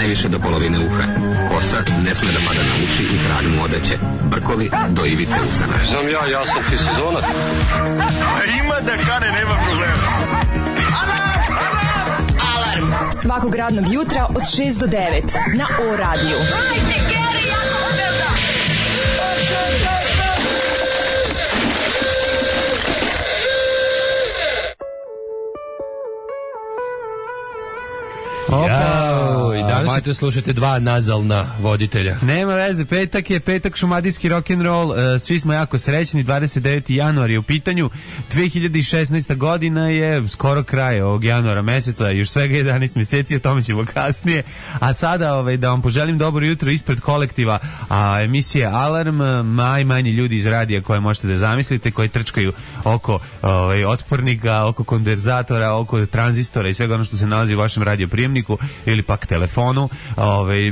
najviše do polovine uha. Kosa ne sme da pada na uši i kralj mu odeće. Brkovi do ivice usana. Znam ja sam ti sezonac. Ima da kane, nema problema. Alarm svakog radnog jutra od 6 do 9 na O-radiju. Danas ćete slušati dva nazalna voditelja. Nema veze, petak šumadijski rock'n'roll, svi smo jako srećni, 29. januar je u pitanju, 2016. godina je skoro kraj ovog januara meseca, još svega 11 mjeseci, o tome ćemo kasnije, a sada da vam poželim dobro jutro ispred kolektiva, a emisije Alarm, najmanji ljudi iz radija koje možete da zamislite, koji trčkaju oko otpornika, oko kondenzatora, oko tranzistora i svega ono što se nalazi u vašem radioprijemniku ili pak telefonu,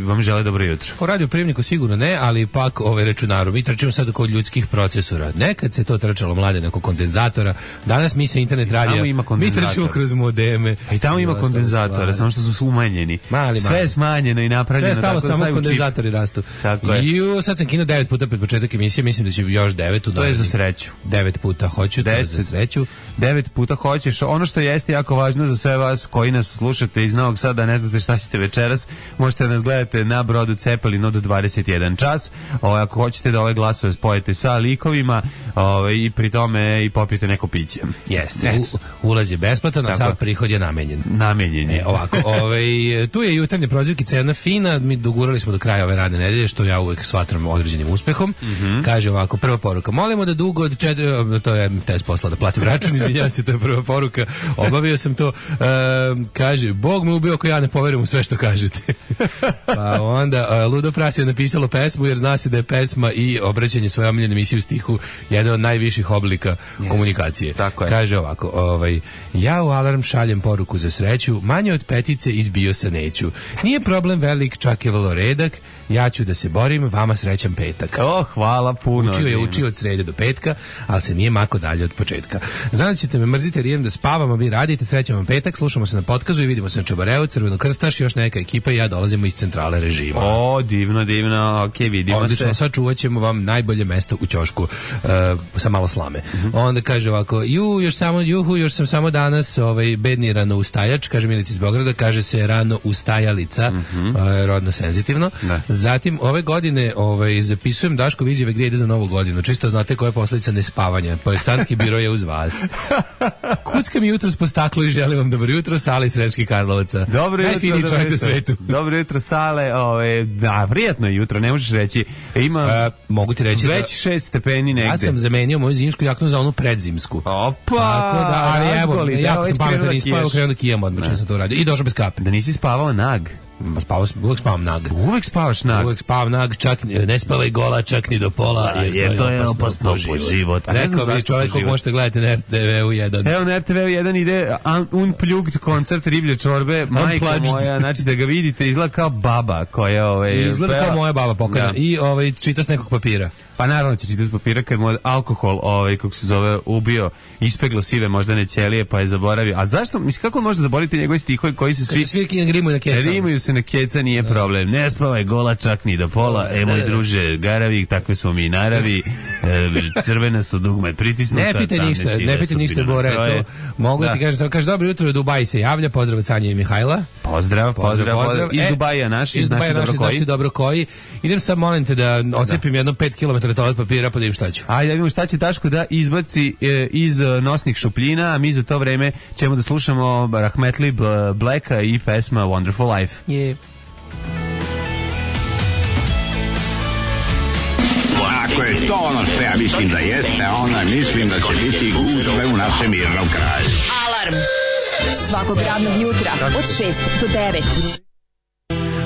vam žele dobro jutro. O radioprijemniku sigurno ne, ali pak računaru. Mi trčimo sad oko ljudskih procesora. Nekad se to trčalo mlade oko kondenzatora. Danas mi se internet radija, mi trčimo kroz modeme. A i tamo ima kondenzatora, samo što su umanjeni. Sve je smanjeno i napravljeno. Sve je stalo, samo kondenzatori rastu. Tako je. Sad sam kinuo 9 puta pred početak emisije, mislim da će još 9. To je za sreću. 9 puta hoću, to je za sreću. 9 puta hoćeš. Ono što jeste jako važno za sve vas koji nas slušate iz Novog Sada, ne znate šta ćete večeras, možete da nas gledate na brodu Cepelin od 21 čas. Ako hoćete da ove glasove spojite sa likovima i pri tome i popijete neko piće. Jeste. Ulaz je besplatan, a sav prihod je namenjen. Namenjen je. Ovako, tu je jutarnje prozivkica jedna fina, mi dogurali smo do kraja ove radne nedelje, što ja uvek shvatram određenim uspehom. Kaže ovako, prva poruka, molimo da dugo od 4, to je test posla da platim račun, izvinjavam se, to je prva poruka, obavio sam to. Kaže, Bog me ubio ako ja ne poverujem u sve što kažete. Pa onda Ludo Pras je napisalo pesmu, jer zna se da je pesma i obraćanje svoje omiljene emisije u stihu jedan od najviših oblika komunikacije. Tako je. Kaže ovako, ja u Alarm šaljem poruku za sreću, manje od petice izbio se neću. Nije problem velik, čak je vrlo redak, ja ću da se borim, vama srećan petak. Hvala puno. Učio od srede do petka, ali se nije mako dalje od početka. Znam da ćete me mrziti jer idem da spavam, a vi radite, srećan vam petak, slušamo se na podkazu i vidimo se na Čabareu, Crveno krstaš, još neka ekipa i ja dolazimo iz centrale režima. Divno, okej, vidimo odlično, se. Sad čuvat ćemo vam najbolje mesto u ćošku sa malo slame. Onda kaže ovako, još sam samo danas bedni rano ustajač, kaže Milica iz Beograda, kaže se rano ustajalica, rodno senzitivno. Da. Zatim, ove godine zapisujem Daškov izjave gdje ide za novu godinu, čisto znate koja je posljedica nespavanja. Projektantski biro je uz vas. Kuckam jutros po staklu i želim vam dobro jutro, Sale iz Sremskih Karlovaca. Dobro jutro, najfiniji čovjek u svetu. Dobro jutro, Sale. Da, prijetno je jutro, ne možeš reći. Ima mogu ti reći već 6 stepeni negde. Ja sam zamenio moju zimsku jaknu za onu predzimsku. Opa! Tako da, ali evo, jako sam pametan i spavao, krenuo da kijem odmah, čim sam to uradio. I došao bez kape. Da nisi spavao nag? Uvijek spavam nag. Uvijek spavaš nag? Uvijek spavam nag, čak ne spavaj gola, čak ni do pola, jer to je opasno po život. Rekao bi čovjek kog možete gledati na RTV-u 1. Evo na RTV-u 1 ide Unplugged koncert riblje čorbe, majko moja, znači da ga vidite, izgleda kao baba koja izgleda kao moja baba pokojna i čita s nekog papira. Pa naravno će čitati s papira kad mu alkohol, kako se zove, ubio, ispeglo sive moždane ćelije, pa je zaboravio. A zašto, mislim, kako može zaboraviti njegove stihovi koji se svi rimuju na keca? Rimuju se na keca, nije problem. Ne spavaj gola, čak ni do pola. Moj druže, garavi, takve smo mi naravi. Crvena su dugme pritisnuta. Ne pitaj ništa, Bore. Mogu ti kažem, samo kaže, dobro jutro, Dubai se javlja, pozdrav od Sanje i Mihajla. Pozdrav. Iz Dubaja naši, znaš dobro koji. Idem sad, molim te da ocepim jedno 5 km toalet papira, pa da im šta ću. Ajde, da vidimo šta će Daško da izbaci iz nosnih šupljina, a mi za to vreme ćemo da slušamo Rahmetli Blacka i pesma Wonderful Life. Ako je to ono što ja mislim da jeste, onda mislim da će biti gužve u našem mirnom kraju. Alarm svakog radnog jutra od 6 do 9.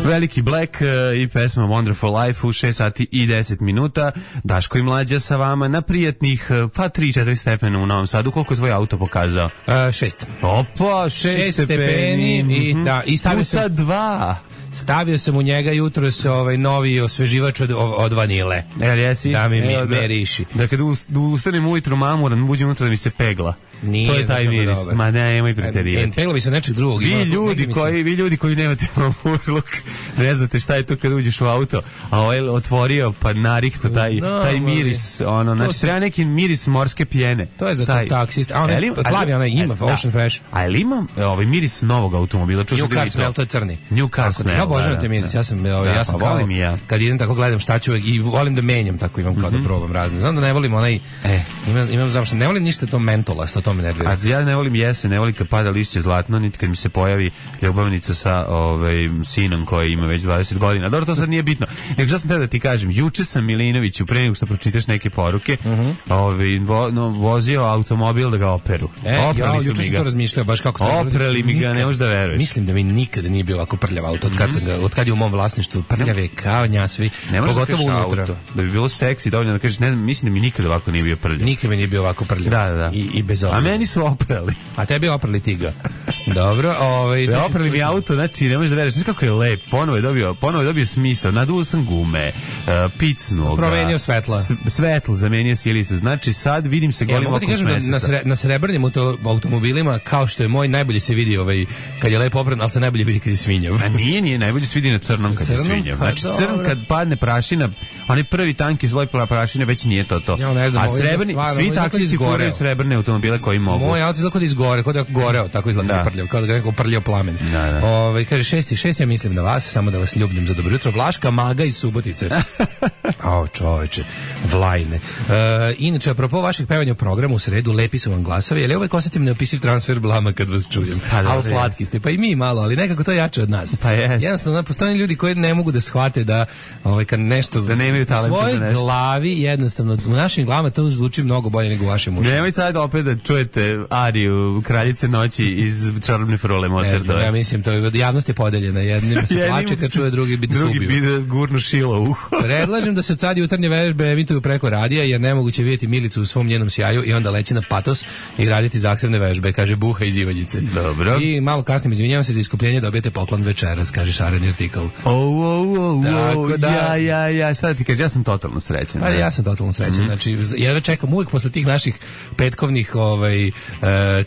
Veliki Black i pesma Wonderful Life u 6 sati i 10 minuta. Daško i Mlađa sa vama na prijatnih 3-4 stepena u Novom Sadu. Koliko je tvoj auto pokazao? 6. Opa, 6 stepeni. I stavio puta 2. stavio sam u njega jutros novi osveživač od vanile. Jesi? Da mi miriši. Da kad ustanem ujutru mamuran, uđem unutra da mi se pegla. Nije, to je taj miris. dobar. Ma nemoj preterivati. Pegla bi se nečeg drugog. Vi ljudi koji nemate mamurluk, ne znate šta je to kad uđeš u auto, a ovaj otvorio pa narihto taj miris, znači treba neki miris morske pjene. To je za taksist. A plavi ima Ocean Fresh. A ili imam miris novog automobila? New Car Smell, to je crni. New Car Smell. Ja obožavam te miris. Ja sam kao, kad idem tako gledam šta ću i volim da menjam, tako imam kao da probam razne. Znam da ne volim ne volim ništa to mentolasto, to me nervira. A ja ne volim jesen, ne volim kad pada lišće zlatno, niti kad mi se pojavi ljubavnica sa sinom koji ima već 20 godina. Dobro, to sad nije bitno. Nego što sam te da ti kažem, juče sam Milinoviću, pre nego što pročitaš neke poruke, vozio automobil da ga operu. Oprali su mi ga. To razmišljao, baš kako to. Oprali mi ga, ne možeš da veruješ. Mislim da mi nikada nije bio ovako prljav auto od kad je u mom vlasništvu. Prljav je kao njasvi, pogotovo unutra. Da bi bilo seksi, dovoljno da kažeš, ne znam, mislim da mi nikada ovako nije bio prljav. Nikada mi nije bio ovako prljav. Da. I bez obzira. A meni su oprali. A tebi oprali ti ga. Dobro, oprali mi auto, znači ne možeš da veruješ, kako je lep, ponovo je dobio smisao, naduo sam gume, picnuo ga. Promenio svetla. Svetlo, zamenio silicu. Znači sad vidim se golim okom s meseca. Na srebrnim automobilima, kao što je moj, najbolje se vidi kad je lepo opran, ali se najbolje vidi kad je svinjav. A nije, najbolje se vidi na crnom kad je svinjav. Znači crn kad padne prašina, onaj prvi tanki sloj prašine već nije to. Ja ne znam, a srebrni, svi taksisti furaju srebrne automobile koji mogu. Moj auto izgleda kod izgore, kod je goreo, tako izgleda prljav, kao da ga neko prljao plamen. Kaže 6 ja mislim na vas, samo da vas ljubim za dobro jutro. Vlaška Maga iz Subotice. Čoveče, Vlajne. Inače, apropo vaših pevanja u programu u sredu, lepi su vam glasovi, ali uvek osetim neopisiv transfer blama kad vas čujem. Ali slatki ste, pa i mi malo, ali nekako to jače od nas. Pa jest. Jednostavno, postoje ljudi koji ne mogu da shvate da kad nešto da nemaju talenta za nešto. U svojoj glavi, jednostavno, u našim glavama to zvuči mnogo bolje nego u vašim ušima. Nemoj sad opet da čujete ariju Kraljice noći iz Čarobne frule Mozartove. Ja mislim, javnost je podeljena. Jednim se plače kad čuje, drugi bi se ubio. Drugi bi gurnu šilo u uho. Predlažem da se od sad jutarnje vežbe emituju preko radija, jer nemoguće vidjeti Milicu u svom njenom sjaju i onda leći na patos i raditi zahtevne vežbe, kaže Buha iz Ivanjice. Dobro. I malo kasnije, izvinjavam se za iskupljenje, dobijete poklon večeras, kaže šareni artikl. Ja, šta da ti kaže, ja sam totalno srećan. Pa ja sam totalno srećan, znači, jedva čekam uvijek posle tih naših petkovnih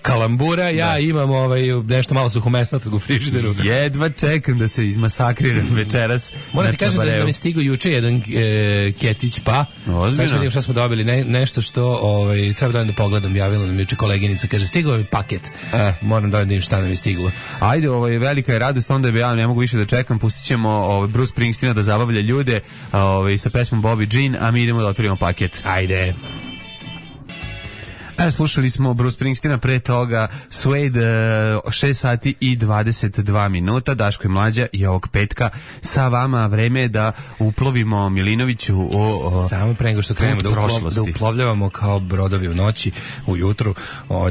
kalambura, ja imam nešto malo suhomesnatog u frižideru. Jedva čekam da se izmasakriram večeras. Moram ti kažem da mi stigao juče jedan ketić, pa sad što vidim šta smo dobili, nešto što treba da pogledam, javila nam juče koleginica, kaže stigao je paket, moram da vidim šta nam je stiglo. Ajde, velika je radost, onda ja ne mogu više da čekam, pustit ćemo Bruce Springsteena da zabavlja ljude sa pesmom Bobby Jean, a mi idemo da otvorimo paket. Ajde. Slušali smo Bruce Springsteena, pre toga Suede, 6 sati i 22 minuta, Daško i Mlađa i ovog petka sa vama. Vreme je da uplovimo Milinoviću samo pre nego što krenemo da uplovljavamo kao brodovi u noći, ujutru.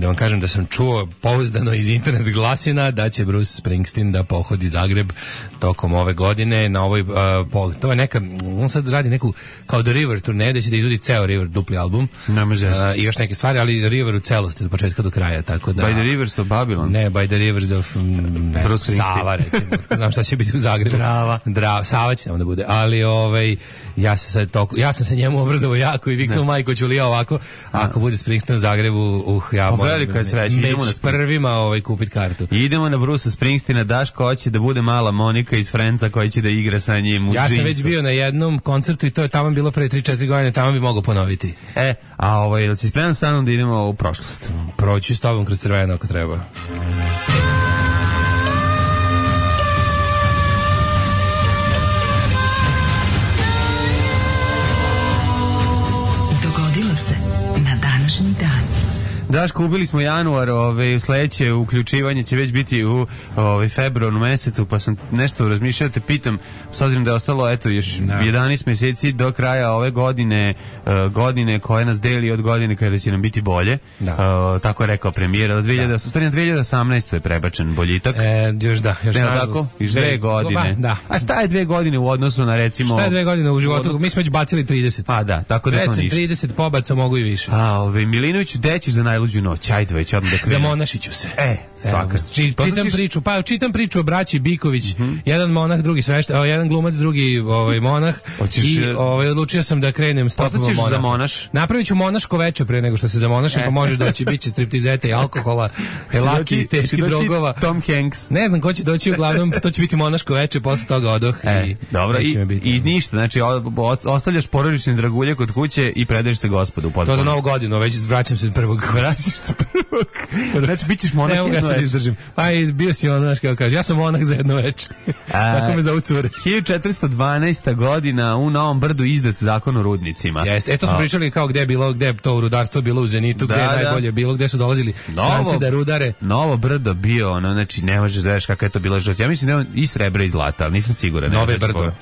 Da vam kažem da sam čuo pouzdano iz internet glasina da će Bruce Springsteen da pohodi Zagreb tokom ove godine na ovoj to je neka, on sad radi neku kao The River turneju, da će da izvodi ceo River dupli album i još neke stvari, ali River u celosti od početka do kraja, tako da... By the Rivers of Babylon? Ne, By the Rivers of Sava, recimo. Znam šta će biti u Zagrebu. Drava. Sava će tamo da bude. Ali ja sam se njemu obradovao jako i viknuo majko Ćulija ovako, ako bude Springsteen u Zagrebu, ja moram među prvima kupit kartu. Idemo na Bruce Springsteena, Daško hoće da bude mala Monika iz Friendsa koja će da igra sa njim u džinsu. Ja sam već bio na jednom koncertu i to je tamo bilo pre 3-4 godine, tamo bi mogao ponoviti. Jel si spreman sa mnom da idemo u prošlost? Proći s tobom kroz crveno ako treba. Dogodilo se na današnji dan. Daško, ubili smo januar, sledeće uključivanje će već biti u februaru mesecu, pa sam nešto razmišljao da te pitam, s obzirom da je ostalo još 11 meseci do kraja ove godine koje nas deli od godine kada će nam biti bolje, tako je rekao premijer, od 2018. je prebačen boljitak. Još tako? Još 2 godine. A šta je 2 godine u odnosu na recimo... Šta je 2 godine u životu? Mi smo već bacili 30. Pa da, tako da to ništa. 30 pobaca mogu i više. Milinoviću, gde ćeš za najluđu najluđu noć, ajde već odmah da krenu. Zamonašit ću se. Svaka. Čitam priču o braći Biković, jedan monah, drugi sveštenik, jedan glumac, drugi monah. Hoćeš, odlučio sam da krenem stopama monaha. za monaš? Napravit ću monaško veče pre nego što se zamonašim, pa možeš doći, bit će striptizete i alkohola, laki, teški drogova. Tom Hanks. Ne znam ko će doći, uglavnom to će biti monaško veče, posle toga odoh i dobro, i ništa, znači ostavljaš porodične dragulje kod kuće i predaješ se Gospodu potpuno. To za Novu godinu, već vraćam se prvog. Znači, bit ćeš monah jedno večer. Izdržim. Pa bio si znaš kako kaže, ja sam monah za jedno večer. Tako me zovu cure. 1412. godina u Novom Brdu izdat zakon o rudnicima. Jeste, eto smo pričali kao gde je to rudarstvo bilo u Zenitu, gde je najbolje bilo, gde su dolazili stranci da rudare. Novo Brdo bio, znači ne možeš da veš kakva je to bila život. Ja mislim da je on i srebra i zlata, ali nisam siguran. Nove Brdo.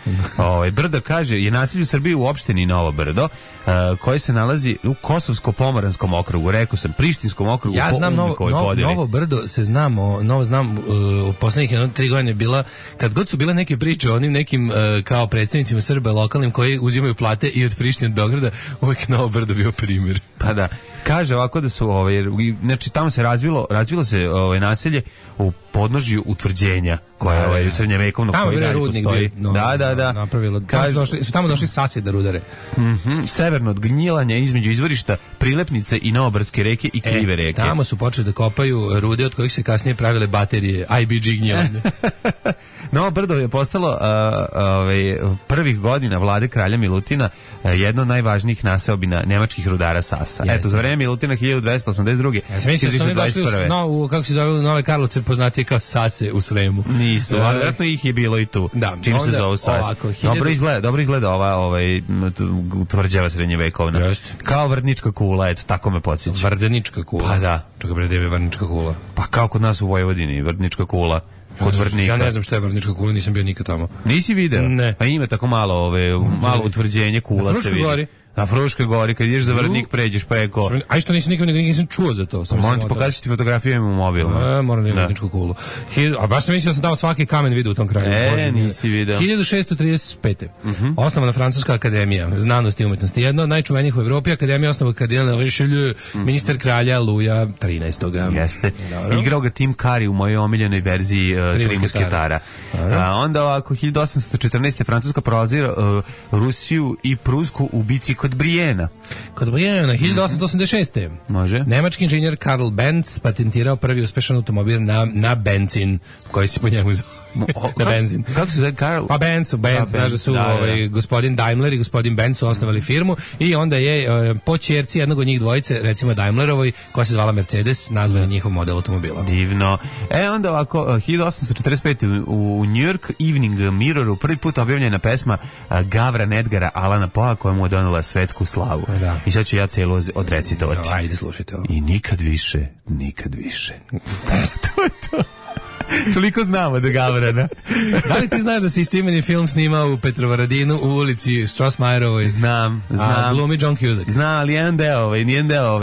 Brdo kaže, je naselje u Srbiji u opštini Novo Brdo, koji se nalazi u Kosovsko-Pomoranskom okrugu, rekao sam, Prištinskom okrugu. Ja znam Novo Brdo, znam u poslednjih 3 godine bila, kad god su bile neke priče o onim nekim kao predstavnicima Srba lokalnim koji uzimaju plate i od Prištine od Beograda, uvijek Novo Brdo bio primjer. Pa da. Kaže ovako da su znači tamo se razvilo se naselje u podnožju utvrđenja koje je srednjevekovno koji dalje postoji. Da. Napravilo. Tamo došli Sasi da rudare. Severno od Gnjilanja između izvorišta Prilepnice i Novobrdske reke i Krive reke. Tamo su počeli da kopaju rude od kojih se kasnije pravile baterije IBG Gnjilanje. Novo Brdo je postalo prvih godina vlade kralja Milutina jedno od najvažnijih naseobina nemačkih rudara Sasa. Eto, za vreme Milutina 1282. Ja sam mislio da su oni došli kako se zove, Nove Karlovce, poznatije kao Sase u Sremu. Nisu, ali vjerojatno ih je bilo i tu. Da, čim se zove Sase. Dobro izgleda ova tvrđava srednjevekovna. Kao Vrdnička kula, eto, tako me podsjeća. Vrdnička kula? Pa da. Čekaj bre, gde je Vrdnička kula? Pa kao kod nas u Vojvodini, Vrdnička kula. Kod Vrdnika. Ja ne znam šta je Vrdnička kula, nisam bio nikad tamo. Nisi video? Ne. Pa ima tako malo utvrđenje kula se vidi. Gori. Na Fruškoj gori, kad ideš za Vrdnik, pređeš preko. A što nisam čuo za to. Moram ti pokazati fotografiju, imam u mobilu. Moram da imam Vrdničku kulu. A baš sam mislio da sam tamo svaki kamen vidio u tom kraju. Nisi video. 1635. Osnovana Francuska akademija znanosti i umetnosti. Jedna od najčuvenijih u Evropi, akademija osnovana kardinal Richelieu, ministar kralja Luja 13. Jeste. Igrao ga Tim Curry u mojoj omiljenoj verziji Tri musketara. Onda ovako, 1814. Francuska prolazila Rusiju i Prusku u bici kod Brijena. 1886. Može. Nemački inženjer Karl Benz patentirao prvi uspešan automobil na benzin, koji se po njemu zove. Na benzin. Kako se zove Karl? Pa Benz, znaš da su gospodin Daimler i gospodin Benz su osnovali firmu i onda je po ćerci jednog od njih dvojice, recimo Daimlerovoj, koja se zvala Mercedes, nazvali njihov model automobila. Divno. Onda ovako, 1845. u New York Evening Mirroru prvi put objavljena pesma Gavran Edgara Alana Poea, koja mu je donela svetsku slavu. Da. I sad ću ja celo odrecitovati. Ajde, slušajte ovo. I nikad više. To je to. Toliko znamo da Gavrana. Da li ti znaš da se istoimeni film snimao u Petrovaradinu u ulici Strossmayerovoj? Znam. Glumi John Cusack. Znam, ali jedan deo,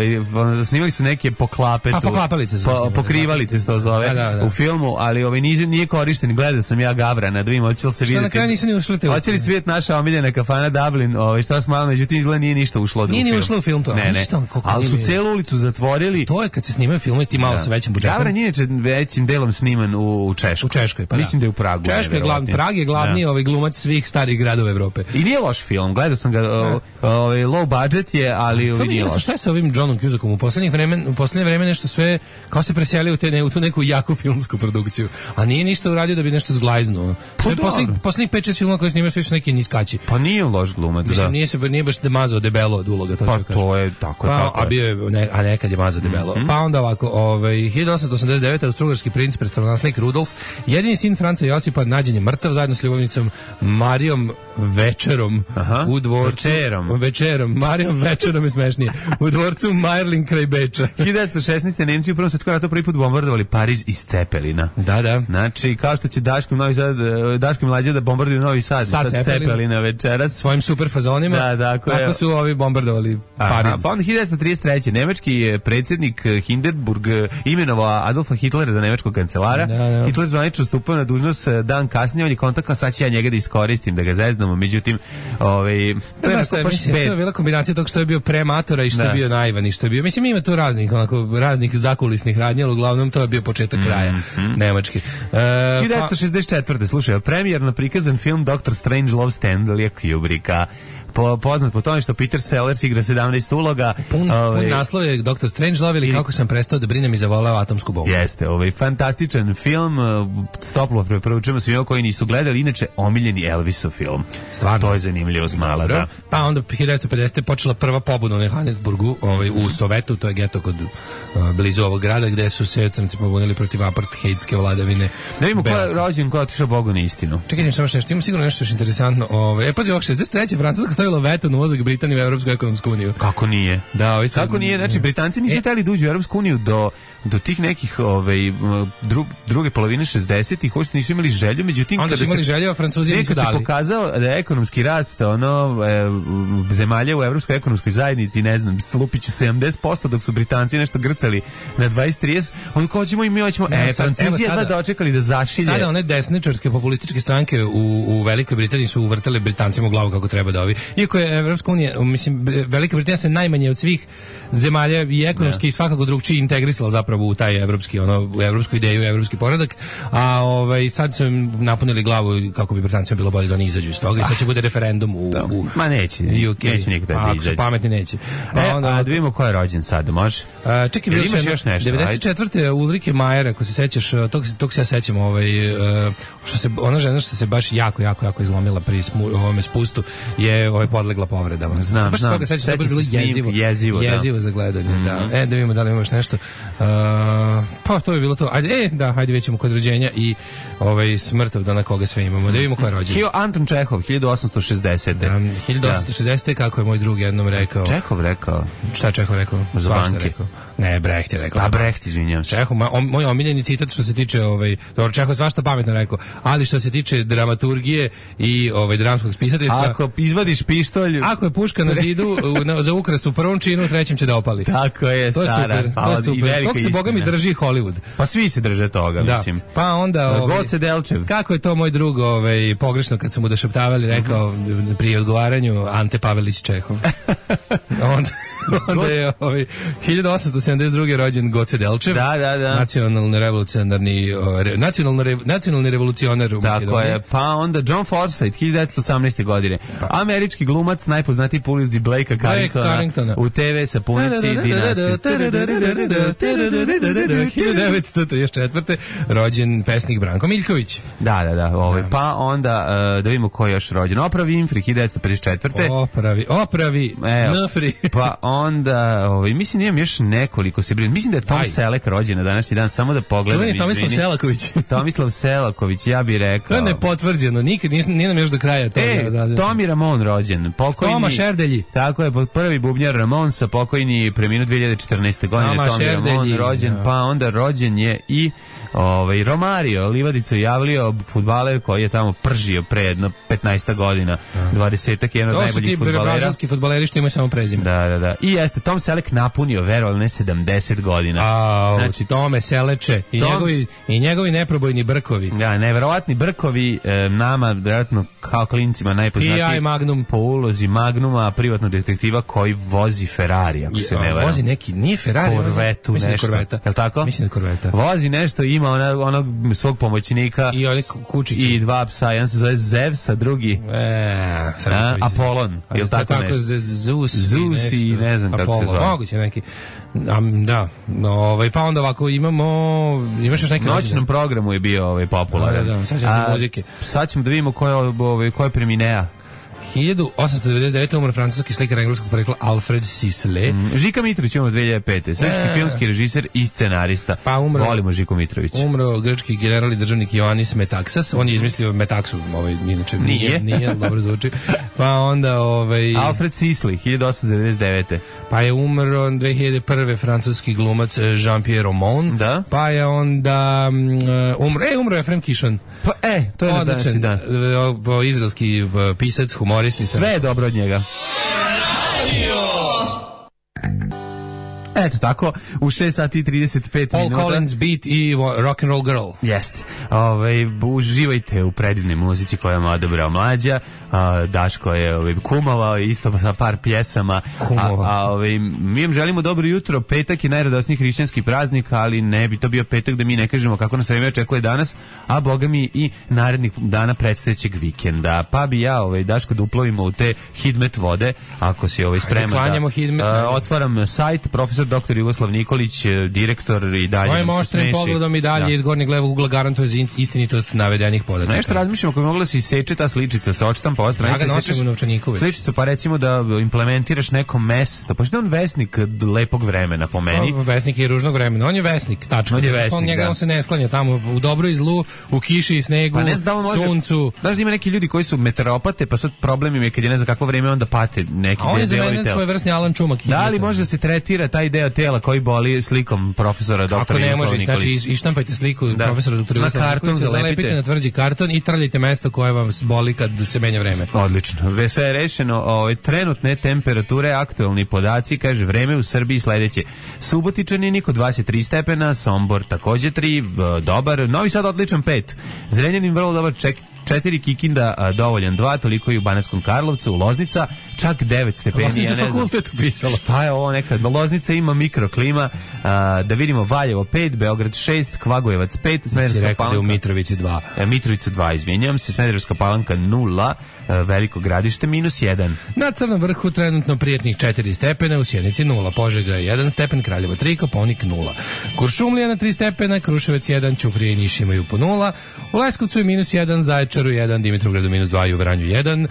snimali su neke poklape. Poklapalice su. Pokrivalice se to zove u filmu, ali nije korišten. Gledao sam ja Gavrana, da vidim, hoće li se vidjeti. Što na kraju nisu ni ušli te. Hoće li svijet naša omiljena kafana Dublin, Strossmayerovoj, međutim izgleda nije ništa ušlo u film. Nije ni ušlo u film to. Ne. Ali su celu ulicu zatvorili. To je kad se snimaju filmovi ti malo sa većim budžetom. Gavran je većim delom sniman u Češkoj. U Češkoj, pa mislim da je u Pragu. Prag je glavni glumac svih starih gradova Evrope. I nije loš film, gledao sam ga, low budget je, ali nije loš. Šta je sa ovim Johnom Cusackom? U poslednje vreme nešto sve kao se preselio u tu neku jaku filmsku produkciju. A nije ništa uradio da bi nešto zglajznuo. Poslednjih 5-6 filmova koje snimao sve su neki niskači. Pa nije loš glumac, da. Nije baš demazao debelo od uloga. Pa to je tako. A nekad je mazao debelo. Pa onda ovako, 1889. Austrougarski princ, prestolonaslednik Rudolf, jedini sin Franca Josipa, nađen je mrtav zajedno s ljubavnicom Marijom Večerom u dvorcu. Marijom Večerom je smešnije. U dvorcu Mayerling kraj Beča. 1916. Nemci u Prvom svetskom ratu prvi put bombardovali Pariz iz Cepelina. Da. Znači, kao što će Daško i Mlađa da bombarduju Novi Sad Cepelina večeras. Svojim super fazonima. Tako su ovi bombardovali Pariz. Pa onda 1933. Nemački predsjednik Hindenburg imenovao Adolfa Hitlera za nemačkog kancelara. Hitler zvanično stupio na dužnost dan kasnije, on je kontakao, sad će ja njega da iskoristim, da ga zeznamo, međutim, to je to je bila kombinacija tog što je bio prematora i što je bio naivan i što je bio, mislim, ima tu raznih zakulisnih radnja, ali uglavnom to je bio početak kraja Nemačke. 1964. Slušaj, premijerno prikazan film Dr. Strange Love Stanley Kubricka, poznat po tome što Peter Sellers igra 17 uloga. Pun naslov je Dr. Strangelove ili kako sam prestao da brinem i zavoleo atomsku bombu. Jeste, fantastičan film, stoplo preporučujemo svima koji nisu gledali, inače omiljeni Elvisov film. Stvarno. To je zanimljivo smala, da. Pa onda 1950. počela prva pobuda u Johannesburgu, u Sovetu, to je geto kod blizu ovog grada, gde su se crnci pobunili protiv apartheidske vladavine. Da vidimo ko je rođen, ko je otišao Bogu na istinu. Čekaj, samo što imam sigurno nešto što je interesantno. Pazi, ovog 63. Francuska stavila veto na ulazak Britanije u Evropsku ekonomsku uniju. Kako nije? Da, kako nije? Znači, Britanci nisu hteli da uđu u Evropsku uniju do tih nekih druge polovine 60-ih, hoćete nisu imali želju, međutim onda su imali želju, a Francuzi nisu dali. Nekad se pokazao da je ekonomski rast zemalja u Evropskoj ekonomskoj zajednici, ne znam, slupiću 70%, dok su Britanci nešto grcali na 20-30, onda kao ćemo i mi hoćemo, Francuzi jedva dočekali da zašilje. Sada one desničarske populističke stranke u Velikoj Britaniji su uvrtale Britancima u glavu kako treba da ovi. Iako je Evropska unija, mislim, Velika Britanija se najmanje od svih zemalja i ekonomski i svakako drugčije integrisala zapravo u taj evropski, u evropsku ideju, evropski poredak, a sad su im napunili glavu kako bi Britancima bilo bolje da oni izađu iz toga i sad će bude referendum ma neće nikada da izađe. Pametni neće. A da vidimo ko je rođen sad, može? Čekaj, bilo imaš još nešto? 94. Ulrike Majer, ako se sećaš, tog se ja sećam, ona žena što se baš jako izlomila pri ovome spustu je podlegla povredama. Znam. Baš toga sećam, to je bilo jezivo za gledanje. Da vidimo da li ima još nešto. Pa to je bilo to. Ajde vidjet ćemo kod rođenja i smrtov da na koga sve imamo. Da vidimo ko je rođen. Anton Čehov, 1860. 1860. Kako je moj drug jednom rekao. Čehov rekao? Šta je Čehov rekao? Za banke. Ne, Brecht je rekao. A Brecht, izvinjam se. Čehov, moj omiljeni citat što se tiče, dobro, Čehov svašta pametno rekao, ali što se tiče dramaturgije i dramskog spisateljstva. Ako izvadiš pištolj... Ako je puška na zidu za ukras u prvom činu, u trećem će da opali. Tako je, to stara. To je super. Tog se, boga mi, drži Hollywood. Pa svi se drže toga, mislim. Pa onda... Goce Delčev. Kako je to moj drug pogrešno kad su mu došaptavali, rekao pri odgovaranju Ante Pavelić Čehov. Onda je 1872. rođen Goce Delčev. Da. nacionalni revolucionar u Makedoniji. Tako je. Pa onda John Forsythe, 1918. godine. Američki glumac, najpoznatiji po ulici Blakea Carringtona u TV sapunici Dinastije. 1934. rođen pesnik Branko Miljković. Da. Pa onda da vidimo ko je još rođen. Oprav Winfrey, 1954. Opravi Nfri. Pa onda, mislim, imam još nekoliko se brinu. Mislim da je Tom Selleck rođen na današnji dan, samo da pogledam. To je Tomislav Selaković. Tomislav Selaković, ja bih rekao. To je nepotvrđeno, nikad nije nam još do kraja to. Tomi Ramon rođen, pokojni. Toma Šerdelji. Tako je, prvi bubnjar Ramonsa, pokojni, preminuo 2014. godine. Tomi Ramon rođen, pa onda rođen je i Romario Livadica javljio fudbaler koji je tamo pržio pre jedno 15 godina, 20-ak, jedan od najboljih fudbalera. To su ti brazilski fudbaleri što imaju samo prezime. Da. I jeste, Tom Selleck napunio, verovali ne, 70 godina. Znači, Tome Seleče i njegovi neprobojni brkovi. Da, neverovatni brkovi, nama, vjerojatno, kao klincima najpoznatiji po ulozi Magnuma, privatnog detektiva koji vozi Ferrari, ako se ne varam. Vozi neki, nije Ferrari, Korvetu, nešto. Je li tako? Mislim da Korveta. Vozi nešto, ima onog svog pomoćnika i dva psa, jedan se zove Zevs, a drugi Apolon, je li tako nešto? Zeus i ne znam kako se zove. Moguće neki. Da, pa onda ovako imaš još neki noćnom programu je bio popularan. Da, sad ćemo se muzike. Sad ćemo da vidimo ko je preminea. 1899. umro francuski slikar engleskog porekla Alfred Sisley. Žika Mitrović umro 2005. Srpski filmski režiser i scenarista. Pa volimo Žiku Mitrović. Umro grčki general i državnik Ioannis Metaxas. On je izmislio Metaksu, inače nije, dobro zvuči. Pa onda Alfred Sisley, 1899. Pa je umro 2001. francuski glumac Jean-Pierre Romon. Da. Pa je onda umro Efrem Kišon. Pa to je na današnji dan. Izraelski pisac, humorist. Sve je dobro od njega. Eto tako, u 6 sati i 35 Paul minuta. Collins Beat i Rock and Roll Girl. Jeste. Uživajte u predivnoj muzici koju je odabrao Mlađa. Daško je kumovao isto sa par pjesama. Mi im želimo dobro jutro. Petak je najradosniji hrišćanski praznik, ali ne bi to bio petak da mi ne kažemo kako nas vreme očekuje danas, a boga mi i narednih dana predstojećeg vikenda. Pa bi ja, Daško, da uplovimo u te hidmet vode, ako si spreman. Otvaram sajt, profesor dr. Jugoslav Nikolić, direktor i dalje. Svojim oštrim pogledom i dalje iz gornjeg levog ugla garantuje za istinitost navedenih podataka. Nešto razmišljamo kako bi mogla se iseče ta sličica sa očitam po stranici. Ja ga nosim u novčaniku već. Sličicu, pa recimo da implementiraš neko mesto. Pa što je on vesnik lepog vremena po meni? Vesnik je i ružnog vremena. On je vesnik, tačno. On se ne sklanja tamo u dobru i zlu, u kiši i snegu, suncu. Znaš da ima neki ljudi koji su meteoropate, pa sad problem im je kad je ne znam kakvo vreme onda pate neki delovi tela. A on je za mene svojevrsni Alan Čumak. Da li može da se tretira taj deo tela koji boli slikom profesora dr. Ako ne može, znači ištampajte sliku profesora dr. Jugoslava Nikolića, zalepite na tvrđi karton i trljite mesto koje vam boli kad se menja vreme. Odlično. Sve je rešeno. Trenutne temperature, aktuelni podaci, kaže vreme u Srbiji sledeće. Subotičani niko 23 stepena, Sombor takođe 3, dobar, Novi Sad odličan 5, Zrenjanin vrlo dobar 4, Kikinda dovoljan 2, toliko i u Banatskom Karlovcu, Loznica čak 9 stepeni. Loznica fakultet upisala. Šta je ovo nekad? Loznica ima mikroklima, da vidimo Valjevo 5, Beograd 6, Kvagojevac 5, Smederevska Palanka. U Mitrovici 2. Mitrovica 2, izvinjam se, Smederevska Palanka 0, Veliko Gradište -1. Na Crnom vrhu trenutno prijatnih 4 stepena, u Sjenici 0, Požega 1 stepen, Kraljevo 3, Kopaonik 0. Kuršumlija na 3 stepena, Kruševac 1, Ćuprija i Niš imaju po 0, u Leskovcu je -1, Zaječaru 1, Dimitrovgradu -2 i u Vranju 1.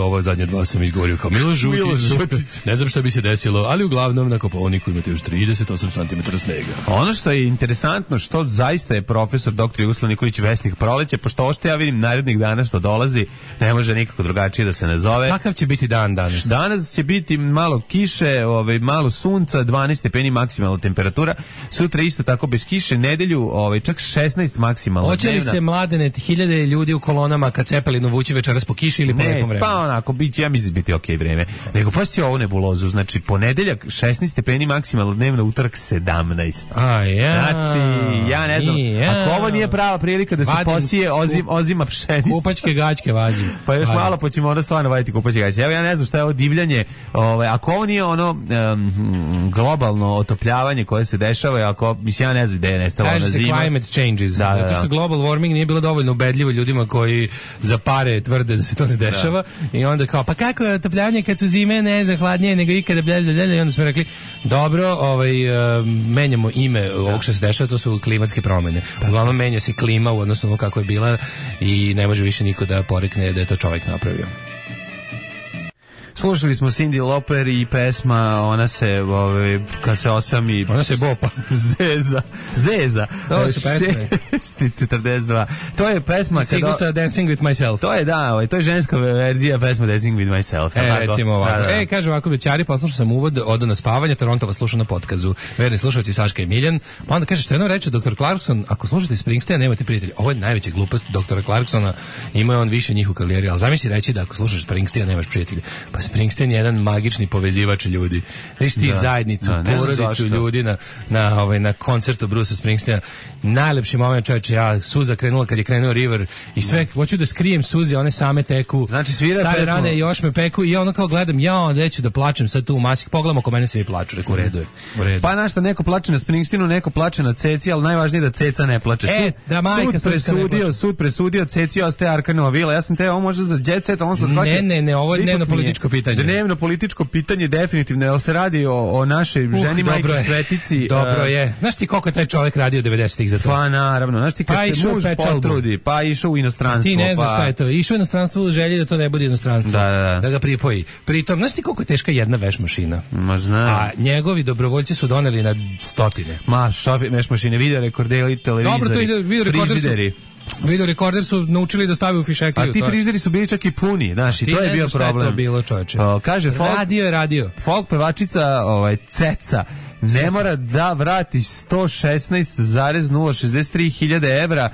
Ovo zadnje dva sam izgovorio kao Milo Žutić. Ne znam šta bi se desilo, ali uglavnom na Kopaoniku imate još 38 cm snega. Ono što je interesantno, što zaista je profesor dr. Jugoslav Nikolić vesnik proleća, pošto ovo što ja vidim narednih dana što dolazi, ne može nikako drugačije da se nazove. Kakav će biti dan danas? Danas će biti malo kiše, malo sunca, 12 stepeni maksimalna temperatura. Sutra isto tako bez kiše, nedelju čak 16 maksimalna. Hoće li se Mladene, hiljade ljudi u kolonama kad Cepelinu vući večeras po kiši ili po nekom vremenu? Pa onako, ja mislim da biti okej vreme. Nego pasti ovu nebulozu, znači ponedeljak 16 stepeni maksimalno dnevno, utorak 17. Znači, ja ne znam, ako ovo nije prava prilika da se posije ozima pšenica. Kupačke gaćke vazim. Pa još malo pa ćemo onda stvarno vaditi kupačke gaćke. Evo ja ne znam šta je ovo divljanje, ako ovo nije ono globalno otopljavanje koje se dešava, ako, mislim, ja ne znam gde je nestalo na zima. Kaže se climate changes. Zato što global warming nije bilo dovoljno ubedljivo ljudima koji za pare tvrde da se to ne dešava i onda kao, pa kako je otopljavanje kad su zime ne znam hladnije nego ikada i onda smo rekli, dobro, menjamo ime ovog što se dešava, to su klimatske promene. Uglavnom menja se klima u odnosu na kako je bila i ne može više niko da porekne da je to čovjek napravio. Slušali smo Cyndi Lauper i pesma Ona se, kad se osami... Ona se bopa. Zeza. To su pesme. 6:42. To je pesma... Sigu sa Dancing with Myself. To je, to je ženska verzija pesma Dancing with Myself. Recimo ovako. Kaže ovako, bećari, poslušao sam uvod, odo na spavanje, Torontova sluša na podkazu. Verni slušalci Saška i Miljan. Pa onda kaže, što jedno reče dr. Clarkson, ako slušate Springsteena, nemate prijatelja. Ovo je najveća glupost dr. Clarksona, ima on više njih u karijeri, ali zamisli reći da ako slušaš Springsteena, nemaš prijatelja. Pa Springsteen je jedan magični povezivač ljudi. Znači ti zajednicu, porodicu ljudi na koncertu Brucea Springsteena. Najlepši moment, čovječe, suza krenula kad je krenuo River i sve, hoću da skrijem suze, one same teku. Znači stare rane još me peku i ja ono kao gledam, neću da plačem sad tu u masih. Pogledam oko mene svi plaču, reku, u redu je. Pa našta, neko plače na Springsteenu, neko plače na Ceci, ali najvažnije da Ceca ne plače. Sud presudio, Ceci ostaje Arkanova vila. Ja sam te, ovo možda za jet set, on se shvatio. Ne, ovo je dnevno političko pitanje. Dnevno političko pitanje, definitivno, jer se radi o našoj ženi majki svetici. Dobro je. Znaš ti koliko je taj čovjek radio 90-ih za to? Pa naravno, znaš ti kad se muž potrudi, pa išao u inostranstvo. Ti ne znaš šta je to. Išao u inostranstvo u želji da to ne bude inostranstvo. Da ga pripoji. Pritom, znaš ti koliko je teška jedna veš mašina? Ma znam. A njegovi dobrovoljci su doneli na stotine. Veš mašine, video rekorderi, televizori, frižideri. Video rekorder su naučili da stave u fišekliju. A ti frižideri su bili čak i puni, znaš, i to je bio problem. Šta je to bilo, čoveče? Kaže radio. Folk pevačica Ceca ne mora da vrati 116,063 hiljade evra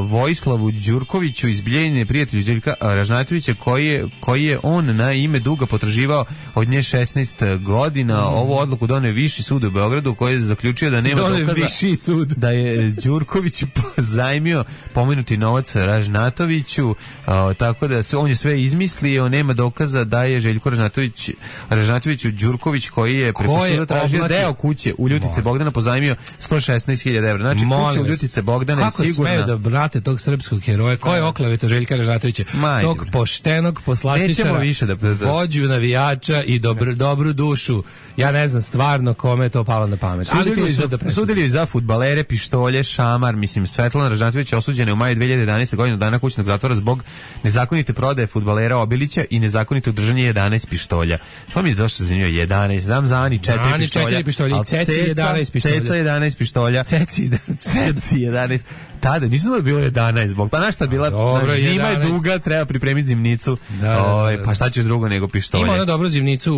Vojislavu Đurkoviću iz Bijeljine, prijatelju Željka Ražnatovića, koji je on na ime duga potraživao od nje 16 godina. Ovu odluku doneo Viši sud u Beogradu, koji je zaključio da nema dokaza Viši sud da je Đurković pozajmio pomenuti novac Ražnatoviću, tako da on je sve izmislio, nema dokaza da je Željko Ražnatoviću Đurković, koji je preko suda tražio deo kuće u Ljutice Bogdana, pozajmio 116.000 evra. Znači, kuća u Ljutice Bogdana je sigurna. Kako smeju da brate tog srpskog heroja? Ko je oklaveto Željka Ražnatovića? Tog poštenog poslastičara, vođu navijača i dobru dušu. Ja ne znam stvarno kome je to palo na pamet. Sudili za fudbalere, pištolje, šamar. Mislim, Svetlana Ražnatović osuđena je u maju 2011. godine dana kućnog zatvora zbog nezakonite prodaje fudbalera Obilića i nezakonitog držanja 11 pištolja. To mi je došlo zanimljivo. 11, znam za Ani 4 pištolja. Ceci 11 pištolja. Ceca 11 pištolja. Ceci 11. Tada, nisu da bilo 11 zbog. Pa našta bila, zima je duga, treba pripremiti zimnicu. Pa šta ćeš drugo nego pištolje? Ima ona dobru zimnicu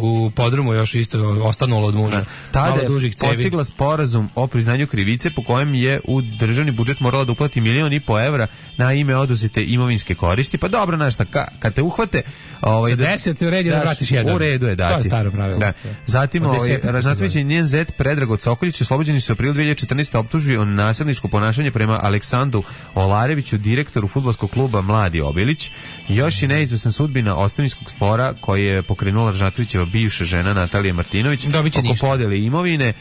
u podrumu, još isto ostanulo od muža. Tada je postigla sporazum o priznanju krivice po kojem je u državni budžet morala da uplati 1,5 miliona evra na ime oduzete imovinske koristi. Pa dobro, znaš šta, kad te uhvate... Sa 10 u redu da vratiš jedan. U redu je dati. To je staro pravilo. Da. Zatim, Ražnatović i njen zet Predrag Cokoljić oslobođeni su u aprilu 2014. optužbi o nasilničko ponašanje prema Aleksandru Olareviću, direktoru fudbalskog kluba Mladi Obilić. Još je neizvesan sudbina ostavinskog spora koji je pokrenula Ražnatovićeva bivša žena Natalija Martinović oko podele imovine.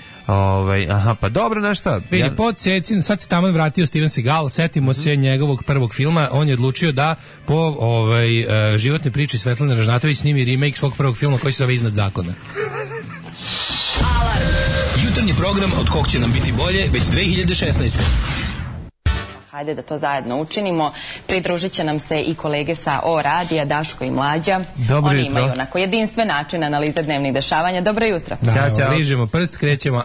Pa dobro, na šta? Vidi, pod Cecin, sad se tamo vratio Steven Seagal, setimo se njegovog prvog filma, on je odlučio da po životnoj priči Svetlane Ražnatović snimi remake svog prvog filma koji se zove Iznad zakona. Alarm! Jutarnji program od kog će nam biti bolje već 2016. Hajde da to zajedno učinimo. Pridružit će nam se i kolege sa O radija, Daško i Mlađa. Oni imaju onako jedinstven način analize dnevnih dešavanja. Dobro jutro. Ćao. Ližemo prst, krećemo.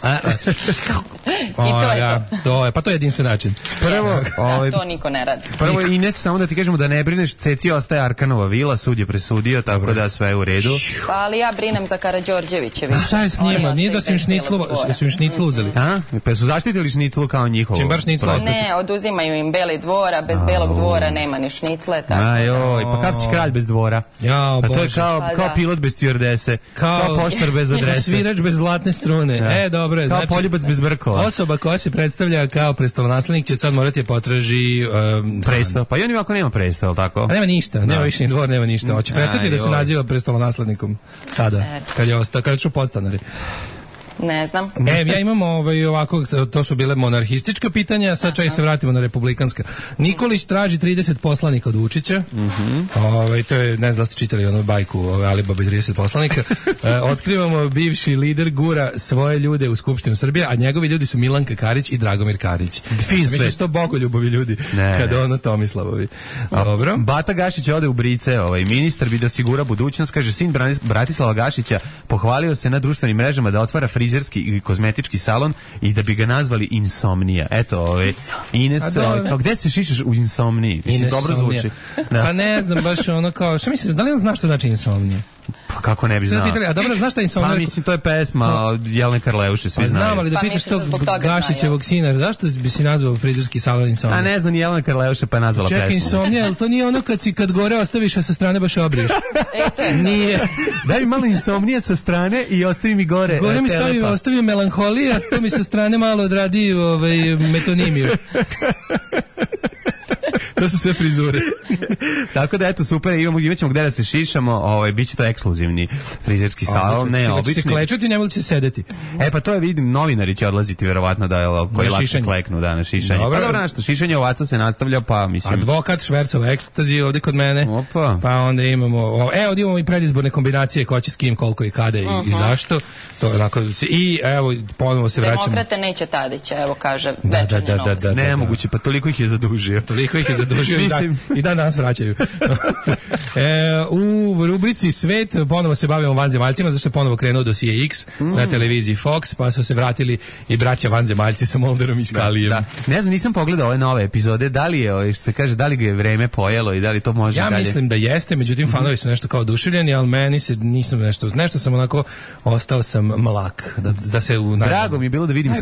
I to je to. Pa to je jedinstven način. Prvo, to niko ne radi. Prvo, Ines, samo da ti kažemo da ne brineš, Ceci ostaje Arkanova vila, sud je presudio, tako da sve je u redu. Pa ali ja brinem za Karađorđevića. Šta je s njima? Nije da su im šniclu uzeli. Pa su zaštitili šniclu kao njihovo? Čim bar šniclu ostati? Ne, oduzimaju im Beli dvora, bez Belog dvora nema ni šnicle. Pa kako će kralj bez dvora? Pa to je kao pilot bez stjuardese, kao poštar bez adrese, svirač bez zlatne strune. Dobro je. Kao poljubac bez brkova. Osoba koja se predstavlja kao prestolonaslednik će sad morati potraži presto. Pa i on ovako nema presto, je li tako? Nema ništa, nema više ni dvor, nema ništa. Hoće prestati da se naziva prestolonaslednikom sada, kad je otišao podstanari. Ne znam. Ja imam ovako, to su bile monarhistička pitanja, sad čak se vratimo na republikanska. Nikolić traži 30 poslanika od Vučića. To je, ne znam da ste čitali onu bajku Alibaba i 30 poslanika. Otkrivamo bivši lider gura svoje ljude u Skupštinu Srbije, a njegovi ljudi su Milanka Karić i Dragomir Karić. Mislim da su to bogoljubovi ljudi, kada ono Tomislavovi. Dobro. Bata Gašić ode u brice, ministar bi da osigura budućnost, kaže sin Bratislava Gašića, pohvalio se na društvenim mrežama da otvara frizerski i kozmetički salon i da bi ga nazvali Insomnija. Eto, Ines, gde se šišaš u Insomniji? Mislim, dobro zvuči. Pa ne znam, baš ono kao, šta mislim, da li on zna što znači Insomnija? Pa kako ne bi znao? A dobro, znaš šta je Insomnija? Pa mislim, to je pesma od Jelene Karleuše, svi znaju. Znam, ali da pitaš tog Gašićevog sina, zašto bi si nazvao frizerski salon Insomnija? A ne znam, ni Jelena Karleuše pa je nazvala pesmu. Čekaj, Insomnija, ali to nije ono kad gore ostaviš, a sa strane baš obriješ? Nije. Daj mi malo Insomnija sa strane i ostavi mi gore. Gore mi ostavi melanholija, a to mi sa strane malo odradi metonimiju. To su sve frizure. Tako da eto super, imaćemo gde da se šišamo, biće to ekskluzivni frizerski salon, ne obični. Će se klečati, ne će se sedeti. Pa to je, vidim, novinari će odlaziti verovatno koji lakše kleknu na šišanje. Pa dobro, nešto, šišanje ovaca se nastavlja, pa mislim. Advokat Švercova ekstazi ovdje kod mene. Opa. Pa onda imamo, ovdje imamo i predizborne kombinacije ko će s kim, koliko i kada i zašto. To onako, i evo, ponovo se vraćamo. Demokrate neće Tadića, evo kaže večernje novosti. Nemoguće, pa toliko ih je zadužio. zadužio i dan danas vraćaju. U rubrici Svet ponovo se bavimo vanzemaljcima, zašto je ponovo krenuo dosije X na televiziji Fox, pa su se vratili i braća vanzemaljci sa Mulderom i Skalijem. Da. Ne znam, nisam pogledao ove nove epizode, da li je, što se kaže, da li ga je vreme pojelo i da li to može dalje? Ja mislim da jeste, međutim fanovi su nešto kao oduševljeni, ali meni se nisam nešto sam onako ostao sam mlak. Da se Drago mi je bilo da vidim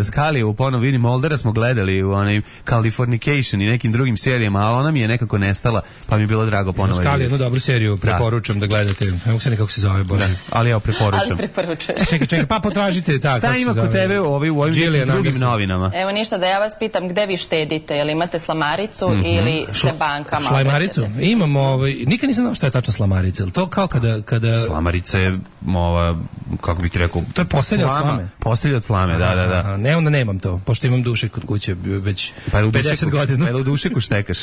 Skalijevu, ponovo vidim Muldera smo gledali u onaj Californication i nekim drugim serijama, a ona mi je nekako nestala, pa mi je bilo drago ponovo. Skali jednu dobru seriju, preporučam da gledate. Ne mogu se nekako se zove, Bože. Ali ja preporučam. Čekaj, pa potražite tako. Šta ima kod tebe u ovim drugim novinama? Evo ništa, da ja vas pitam gde vi štedite, jel imate slamaricu ili se bankama? Šlamaricu? Imamo, nikad nisam znao šta je tačno slamarica. To kao kada... Slamarica je, kako bih ti rekao... To je postelja od slame. Postelja od slame, da. Ne, onda nemam to, pošto imam dušek kod kuće već 50 godina. Pa je u dušeku štekaš?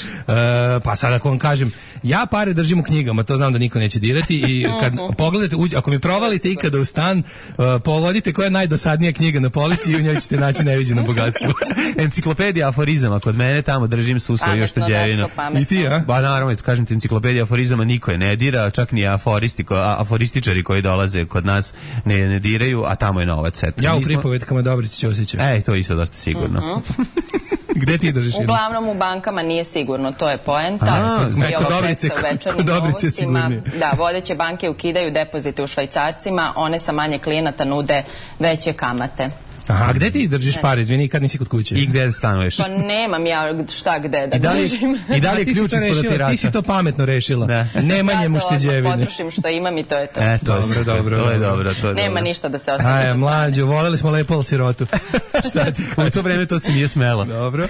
Pa sad ako vam kažem, ja pare držim u knjigama, to znam da niko neće dirati i kad pogledate, ako mi provalite ikada u stan, povodite koja je najdosadnija knjiga na polici i u njoj ćete naći neviđeno bogatstvo. Enciklopedija aforizama, kod mene tamo držim su svoju šteđevinu. I ti, a? Ba naravno, kažem ti, enciklopedija aforizama niko je ne dira, čak ni aforističari koji dolaze kod nas ne diraju, a tamo je novac. Ja u pripovetkama Dobrici Ćosića. To je isto dosta sigurno. Gde ti držiš? Uglavnom u bankama nije sigurno, to je poenta. Kod Dobrice sigurnije. Da, vodeće banke ukidaju depozite u švajcarcima, one sa manje klijenata nude veće kamate. Aha, a gde ti držiš pare, izvini, kad nisi kod kuće? I gde stanuješ? Pa nemam ja šta gde da držim. I da li je ključ ispod otirača? Ti si to pametno rešila. Nemanjem ušteđevine. Ja to potrošim što imam i to je to. Dobro. To je dobro. Nema ništa da se ostaje. Aj, mlađo, voleli smo lepo sirotu. Šta ti kažeš? U to vreme to se nije smelo. Dobro.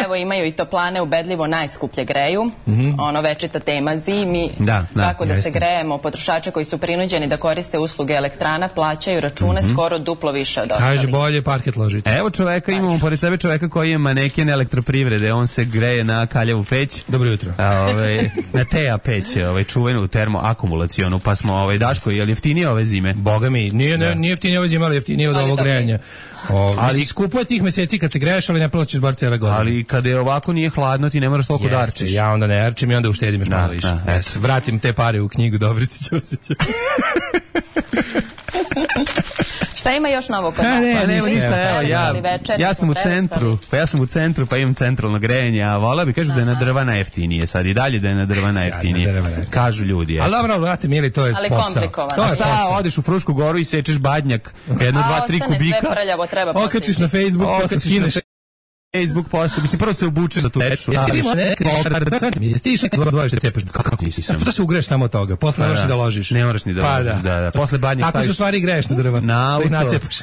Evo, imaju i toplane ubedljivo najskuplje greju. Ono večita tema zimi. Tako da se grejemo. Potrošače koji su prinuđeni da koriste usluge elektrana plaćaju račune skoro duplo više od ostalih. Bolje parket ložiti. Evo čoveka, imamo pored sebe čoveka koji je maneken elektroprivrede, on se greje na kaljavu peć. Dobro jutro. Na teja peć, čuvenu termoakumulacionu, pa smo, Daško, je li jeftinije ove zime? Boga mi, nije jeftinije ove zime, ali jeftinije od ovog grejanja. Ali skupo je tih meseci kad se greješ, ali ne plaćaš bar cijela godina. Ali kada je ovako nije hladno, ti ne moraš toliko da arčiš. Ja onda ne arčim i onda uštedim još malo više. Vratim te pare u knjigu Dobrici Ćosića. Šta ima još novo kod nas? Nema ništa, evo, ja sam u centru, pa imam centralno grejanje, a vola bi kažu da je na drva najjeftinije, sad i dalje da je na drva najjeftinije. Kažu ljudi. Ali dobro, vrati, mili, to je posao. Ali komplikovano. Šta, odeš u Frušku goru i sečeš badnjak, 1, 2, 3 kubika, sve prljavo, treba postići. Okačiš na Facebook, posle skineš Facebook post, mislim, prvo se obuče za tu veču. Jesi ti išli dvojiš da cepaš? Kako nisi sam? To se ugreš samo od toga, posle ne moraš ni da ložiš. Ne moraš ni da ložiš, da. Posle badnjeg staviš. Tako su stvari greš na drva. Na auto. Nacepaš.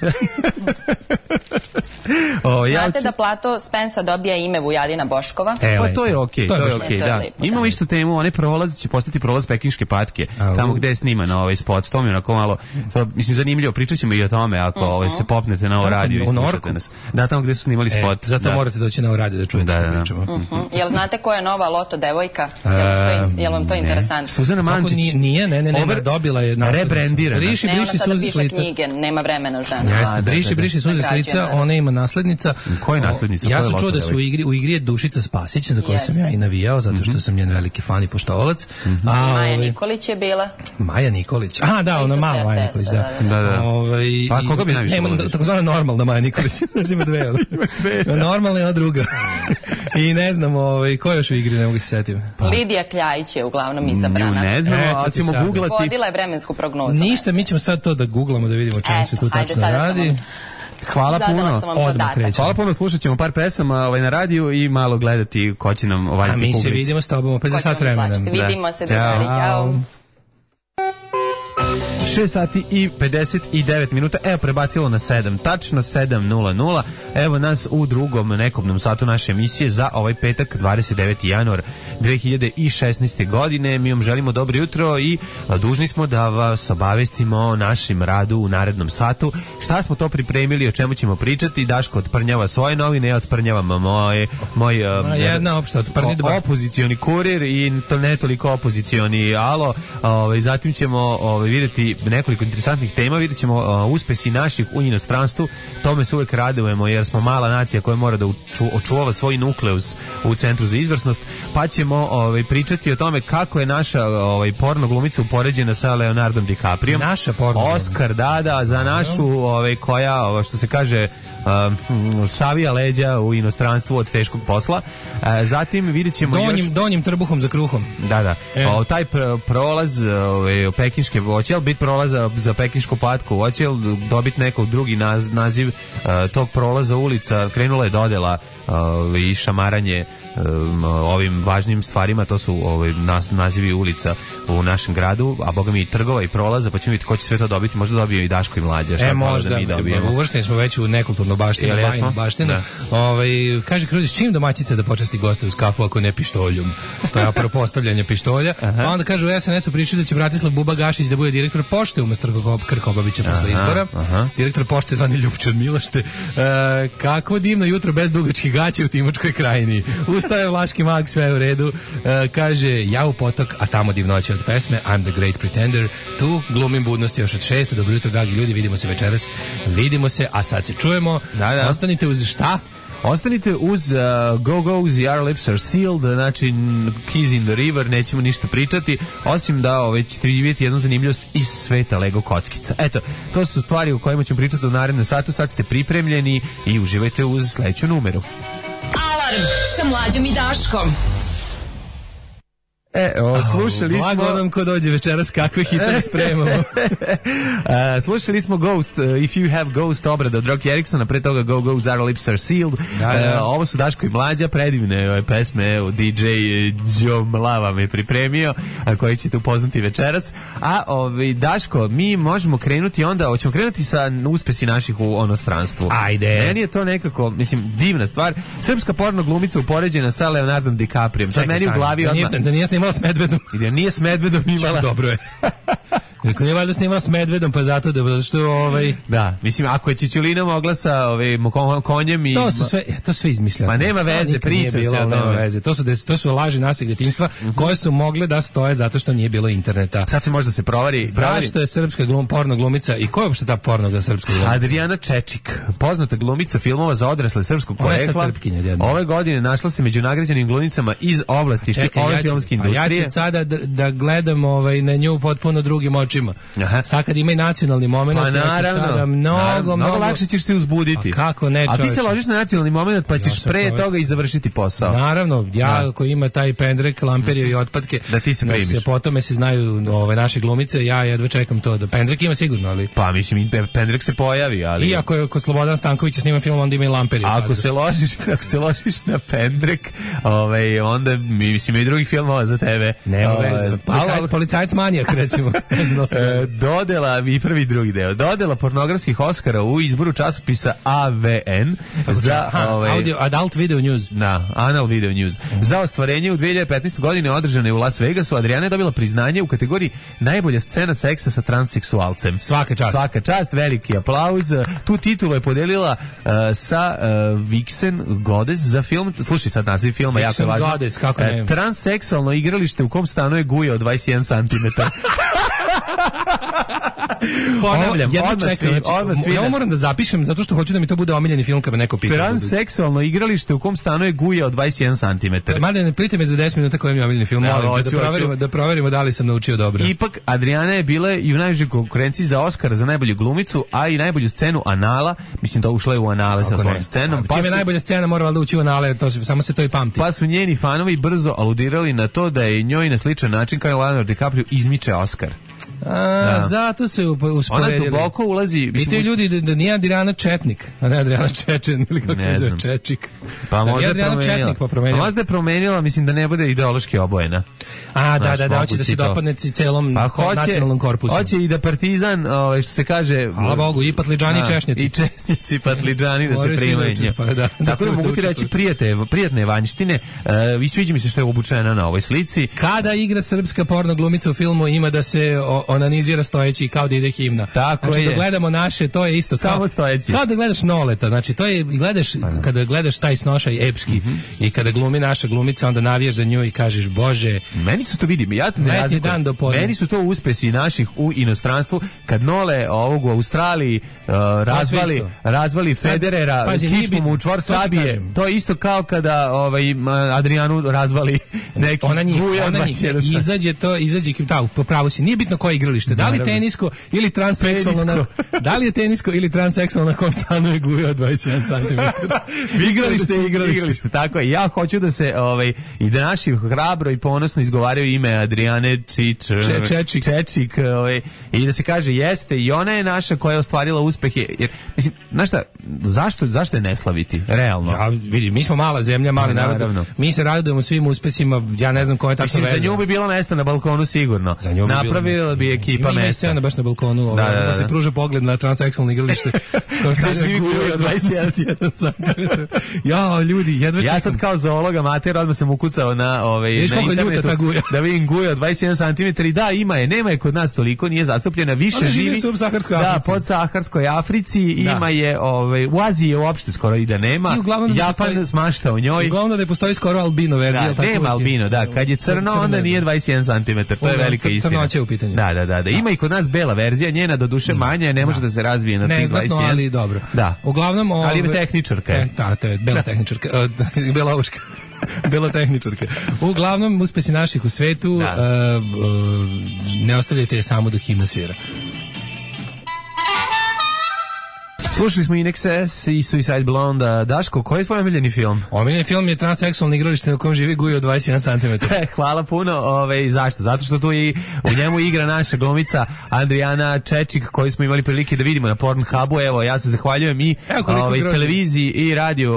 Znate da Plato Spensa dobija ime Vujadina Boškova? Pa to je okej, da. Imamo istu temu, onaj prolaz će postati prolaz Pekinške patke, tamo gde je sniman ovaj spot, to mi je onako malo, mislim, zanimljivo, pričat ćemo i o tome ako se popnete na ovo radio i slušate nas. Da, tamo gde su snimali spot. Zato morate doći na ovo radio da čujete što pričamo. Jel znate ko je nova Loto devojka? Jel vam to interesantno? Suzana Mančić. Nije, dobila je rebrendirana. Briši suze s lica. Knjige, nema vremena žena. Briši suze s lica, ona ima naslednica. Ko je naslednica? Ja sam čuo da su u igri je Dušica Spasić, za koju sam ja i navijao, zato što sam njen veliki fan i poštovalac. Maja Nikolić je bila. Maja Nikolić. Da, ona mala Maja Nikolić, da. Pa koga bi najviše volio? Takozvana normalna Maja Nikolić. Ima dve. Normalna je ona druga. I ne znam, ko je još u igri, ne mogu se setiti. Lidija Kljajić je uglavnom izabrana. Ne znam, ali ćemo googlati. Vodila je vremensku prognozu. Ništa, mi ćemo sad to da googlamo, da vidimo čemu se tu tačno radi. Hvala puno. Hvala puno, slušat ćemo par pesama na radiju i malo gledati ko će nam ovaditi publici. A mi se vidimo s tobom opet za sat vremena. Vidimo se, družari, ćao. 6 sati i 59 minuta, evo prebacilo na 7, tačno 7:00, evo nas u drugom nekobnom satu naše emisije za ovaj petak 29. januar 2016. godine. Mi vam želimo dobro jutro i dužni smo da vas obavestimo o našem radu u narednom satu. Šta smo to pripremili, o čemu ćemo pričati? Daško otprnjava svoje novine, ja otprnjavam moj jedna opšta otprnjidba, opozicioni kurir i to ne toliko opozicioni alo. Zatim ćemo vidjeti biti nekoliko interesantnih tema, vidjet ćemo uspesi naših u inostranstvu, tome se uvek radujemo jer smo mala nacija koja mora da očuva svoj nukleus u Centru za izvrsnost, pa ćemo pričati o tome kako je naša porno glumica upoređena sa Leonardom DiCaprio. Naša porno Oscar dada za našu koja, što se kaže, savija leđa u inostranstvu od teškog posla. Zatim vidjet ćemo donjim trbuhom za kruhom. Da. Taj prolaz pekinške, hoće li biti prolaza za pekinšku patku, hoće li dobiti neko drugi naziv tog prolaza ulica, krenula je dodela i šamaranje ovim važnim stvarima, to su nazivi ulica u našem gradu, a boga mi i trgova i prolaza, pa ćemo vidjeti ko će sve to dobiti, možda dobije i Daško i Mlađa. Možda, uvršteni smo već u nekulturnu baštinu, bajnu baštinu. Kaže Krudi, s čim domaćica da počasti goste uz kafu ako ne pištoljom? To je apropo postavljanje pištolja. Pa onda kaže u SNS-u pričaju da će Bratislav Buba Gašić da bude direktor pošte umesto Krkobabića posle izbora. Direktor pošte zvani Ljupče od Milošte. Kakvo divno jutro bez dugačkih gaća u Timočkoj krajini. Ustaje Vlaški mag, sve u redu. Kaže, ja u potok, a tamo divnoće od pesme I'm the Great Pretender. Tu glumim budnosti još od 6. Dobro jutro, dragi ljudi, vidimo se večeras. Vidimo se, a sad se čujemo. Da. Ostanite uz šta? Ostanite uz Go-Go, Our Lips Are Sealed, znači Keys in the River, nećemo ništa pričati, osim da ćete vidjeti jednu zanimljivost iz sveta Lego kockica. Eto, to su stvari o kojima ćemo pričati u narednom satu, sad ste pripremljeni i uživajte uz sledeću numeru. Alarm sa Mlađom i Daškom. Slušali smo... Blago nam ko dođe večeras, kakve hitove spremamo. Slušali smo Ghost, If You Have Ghost, obrada od Rocky Ericksona, pre toga Go Go, Our Lips Are Sealed. Ovo su Daško i Mlađa, predivne pesme, DJ Joe Mlava me pripremio, koji ćete upoznati večeras. A Daško, mi možemo krenuti onda, hoćemo krenuti sa uspesi naših u onostranstvu. Ajde. Meni je to nekako, mislim, divna stvar. Srpska porno glumica upoređena sa Leonardom DiCapriom. Sad meni u glavi odmah... Da nije snimala s Medvedom. I da nije s Medvedom imala. Dobro je. Rekao, nije valjda snimala s Medvedom, pa zato da što Da, mislim, ako je Čičulina mogla sa konjem i... To sve izmišljeno. Pa nema veze, priča se o tome. Nema veze. To su laži našeg djetinjstva koje su mogle da stoje zato što nije bilo interneta. Sad se možda se provari. Zašto je srpska porno glumica i ko je uopšte ta porno srpska glumica? Adriana Čečik, poznata glumica filmova za odrasle srpskog porekla. Ove godine našla se među nagrađenim glumicama iz oblasti ove filmske industrije. Ja ću sada da gledam na nju potpuno drugim očima. Sad kad ima i nacionalni moment, pa naravno, mnogo lakše ćeš se uzbuditi. A kako ne, čovječe? A ti se ložiš na nacionalni moment, pa ćeš pre toga i završiti posao. Naravno, ako ima taj pendrek, lamperio i otpadke, da ti se primiš. Potome se znaju naše glumice, ja jedva čekam to. Da pendrek ima sigurno, ali... Pa mislim, pendrek se pojavi, ali... I ako je kod Slobodan Stankovića snima film, onda ima i lamperio. Ako se ložiš na pendrek, onda mislim i drugih filmova za tebe. Nema veze. Policajac manijak, recimo. Dodela i prvi i drugi deo. Dodela pornografskih Oscara u izboru časopisa AVN za Adult Video News. Da, Anal Video News. Za ostvarenje u 2015. godine održane u Las Vegasu, Adriana je dobila priznanje u kategoriji najbolja scena seksa sa transseksualcem. Svaka čast, veliki aplauz. Tu titulu je podelila sa Vixen Goddess za film. Slušaj sad naziv filma, jako je važno. Goddess, kako ne? Transseksualno igralište u kom stanuje guja od 21 cm. Ponavljam, odmah svi. Ja moram da zapišem zato što hoću da mi to bude omiljeni film kad me neko pita. Transseksualno igralište u kom stanuje guja od 21 cm. Mada ne pitite me za 10 minuta koji mi je omiljeni film, da proverimo da li sam naučio dobro. Ipak Adriana je bila i u najvećoj konkurenciji za Oscar za najbolju glumicu, a i najbolju scenu anala. Mislim da ušla je u anale sa svojom scenom. Čim je najbolja scena mora da ući u anale, samo se to i pamti. Pa su njeni fanovi brzo aludirali na to da je njoj na sličan način kao i Leonardo DiCaprio izmiče Oscar. Zato se usporedili. Ona duboko ulazi. I ti ljudi da nije Adriana Četnik, a ne Adriana Čečen ili kako se zove Čečik. Pa možda je promenila. Možda je promenila, mislim da ne bude ideološki obojena. Da, hoće da se dopadne celom nacionalnom korpusu. Hoće i da Partizan, što se kaže... Hvala Bogu, i patliđani i češnjaci. I češnjaci, patliđani da se primaju. Tako da mogu ti reći prijatne vanjštine. I sviđa mi se što je obučena na ovoj slici. Kada igra srpska porno glumica u filmu ima da se onanizira stojeći kao da ide himna. Tako znači, je. da gledamo naše, to je isto samo stojeći. Kao da gledaš Noleta, znači to je, kada gledaš taj snošaj epski i kada glumi naša glumica, onda navijaš za nju i kažeš, Bože, meni su to, vidim, ja to ne razlikujem. Meni su to uspesi naših u inostranstvu, kad Nole ovog u Australiji razvali Federera, kičmom u čvor sabije, to je isto kao kada Adrianu razvali neki Guja 21. Izađe po pravu si, nije bitno koje igralište, da li tenisko ili transseksualno, da li je tenisko ili transseksualno na kom stanuje Guja od 21 cm. Igralište, tako je. Ja hoću da se i da naši hrabro i ponosno izgovaraju ime Adriane Čečik i da se kaže jeste i ona je naša koja je ostvarila uspehe. Jer mislim, znaš šta, zašto je ne slaviti? Realno. Ja vidim, mi smo mala zemlja, mali narod. Mi se radujemo svim uspesima, ja ne znam koja je takva veza. Za nju bi bilo mesta na balkonu sigurno. Napravila bi ekipa mesta. Ima scena baš na balkonu, da se pruža pogled na transseksualno igralište. Gde živi Guja 21 cm. Ja, ljudi, jedva čekam. Ja sad kao zoolog amater odmah sam ukucao na internetu da vidim Guja od 21 cm i da, nema je kod nas toliko, nije zastupljena, više živi pod Saharskoj Africi, ima je u Aziji je uopšte skoro i da nema, Japan smašta u njoj. Uglavnom da je postoji skoro albino verzija. Nema albino, kad je crno onda nije 21 cm, to je velika istina. Crnoće u pitanju. Da, ima i kod nas bela verzija, njena do duše manja, ne može da se razvije na tih 21. Neznatno, ali dobro. Da. Uglavnom, ali je tehničarka je. Da, to je bela tehničarka, bela uška. Bila tehničarka. Uglavnom, uspesi naših u svetu, ne ostavljajte je samo dok himna svira. Slušali smo INXS i Suicide Blonde. Daško, koji je tvoj omiljeni film? Omiljeni film je transseksualni igralište na kojem živi Guja od 21 cm. Hvala puno. Zašto? Zato što tu u njemu igra naša glumica Adriana Čečik, koju smo imali prilike da vidimo na Pornhubu. Evo, ja se zahvaljujem i televiziji i radiju.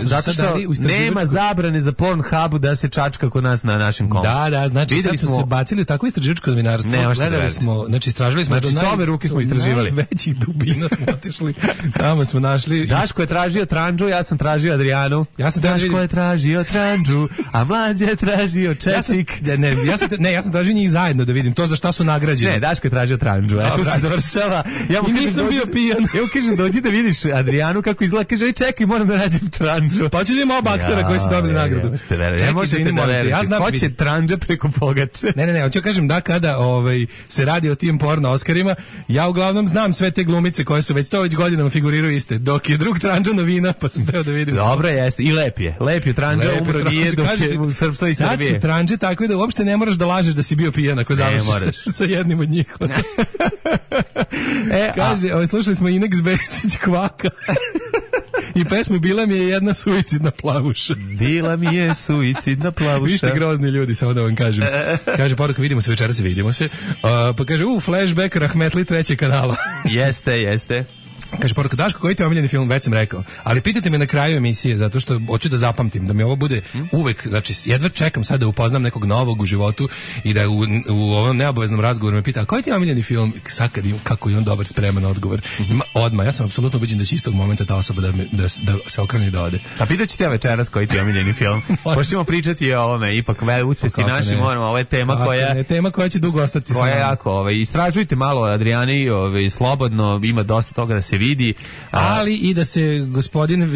Zato što nema zabrane za Pornhubu da se čačka kod nas na našem kontu. Da, znači sad smo se bacili u takvo istraživačko novinarstvo. Gledali smo, znači istražili smo s ove ruke smo istraživali. Najvećih dubina smo otišli. Tamo smo našli. Daško je tražio Tranđu, ja sam tražio Adrianu. Daško je tražio Tranđu, a Mlađe je tražio Čečik. Ja sam tražio njih zajedno da vidim to za šta su nagrađeni. Ne, Daško je tražio Tranđu. Tu se završava. I nisam bio pijan. Ja mu kažem, dođi da vidiš Adrianu kako izgleda. Kaže, čekaj, moram da nađem Tranđu. Pa ću vidimo oba aktera koji su dobili nagradu. Ne možete da verujete. Ko će Tranđa preko Pogače? Ne, hoću kažem da kada se radi o tim porno Oscarima, ja uglavnom znam sve te glumice koje su već godinama figuriraju iste, dok je drug Tranđa novina, pa sam teo da vidim. Dobro jeste, i lep je Tranđa, umro nije dok je u Srpstvo i Srbije. Sad su Tranđe tako da uopšte ne moraš da lažeš da si bio pijan ako završiš sa jednim od njih. Kaže, slušali smo Inex Besić Kvaka i pesmu Bila mi je jedna suicidna plavuša. Bila mi je suicidna plavuša. Vi ste grozni ljudi, samo da vam kažem. Kaže, poruka, vidimo se večeras, vidimo se. Pa kaže, flashback Rahmetli 3. kanala. Jeste. Kaže, poruka, Daško, koji ti je omiljeni film? Već sam rekao. Ali pitajte me na kraju emisije, zato što hoću da zapamtim, da mi ovo bude uvek, znači, jedva čekam sad da upoznam nekog novog u životu i da u ovom neobaveznom razgovoru me pita, a koji ti je omiljeni film? Sad kad kako je on dobar, spreman odgovor. Odmah, ja sam apsolutno ubeđen da će istog momenta ta osoba da se okrene i da ode. Pa pitaću te večeras koji ti je omiljeni film. Možemo pričati o ovome, ipak uspesi naši, moramo, ovo je tema koja će dugo ostati. Koja je jako, istražujte malo Adriani, slobodno, ima dosta toga da se vidi, ali i da se gospodin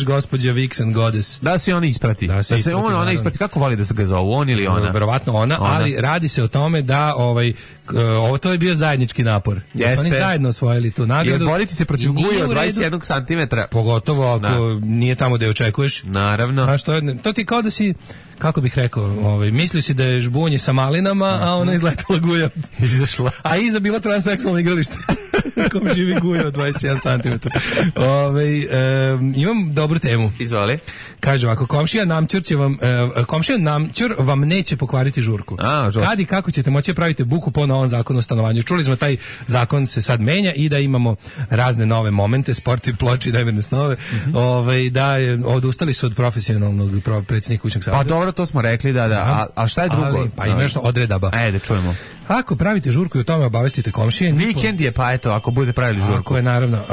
gospođa Vixen Goddess da se on isprati, da se ona isprati. Kako voli da se ga zovu, on ili ona? Verovatno ona, ali radi se o tome da ovo to je bio zajednički napor. Da su oni zajedno osvojili tu nagradu. Jer boriti se protiv Guja od 21 cm. Pogotovo ako nije tamo gde očekuješ. Naravno. Znaš, to ti kao da si, kako bih rekao, mislio si da je žbunje sa malinama, a ona izletala Guja. Izašla. A iza bila transseksualno igralište. Kom živi Guja od 21 cm. Imam dobru temu. Izvoli. Kaže ovako, komšija namćur vam neće pokvariti žurku. Kad i kako ćete moći praviti buku po novom zakonu o stanovanju. Čuli smo taj zakon se sad menja i da imamo razne nove momente, sport i ploči, dajmerne snove. Da odustali su od profesionalnog predsjednika kućnog savjeta. Pa dobro, to smo rekli, da. A šta je drugo? Pa ima još odredaba. Da čujemo. Ako pravite žurku i o tome obavestite komšije... Vikend je, pa eto, ako budete pravili žurku. Ako je, naravno.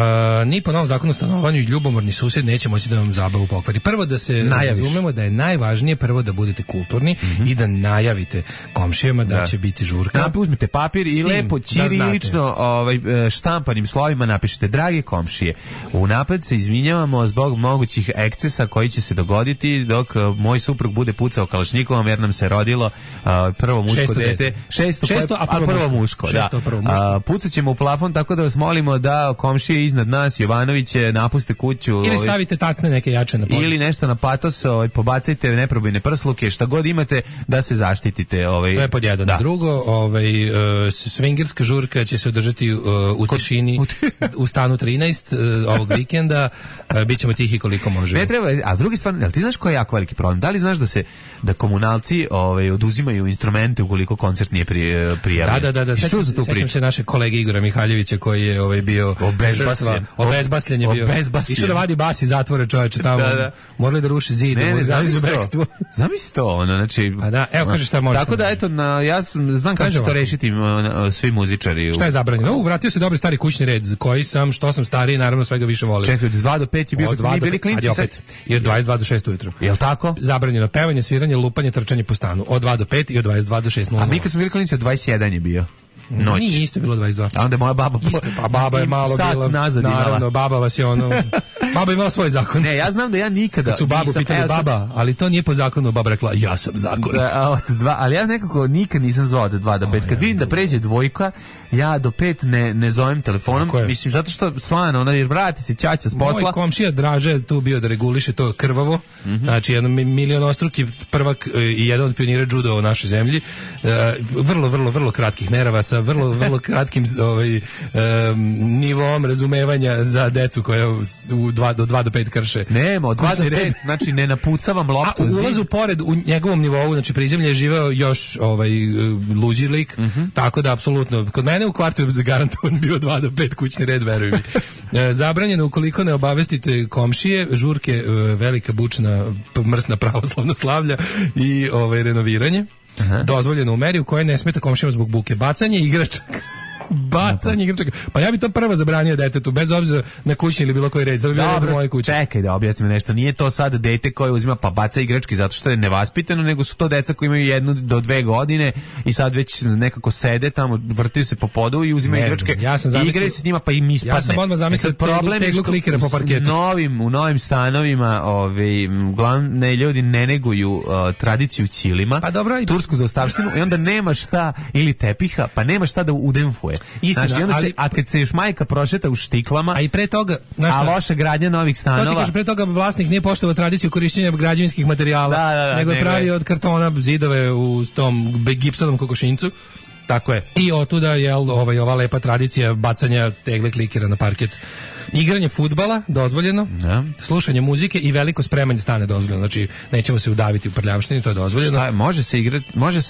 Ni po novom zakonu o stanovanju i ljubomorni susjed neće moći da vam zabavu pokvari. Prvo da se razumemo da je najvažnije prvo da budete kulturni i da najavite komšijama da će biti žurka. Uzmite papir i lepo ćirilično štampanim slovima napišete: drage komšije, unapred se izvinjavamo zbog mogućih ekscesa koji će se dogoditi dok moj suprug bude pucao kalašnjikovom jer nam se rodilo prvo muško dete. Šesto, a prvo muško. Pucat ćemo u plafon, tako da vas molimo da komšije iznad nas, Jovanoviće, napuste kuću. Ili stavite tacne neke jače na podne. Ili nešto na patos, pobacajte neprobojne prsluke, šta god imate da se zaštitite. To je pod jedan. Da. Drugo, swingerska žurka će se održati u tišini u stanu 13 ovog vikenda. Bićemo tihi koliko možemo. Ne treba, a s druge strane, jel ti znaš koji je jako veliki problem? Da li znaš da komunalci oduzimaju instrumente ukoliko koncert nije prijavljen? Da. Sećam se naše kolege Igora Mihaljevića koji je bio obezbasljen je bio. Išao da vadi bas iz zatvora, čoveče, tamo. Morali da ruši zid. Zamisli to, znači. Pa da, evo kaže šta može. Tako da eto, ja znam kako će to rešiti svi muzičari. Šta je zabranjeno? Vratio se dobri stari kućni red, koji što sam stariji, naravno svega više volim. Čekaj, od 2 do 5 je bio, kad mi bili klinci sad. I od 22 do 6 ujutru. Jel tako? Zabranjeno pevanje, sviranje, lupanje, trčanje po stanu. Od 2 do 5 i od 22 do 6. A mi kad smo bili klinci od 21 je bio. Noć. Nije isto bilo 22. A onda je moja baba... Pa baba je malo bila... Naravno, baba vas je Baba je imala svoj zakon. Ne, ja znam da ja nikada... Kad su babu pitali baba, ali to nije po zakonu, baba rekla, ja sam zakon. Ali ja nekako nikad nisam zvao od 2 do 5. Kad vidim da pređe dvojka, ja do 5 ne zovem telefonom. Mislim, zato što slano, jer vrati se ćaća s posla. Moj komšija Draže je tu bio da reguliše to krvavo. Znači, jedan milionostruki prvak i jedan od pionira judo u našoj zemlji. Vrlo kratkih nerava sa vrlo kratkim nivom razumevanja za decu koja do 2 do 5 krše. Nema, od 2 do 5, znači ne napucavam loptu. A u ulazu pored u njegovom nivou, znači prizemlje je živeo još luđi lik, tako da apsolutno, kod mene u kvartu je zagarantovan bio 2 do 5 kućni red, veruj mi. Zabranjeno ukoliko ne obavestite komšije, žurke, velika bučna mrsna pravoslavna slavlja i renoviranje. Dozvoljeno u meri u kojoj ne smeta komšijama zbog buke. Bacanje igračaka. Pa ja bi to prvo zabranio detetu, bez obzira na kućni ili bilo koji red. To bi bilo moje kuće. Čekaj da objasnim nešto. Nije to sad dete koje uzima pa baca igračke zato što je nevaspitano, nego su to deca koji imaju 1 do 2 godine i sad već nekako sede tamo, vrtiju se po podu i uzimaju igračke. I igraju se s njima pa im ispadne. Ja sam odmah zamislio teglu klikera po parketu. U novim stanovima glavne ljudi ne neguju tradiciju ćilima, tursku zaostavštinu, i onda nema šta, ili tepiha, pa nema šta da udemfuje. Istina, znači, a kad se još majka prošeta u štiklama, a i pre toga, a loša gradnja novih stanova. To ti kaže, pre toga vlasnik nije poštovao tradiciju korišćenja građevinskih materijala, nego je pravio od kartona zidove u tom gipsovom kokošinjcu. Tako je. I otuda je ova lepa tradicija bacanja tegle klikera na parket. Igranje fudbala dozvoljeno, slušanje muzike i veliko spremanje stane dozvoljeno. Znači nećemo se udaviti u prljavštini, to je dozvoljeno. Šta, može se igrati, može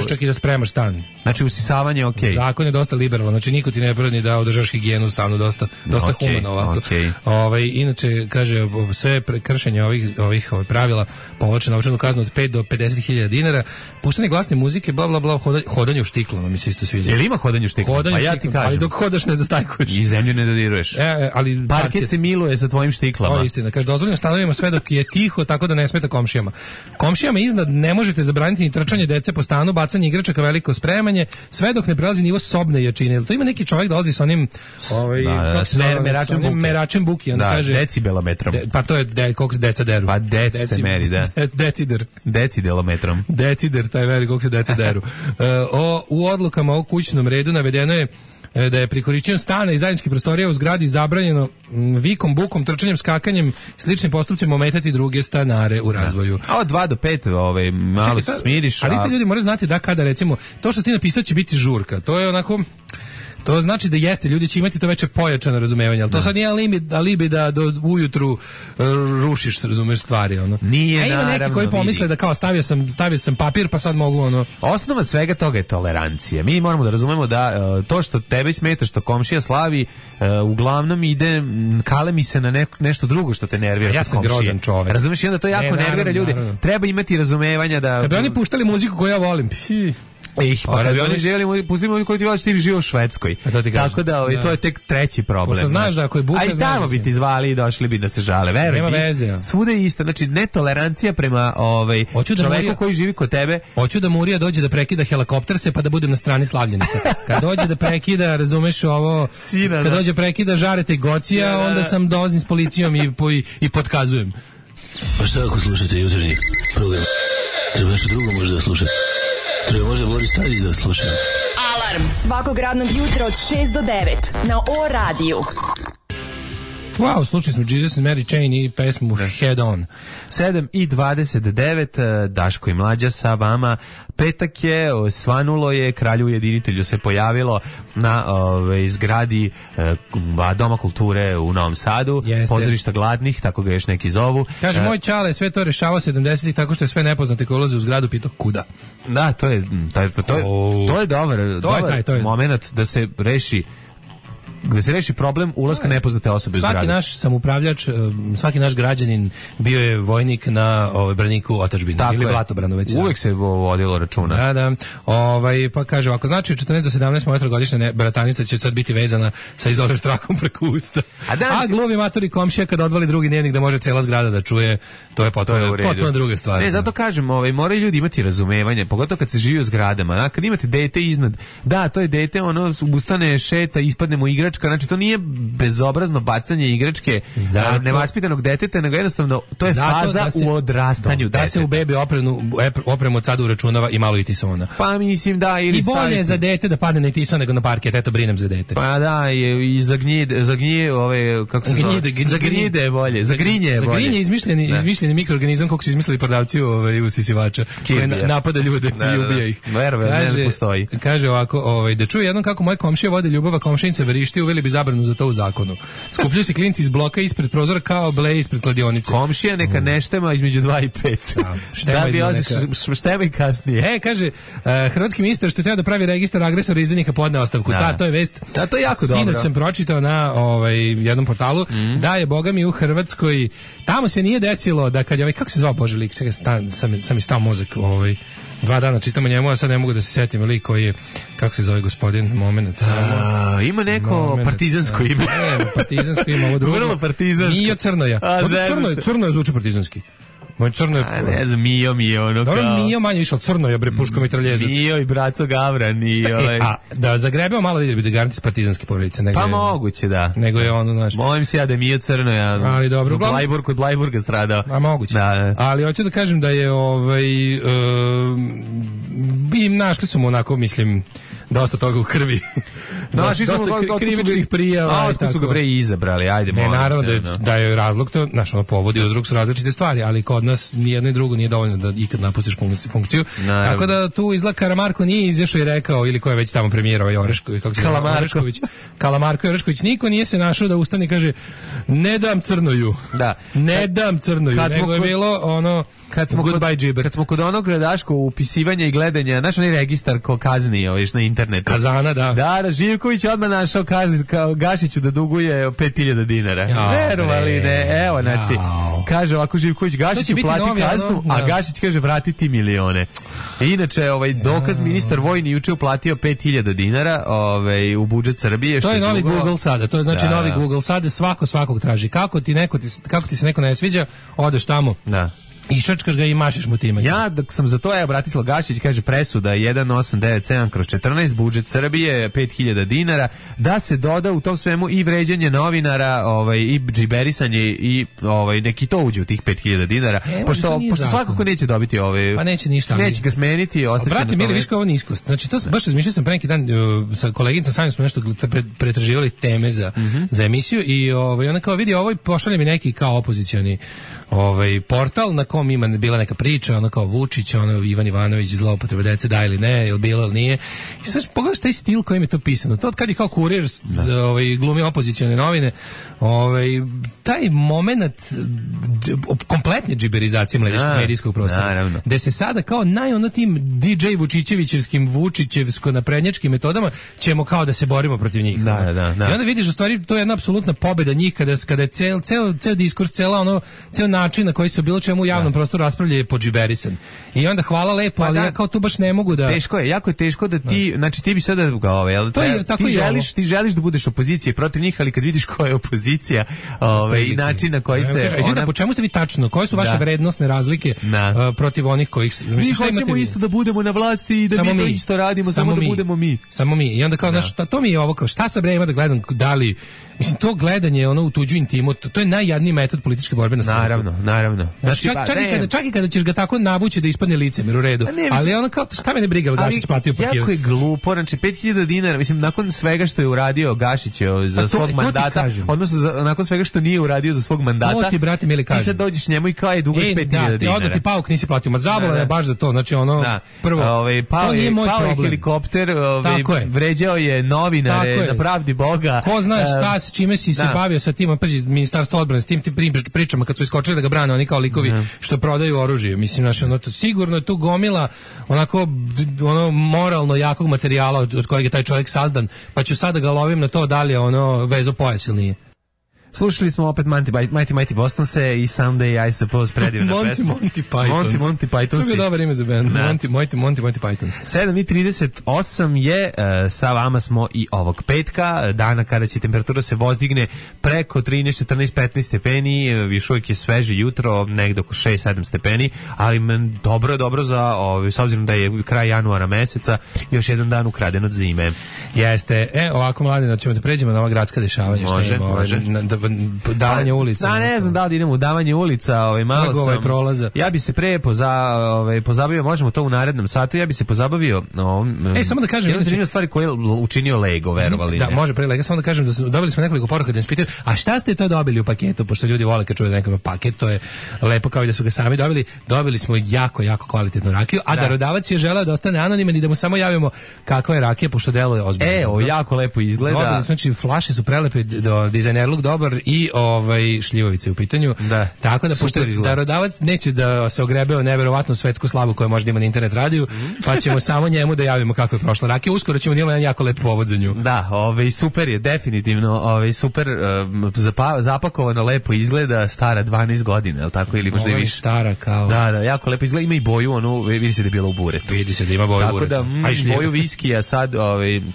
čak i da spremaš stan. Znači usisavanje okej. Zakon je dosta liberalan, znači niko ti ne brani da održaš higijenu u stanu, dosta humano ovako. Inače kaže sve kršenje ovih pravila povlače novčanu kaznu od 5 do 50.000 dinara. Puštanje glasne muzike, bla bla bla, hodanje u štiklama mi se isto sviđa. Jel ima hodanje u štiklama? Pa ja ti kažem. Ali dok hodaš ne zastajkuješ. I zemlju ne dodiruješ. Ali parket se miluje sa tvojim štiklama. To je istina. Kaže, dozvoljeno stanovima sve dok je tiho, tako da ne smeta komšijama. Komšijama iznad ne možete zabraniti ni trčanje dece po stanu, bacanje igračaka, veliko spremanje, sve dok ne prelazi nivo sobne jačine. Jel to ima neki čovjek dolazi sa onim meračem buke, onda kaže decibelometrom. Pa to je koliko se deca deru. Pa se meri, da. Decidelometrom. Decider, taj meri koliko se deca deru. U odlukama o kućnom redu navedeno je da je pri korišćenju stana i zajedničkih prostorija u zgradi zabranjeno vikom, bukom, trčanjem, skakanjem, sličnim postupcima ometati druge stanare u razvoju. A od 2 do 5 malo se smiriš. Ali isto ljudi moraju znati da kada recimo to što ti napisao će biti žurka, to je onako. To znači da jeste, ljudi će imati to veće pojačano razumevanje, ali to sad nije alibi da do ujutru rušiš, razumeš, stvari, ono. Nije, ima neki koji pomisle da kao stavio sam papir, pa sad mogu, ono. Osnova svega toga je tolerancija. Mi moramo da razumemo da to što tebe smeta, što komšija slavi, uglavnom ide, kalemi se na nešto drugo što te nervira. Ja sam grozan čovek. Razumeš, i onda to jako nervira ljude. Treba imati razumevanja da... Kad bi oni puštali muziku koju ja volim, Pa kad oni želimo, pustimo oni koji ti voliš, ti živo u Švedskoj. Tako da, to je tek treći problem. Pošto znaš da ako je buka... A i tamo bi ti zvali i došli bi da se žale. Veruj, nema veze. Svuda je isto. Znači, netolerancija prema čoveku koji živi kod tebe. Hoću da Murija dođe da prekida helikopterse pa da budem na strani slavljenika. Kad dođe da prekida, razumeš ovo, kad dođe prekida Žareta i Gocija, onda sam dolazim s policijom i potkazujem. Pa šta ako slušate jutarnji program? Treba nešto drugo možda da slušate. Treba možda Boris Tadić da slušam. Alarm svakog radnog jutra od 6 do 9 na O radiju. Wow, slučili smo Jesus and Mary Chain i pesmu Head On. 7:29, Daško i Mlađa sa vama. Petak je, svanulo je, kralju ujedinitelju se pojavilo na zgradi Doma kulture u Novom Sadu. Pozorišta gladnih, tako ga još neki zovu. Kaže, moj čale sve to rešavao 70-ih tako što je sve nepoznate koji ulaze u zgradu pitao kuda. Da, to je dobar moment da se reši problem ulaska nepoznate osobe u zgradu. Svaki naš samupravljač, svaki naš građanin bio je vojnik na braniku otadžbine ili Blatobranu već. Uvek se vodilo računa. Da. Pa kaže, ako znači u 14 do 17 moja trogodišnja bratanica će sad biti vezana sa izoler trakom preko usta. A gluvi matori komšija kad odvali drugi dnevnik da može cela zgrada da čuje, to je potpuno druga stvar. Ne, zato kažem, moraju ljudi imati razumevanje, pogotovo kad se živi u zgradama. Kad imate dete iznad, da, to je dete, ono ustane, šeta, ispadne mu igračka, znači to nije bezobrazno bacanje igračke nevaspitanog deteta, nego jednostavno to je faza u odrastanju deteta. Da se u bebi opremu od sada uračunava i malo i tisona. Pa mislim da, ili i bolje je za dete da padne na tison nego na parket, eto brinem za dete. Pa da, i zagnije ove, kako se zove? Zagnjide je bolje, zagrinje je bolje. Zagrinje je izmišljeni mikroorganizam kako su izmislili prodavci usisivača, koji napada ljude i ubija ih. Ne postoji. Kaže ovako, da čuje jednom kako moje komšije vode ljubava, komšinica verišti, uveli bi zabranu za to u zakonu. Skupljaju se klinci iz bloka ispred prozora kao ble ispred kladionice. Komšija neka ne štema između 2 i 5. Da bi štema i kasnije. Kaže, hrvatski ministar što treba da pravi registar agresora i izdajnika podne ostavku. To je vest. Da, to je jako dobro. Sinoć sam pročitao na jednom portalu da je, boga mi, u Hrvatskoj, tamo se nije desilo da kad je kako se zvao Bože lik, čekaj, sam mi stao mozak, 2 dana čitamo njemu, a sad ne mogu da se setim lik koji je, kako se zove gospodin, moment. Ima neko partizansko ime. Partizansko ime, ovo drugo. Vrlo partizansko. Mijo Crnoja. Crnoja zvuči partizanski. Moj Crno je... ne znam, Mio, ono kao... Dobro, Mio manje išao, Crno je, puško mitraljezac. Mio i braco Gavran i... A da zagrebeo malo vidjeli bi da garanti partizanske porodice. Pa moguće, da. Nego je ono, znaš... Molim se ja da je Mio Crnoja ali dobro, kod Blajburga stradao. A moguće. Da. Ali hoću da kažem da je i našli su mu onako, mislim, dosta toga u krvi. Dosta krivičnih prijava. Otkud su ga bre izabrali, ajde. Ne, naravno da je razlog to, znaš, ono povodi i uzrok su različite stvari, ali kod nas nijedno i drugo nije dovoljno da ikad napustiš funkciju. Tako da tu izgleda Karamarko nije izašao i rekao, ili ko je već tamo premijer, Orešković, kako se zove, Kalamarko i Orešković, niko nije se našao da ustane i kaže ne dam Crnoju. Da. Ne dam Crnoju, nego je bilo ono goodbye džiber. Kad smo kod onog Daško upisivanja i gledanja, znaš onaj registar ko kazni na internetu. Kazana, da. Da, Živković odmah našao Gašiću da duguje 5.000 dinara. Verovali ne, evo, znači, kaže ovako Živković, Gašiću plati kaznu, a Gašić kaže vratiti milione. Inače, dokaz ministar vojni juče uplatio 5.000 dinara u budžet Srbije. To je novi Google sada, to je znači novi Google sada, svakog traži. Kako ti se neko ne sviđa, odeš tamo. Da. I šačkaš ga i mašiš mu time. Ja dok sam za to, Bratislav Gašić kaže presuda 1897/14, budžet Srbije 5.000 dinara, da se doda u tom svemu i vređanje novinara, i džiberisanje i neki to uđe u tih 5.000 dinara, pošto svakako neće dobiti pa neće ništa. Neće ga smeniti, ostaće. Brate, mili, viš kao ovo niskost. Znači to baš razmišljao sam pre neki dan sa koleginicom, sami smo nešto pretraživali teme za emisiju i ona kao vidi, pošalje mi neki kao opozicioni portal na kom ima bila neka priča, ono kao Vučić, Ivan Ivanović, zloupotreba dece, da ili ne, ili bilo ili nije. I sad pogledaš taj stil kojim je to pisano. To od kad je kao kurir glumi opozicione novine, taj moment kompletne džiberizacije medijskog prostora. Gde se sada kao tim DJ Vučićevićevskim, Vučićevsko-naprednjačkim metodama ćemo kao da se borimo protiv njih. I onda vidiš, u stvari, to je jedna apsolutna pobeda njih kada je ceo diskurs, ceo način na koji se bilo čemu u javnom prostoru raspravlja je podžiberisan. I onda hvala lepo, ali ja kao tu baš ne mogu da... Teško je, jako je teško da ti, znači ti bi sada ti želiš da budeš opozicija protiv njih, ali kad vidiš koja je opozicija, i način na koji se... Po čemu ste vi tačno? Koje su vaše vrednosne razlike protiv onih kojih... Mi hoćemo isto da budemo na vlasti i da mi to isto radimo, samo da budemo mi. Samo mi. I onda kao, to mi je ovo, kao šta sad ima da gledam, da li... Mislim, to gledanje u tuđu intimu, to je najjadniji metod političke borbe na svijetu. Naravno. Znači, čak i kada ćeš ga tako navući da ispadne licemer u redu. Ali ono kao, šta me ne briga, Gašić platio parkiranje. Jako je glupo, znači 5.000 dinara, mislim, nakon svega što je uradio Gašić za svog mandata, odnosno nakon svega što nije uradio za svog mandata, to ti, brate, mili kažem. Ti sad dođeš njemu i kao je dugo 5.000 dinara. Odmah ti pauk nisi platio, ma zabola je baš za to, znači ono, prvo, to nije moj problem. Pao je helikopter, vređao je novinare, na pravdi Boga. Ko zna šta, s čime si se bavio sa tim, pazi, ministarstvo odbrane, s tim pričama kad su iskočili da ga brane oni kao likovi što prodaju oružje. Mislim, znači, ono, sigurno je tu gomila onako moralno jakog materijala od kojeg je taj čovjek sazdan, pa ću sada ga lovim na to da li je ono vezo pojas ili nije. Slušali smo opet Mighty Bostonse i Someday I Suppose, predivna pesma. Monty Pythons. Monty Pythons. To je dobar ime za band. Monty Pythons. 7:38 je, sa vama smo i ovog petka, dana kada će temperatura se vozdigne preko 13, 14, 15 stepeni, još uvijek je sveže jutro, negdje oko 6-7 stepeni, ali dobro za, s obzirom da je kraj januara meseca, još jedan dan ukraden od zime. Jeste. Ovako, Mladine, ćemo da pređemo na ova gradska dešavanja. Može. Davanje ulica. Ne znam da li idemo u davanje ulica, malo sam. Prolaza. Ja bi se pre pozabavio, možemo to u narednom satu, ja bi se pozabavio samo da kažem, jedna zanimljiva stvari koje je učinio Lego, verovali. Da, može pre Lego, samo da kažem da dobili smo nekoliko poruka da nas pitaju, a šta ste to dobili u paketu, pošto ljudi vole kad čuju nekakav paket, to je lepo kao i da su ga sami dobili. Dobili smo jako kvalitetnu rakiju, a darodavac je želeo da ostane anoniman i da mu samo javimo kakva je rakija, pošto deluje ozbiljno. Jako lepo izgleda. Dobili, znači flaše su prelepe, dizajnerluk dobar i šljivovice u pitanju. Da. Tako da pošto darodavac neće da se ogrebe o neverovatnu svetsku slavu koja može da ima na internet radiju, pa ćemo samo njemu da javimo kako je prošla rakija. Uskoro ćemo da imamo jedan jako lep povod za nju. Da, super je, definitivno, super zapakovano, lepo izgleda, stara 12 godina, je li tako, ili možda i više. Stara kao. Da, jako lepo izgleda, ima i boju, vidi se da je bilo u buretu. Vidi se da ima boju u buretu. Tako da, boju viskija sad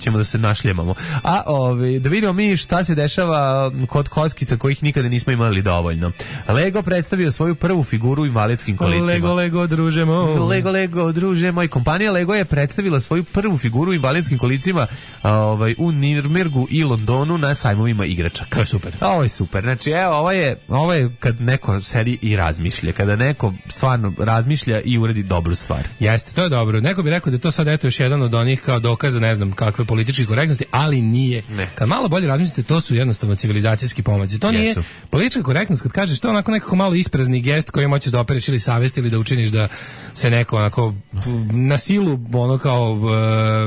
ćemo da se našljemamo. A da vidimo mi šta se dešava kod kockica kojih nikada nismo imali dovoljno. Lego predstavio svoju prvu figuru u invalidskim kolicima. Lego, druže moj. Lego, druže moj. Kompanija Lego je predstavila svoju prvu figuru u invalidskim kolicima u Nürnbergu i Londonu na sajmovima igračaka. To je super. Ovo je super. Znači, ovo je kad neko sedi i razmišlja. Kada neko stvarno razmišlja i uradi dobru stvar. Jeste, to je dobro. Neko bi rekao da je to sad još jedan od onih kao dokaza, ne znam, kakve političke korektnosti, ali nije. Ne. Kad malo bolje razmislite, to su jednostavno civilizacijski pomaci. To nije politička korektnost, kad kažeš to onako nekako malo isprazni gest koji hoćeš da opereš ili savest ili da učiniš da se neko onako na silu ono kao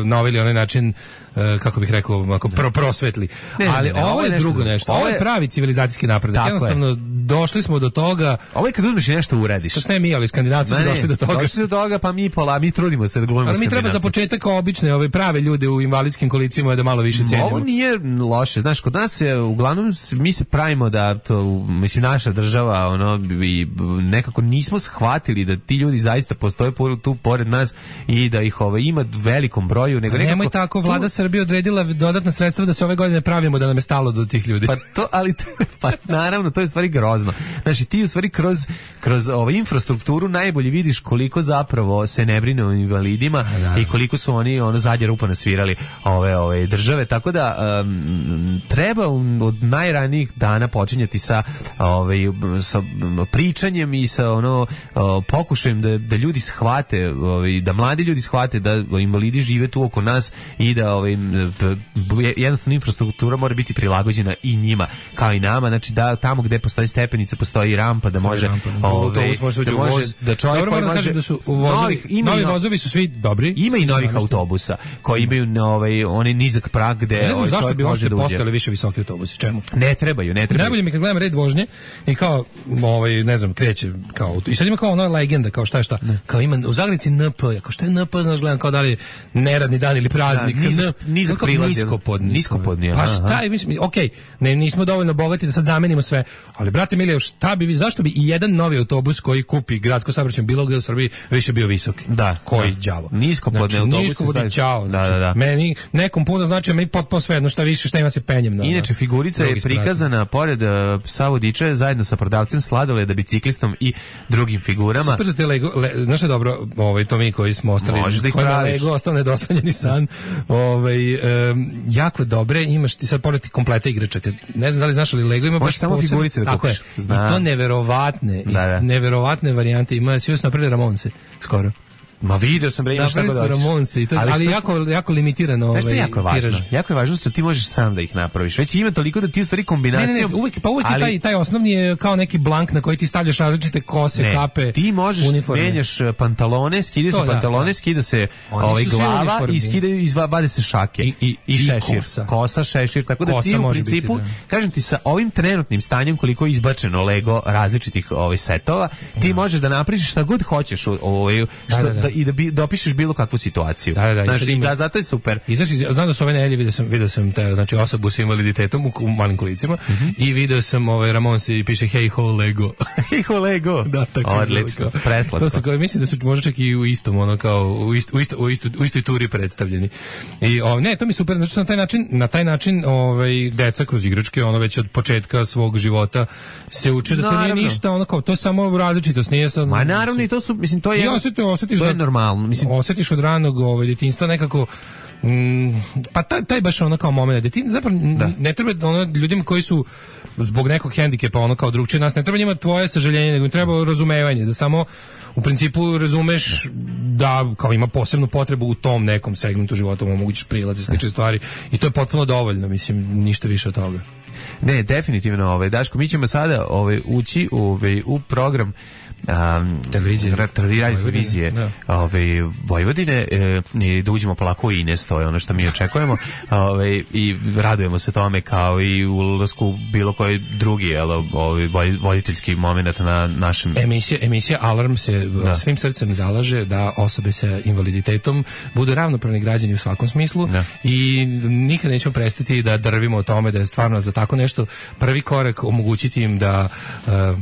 na ovaj ili onaj način kako bih rekao, ako prosvetli. Ali ovo je drugo nešto. Ovo je pravi civilizacijski napredak. Jednostavno došli smo do toga. Ovo je kad uzmeš i nešto uradiš. To ne mi, ali Skandinavci su došli do toga. Došli su do toga, pa mi trudimo se da glumimo Skandinavci. Ali mi treba za početak obične prave ljude u invalidskim kolicima da malo više cenimo. Ovo nije loše. Znaš, kod nas je uglavnom mi se pravimo da to, mislim, naša država i nekako nismo shvatili da ti ljudi zaista postoje tu pored nas i da ih ima velikom broju. Nego nemoj tako, vlada Srbija odredila dodatna sredstva da se ove godine pravimo da nam je stalo do tih ljudi. Pa naravno, to je stvari grozno. Znači, ti u stvari kroz infrastrukturu najbolje vidiš koliko zapravo se ne brine o invalidima i koliko su oni zadnja rupa nasvirali ove države. Tako da treba od najranijih dana počinjati sa pričanjem i sa pokušajem da ljudi shvate, da mladi ljudi shvate da invalidi žive tu oko nas i da jednostavno infrastruktura mora biti prilagođena i njima kao i nama, znači da tamo gde postoji stepenica postoji rampa da može da čovjek koji može da su novi vozovi su svi dobri, ima i novih autobusa koji imaju onaj nizak prag gde ne znam zašto bi uopšte postojali više visoki autobusi, čemu? Ne trebaju. Najbolje mi kad gledam red vožnje i kao ne znam, kreće kao i sad ima kao ona legenda kao šta kao ima u Zagrebici NP, kao šta je NP, znaš, gledam kao da li neradni dan ili praznik, nizak niskopodni. Pa šta, mislim, okej, nismo dovoljno bogati da sad zamenimo sve, ali brate, brate milije, zašto bi i jedan novi autobus koji kupi gradsko saobraćaj bilo gde u Srbiji više bio visoki? Da. Koji đavo? Niskopodne autobuse. Niskopodne, čao. Znači, meni, nekom puno znači, meni potpuno svejedno šta više, šta ima se penjem. Inače, figurica je prikazana pored psa vodiča zajedno sa prodavcem sladoleda, biciklistom i drugim figurama. Super za te Lego, znaš je dobro, to mi koji smo ostali, koji na Lego ostao nedosanjeni san, jako dobre, imaš ti sad pored ti kompleta igračaka. Ne znam da li znaš, ali Lego ima baš samo figurice da kupiš. I to neverovatne varijante ima, svi su napravili Ramonse skoro. Ma video sam bre, imaš tako doći. Ali jako limitirano. Znaš što je jako je važno? Jako je važno što ti možeš sam da ih napraviš. Već ima toliko da ti u stvari kombinacijom... Ne, uvijek je taj osnovni je kao neki blank na koji ti stavljaš različite kose, kape, ti možeš, menjaš pantalone, skida se pantalone, skida se glava i vade se šake. I šešir. Kosa, šešir. Tako da ti u principu, kažem ti, sa ovim trenutnim stanjem koliko je izbačeno Lego različitih setova, ti možeš da napraviš šta god hoćeš i da dopišeš bilo kakvu situaciju. Zato je super. Znam da su ove nedelje vidio sam znači osobu sa invaliditetom u malim kolicima i video sam Ramonse i piše hey ho Lego. Hey ho Lego. Da, tako odlično. Preslatko. To su kao, mislim da su možda čak i u istom, u istoj turi predstavljeni. I ne, to mi je super, znači na taj način deca kroz igračke, već od početka svog života se uče da to nije ništa, to je samo različitost, nije sad. Ma naravno, i to su, mislim, to je normalno. Mislim, osjetiš od ranog djetinjstva nekako pa taj baš kao moment da ti zapravo ne treba ljudima koji su zbog nekog hendikepa kao drugčije nas, ne treba njima tvoje sažaljenje, nego im treba razumevanje, da samo u principu razumeš da kao ima posebnu potrebu u tom nekom segmentu života, omogućiš prilaze, slične stvari i to je potpuno dovoljno, mislim, ništa više od toga. Ne, definitivno, Daško, mi ćemo sada ući u program televizije Vojvodine i da uđemo polako u Ines, to je ono što mi očekujemo i radujemo se tome kao i u ulasku bilo koji drugi voditeljski moment na našem... Emisija Alarm se svim srcem zalaže da osobe sa invaliditetom budu ravnopravni građani u svakom smislu i nikad nećemo prestati da drvimo o tome da je stvarno za tako nešto prvi korak omogućiti im da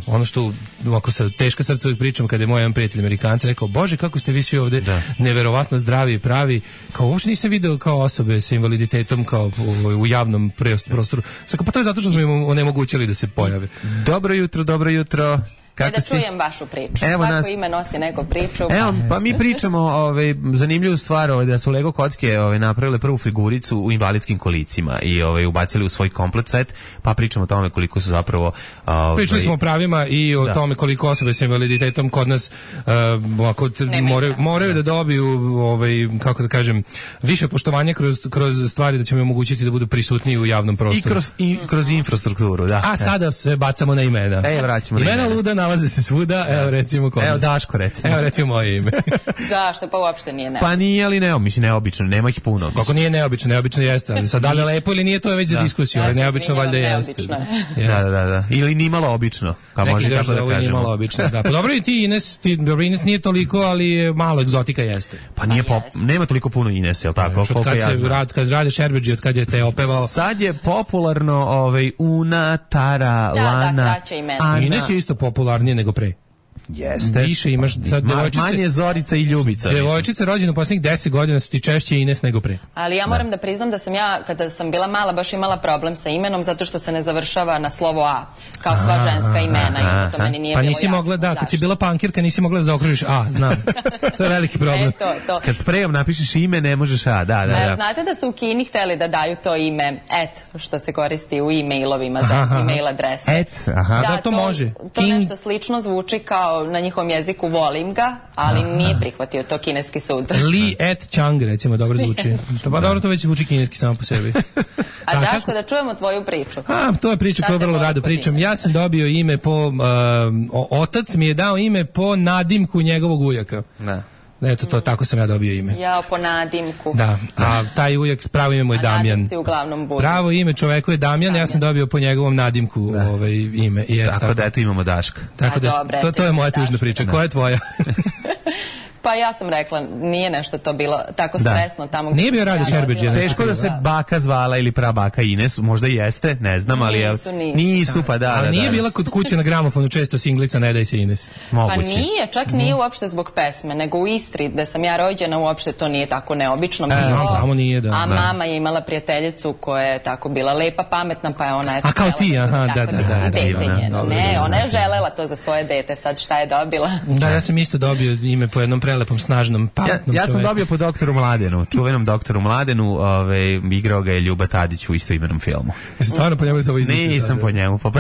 ono što ako sa teška srca uvijek pričam kada je moj jedan prijatelj Amerikanac rekao, Bože, kako ste vi svi ovde neverovatno zdravi i pravi, kao uopšte nisam video kao osobe sa invaliditetom kao u javnom prostoru. Pa to je zato što smo im onemogućili da se pojave. Dobro jutro. Da čujem vašu priču. Svako ime nosi neku priču. Pa mi pričamo zanimljivu stvar da su Lego kocke napravile prvu figuricu u invalidskim kolicima i ubacili u svoj komplet set, pa pričamo o tome koliko su zapravo... Pričali smo o pravima i o tome koliko osobe sa invaliditetom kod nas moraju da dobiju kako da kažem, više poštovanja kroz stvari da ćemo omogućiti da budu prisutniji u javnom prostoru. I kroz infrastrukturu, da. A sada sve bacamo na imena. Vraćamo imena luda nalaze se svuda, evo recimo kod nas. Evo Daško recimo. Evo recimo moje ime. Zašto? Pa uopšte nije neobično. Pa nije, ali neobično, nema ih puno. Kako nije neobično jeste, ali sad da li je lepo ili nije, to je već za diskusiju, ali neobično valjda jeste. Da. Ili nimalo obično, kao može tako da kažemo. Nimalo obično, da. Pa dobro i ti Ines nije toliko, ali malo egzotika jeste. Pa nije nema toliko puno Ines, jel tako? Kad radiš Šerbeđi, od kad je te opevao. Sad je popularno Una, Tara, Lana. Ines je isto popularnije nego pre. Jeste. Više imaš manje Zorica i Ljubica. Devojčice rođene u posljednjih 10 godina su ti češće Ines nego pre. Ali ja moram da priznam da sam ja, kada sam bila mala, baš imala problem sa imenom zato što se ne završava na slovo A, kao sva ženska imena i onda to meni nije bilo jasno. Pa nisi mogla, da, kad si bila pankirka nisi mogla da zaokružiš A, znam. To je veliki problem. To. Kad sprejom napišeš ime, ne možeš A, da. Znate da su u Kini hteli da daju to ime što se koristi u e-mailovima za e-mail adrese. Da, to može. To nešto slično zvuči kao na njihovom jeziku volim ga, ali nije prihvatio to kineski sud. Li et Chang, recimo, dobro zvuči. Pa dobro, to već zvuči kineski samo po sebi. A Daško, da čujemo tvoju priču. To je priča koju vrlo rado pričam. Ja sam dobio ime po... otac mi je dao ime po nadimku njegovog ujaka. Eto, to tako sam ja dobio ime. Ja po nadimku. Da, a taj ujak, pravo ime mu je Damjan. Uglavnom budu. Pravo ime čoveku je Damjan, ja sam dobio po njegovom nadimku ime. Tako da eto imamo Daška. Tako da, to je moja tužna priča. Koja je tvoja? Pa ja sam rekla, nije nešto to bilo tako stresno tamo. Nije bio Rade Šerbeđ. Teško da se baka zvala ili prabaka Ines, možda jeste, ne znam, ali nisu, pa da. Ali nije bila kod kuće na gramofonu često singlica Ne daj se Ines. Pa nije, čak nije uopšte zbog pesme, nego u Istri, gde sam ja rođena, uopšte to nije tako neobično. Tamo nije, da. A mama je imala prijateljicu koja je tako bila lepa, pametna, pa je ona... A kao ti, aha, da. Ne, ona je želela to za svoje dete, sad šta je dobila? Da, ja sam isto dobio ime po jednom prelepom, snažnom, pametnom čoveku. Ja sam dobio po doktoru Mladenu, čuvenom doktoru Mladenu, igrao ga je Ljuba Tadić u istoimenom filmu. Jesi stvarno po njemu ovo izmislio? Nisam po njemu, po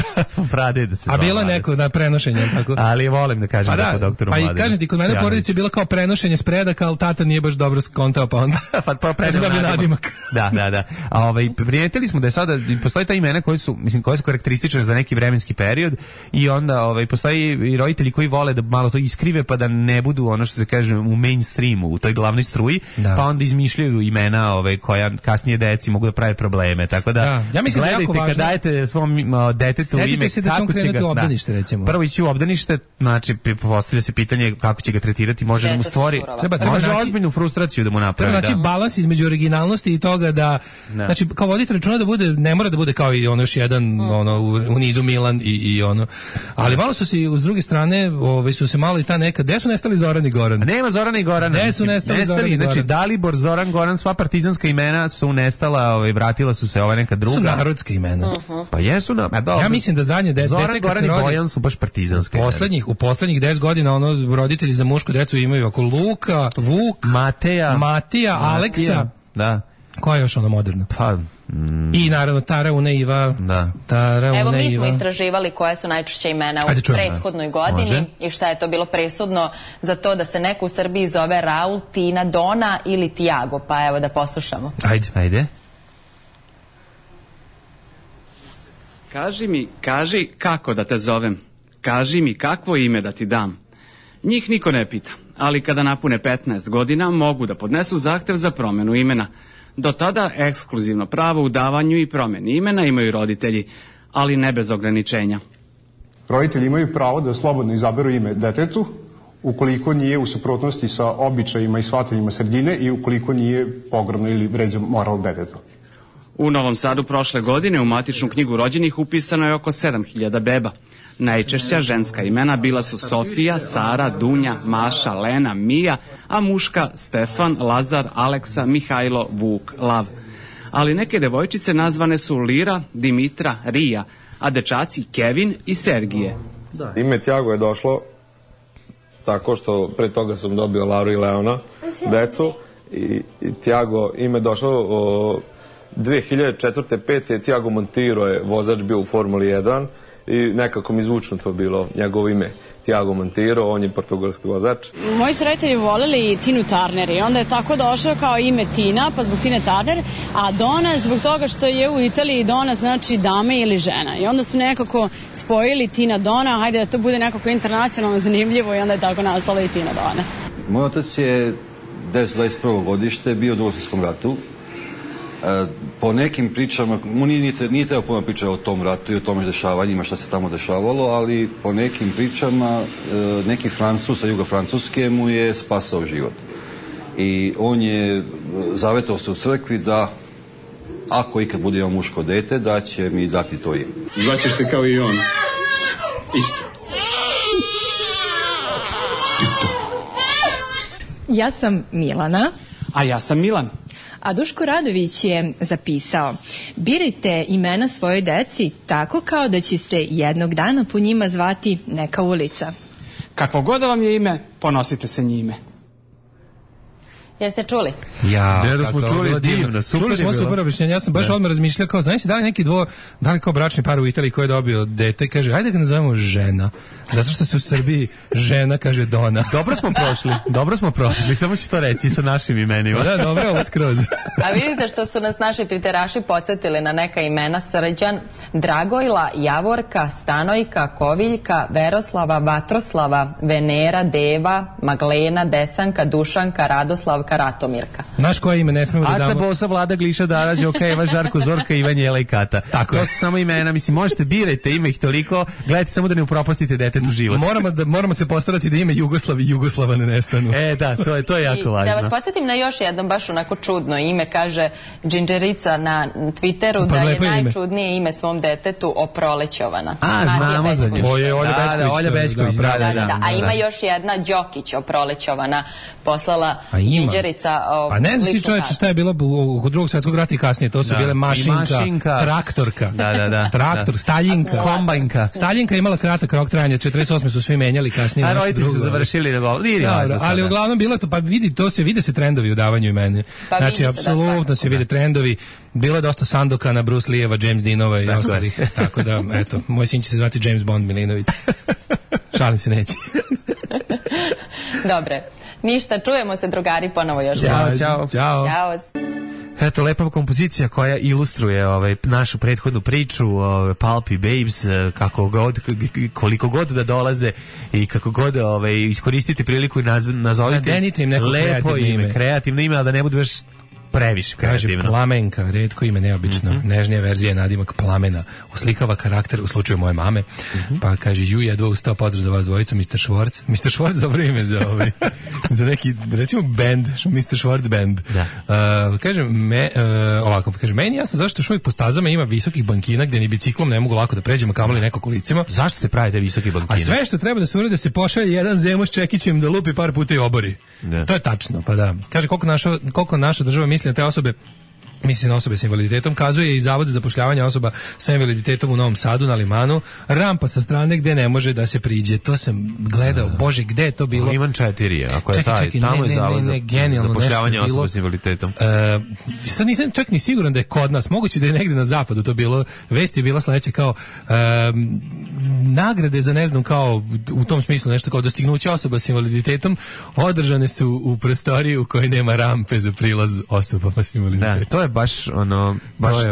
Prade da se zvala. A bilo neko na prenošenje, tako? Ali volim da kažem da po doktoru Mladenu. Pa i kažem ti, kod mene u porodici je bilo kao prenošenje s predaka, ali tata nije baš dobro skontao, pa onda... Pa predam nadimak. Da. A primijetili smo da je sada, postoji ta imena koje su karakteristične za neki vremenski period i onda postoji i roditelji koji vole da malo to iskrive pa da ne budu ono što se kaže u mainstreamu, u toj glavnoj struji, pa onda izmišljaju imena koja kasnije deci mogu da prave probleme, tako da ja mislim gledajte da kad dajete svom detetu ime, setite se da će on krenuti u obdanište, recimo. Prvo ići u obdanište, znači postavlja se pitanje kako će ga tretirati, može da mu stvori može ozbiljnu frustraciju da mu napravi. Znači balans između originalnosti i toga da znači kao voditi računa da bude, ne mora da bude kao i ono još jedan u nizu Milan i ono, ali malo su se s druge strane su se malo i ta neka, gde su nestali Zoran i Goran? Nema Zorana i Gorana. Gde su nestali Zoran i Goran? Znači Dalibor, Zoran, Goran, sva partizanska imena su nestala, vratila su se neka druga. Su narodska imena. Pa jesu ja mislim da zadnje dete Zoran, Goran i Bojan su baš partizanske. U poslednjih 10 godina roditelji za mušku decu imaju oko Luka, Vuk, Matija, Aleksa. Da. Koja je još moderna? Pa i naravno Tara, Una, Iva. Evo mi smo istraživali koje su najčešće imena u prethodnoj godini i šta je to bilo presudno za to da se neko u Srbiji zove Raul, Tina, Dona ili Tiago, pa evo da poslušamo. Ajde. Kaži kako da te zovem. Kaži mi kakvo ime da ti dam. Njih niko ne pita, ali kada napune 15 godina mogu da podnesu zahtev za promenu imena. Do tada ekskluzivno pravo u davanju i promeni imena imaju roditelji, ali ne bez ograničenja. Roditelji imaju pravo da slobodno izaberu ime detetu ukoliko nije u suprotnosti sa običajima i shvatanjima sredine i ukoliko nije pogrdno ili vređa moral deteta. U Novom Sadu prošle godine u matičnu knjigu rođenih upisano je oko 7000 beba. Najčešća ženska imena bila su Sofija, Sara, Dunja, Maša, Lena, Mija, a muška Stefan, Lazar, Aleksa, Mihajlo, Vuk, Lav. Ali neke devojčice nazvane su Lira, Dimitra, Rija, a dečaci Kevin i Sergije. Ime Tiago je došlo tako što pre toga sam dobio Laru i Leona, decu, i Tiago ime došlo 2004. 5. Tiago Monteiro je vozač bio u Formuli 1 i nekako mi zvučno to bilo njegovo ime. Tiago Monteiro, on je portugalski vozač. Moji su roditelji voleli Tinu Turner i onda je tako došao kao ime Tina, pa zbog Tine Turner, a Dona zbog toga što je u Italiji Dona znači dame ili žena. I onda su nekako spojili Tina Dona, hajde da to bude nekako internacionalno zanimljivo i onda je tako nastala i Tina Dona. Moj otac je 1921. godište bio u Drugom svjetskom ratu. Po nekim pričama, nije treba puno pričati o tom ratu i o tom dešavanjima šta se tamo dešavalo, ali po nekim pričama neki Francuz sa juga Francuske mu je spasao život. I on je zavetao se u crkvi da ako ikad bude imao muško dete, da će mi dati to ime. Zvaćeš se kao i on. Isto. Ja sam Milana. A ja sam Milan. A Duško Radović je zapisao: birajte imena svojoj deci tako kao da će se jednog dana po njima zvati neka ulica. Kako god vam je ime, ponosite se njime. Jeste čuli? Da smo čuli, divno, super. Čuli smo super objašnjenje, ja sam baš odmah razmišljao kao, znaš si da li neki da li kao bračni par u Italiji koji je dobio dete i kaže, ajde ga nazovemo žena, zato što se u Srbiji žena kaže Dona. Dobro smo prošli, samo ću to reći sa našim imenima. Da, dobro, ovo skroz. A vidite što su nas naši triteraši podsjetili na neka imena: Srđan, Dragojla, Javorka, Stanojka, Koviljka, Veroslava, Vatroslava, Venera, Deva, Maglena, Desanka, Dušanka, Radoslav, potomaka Ratomirka. Znaš koje ime ne smemo da damo? Aca, Bosa, Vlada, Gliša, Dara, Đoka, Eva, Žarko, Zorka, Ivan, Jela i Kata. Tako to su samo imena, mislim, možete birajte, ima ih toliko, gledajte samo da ne upropastite detetu život. Moramo se postarati da ime Jugoslav i Jugoslava ne nestanu. Da, to je jako važno. Da vas podsjetim na još jedno baš onako čudno ime, kaže Džinđerica na Twitteru da je najčudnije ime svom detetu Oprolećovana. Znamo za nju. Olja Bećković. Da. A ima još jedna Đokić Oprolećovana, poslala Džinđerica. Pa ne znaš ti čoveče šta je bilo u drugog svjetskog rata i kasnije, to su bile mašinka, traktorka, traktor, Staljinka, kombajnka. Staljinka imala kratak rok trajanja, 48 su svi menjali kasnije. A roditelji su završili da govori. Ali uglavnom bilo to, pa vide se trendovi u davanju imena. Znači, apsolutno se vide trendovi. Bilo je dosta Sandokana, Bruce Lee-eva, James Deanova i ostalih. Tako da, eto, moj sin će se zvati James Bond Milinović. Šalim se, neće. Dobre. Ništa, čujemo se drugari ponovo još. Ćao. Eto, lepa kompozicija koja ilustruje našu prethodnu priču, Pulp i Babes, koliko god da dolaze i kako god iskoristiti priliku i nazovite lepo ime, kreativno ime, ali da ne bude baš previše kreativno. Kaže Plamenka, retko ime, neobično, nežnija verzija nadimak Plamena, uslikava karakter u slučaju moje mame, pa kaže jedva ustao, pozdrav za vas dvojicu, Mr. Schwartz. Mr. Schwartz dobro ime za neki, recimo band, Mr. Schwartz band. Kaže, ovako, kaže, meni ja sam zašto još uvijek po stazama ima visokih bankina gdje ni biciklom ne mogu lako da pređemo, kamoli neko kolicima. Zašto se pravite visoki bankina? A sve što treba da se uradi da se pošalje jedan Zemo s čekićem da lupi par puta i obori. To je tačno, pa da. Kaže, koliko naša država misli na te osobe, misli na osobe s invaliditetom, kazuje i Zavod za zapošljavanje osoba sa invaliditetom u Novom Sadu na Limanu, rampa sa strane gde ne može da se priđe. To sam gledao, bože, gde je to bilo? Liman 4, ako je tamo je Zavod za zapošljavanje osoba s invaliditetom. Sad nisam čak ni siguran da je kod nas, moguće da je negde na zapadu to bilo, vest je bila sledeća kao nagrade za ne znam kao u tom smislu nešto kao dostignuće osoba s invaliditetom održane su u prostoriji u kojoj nema rampe za prilaz osobama s invaliditetom. Da, to je baš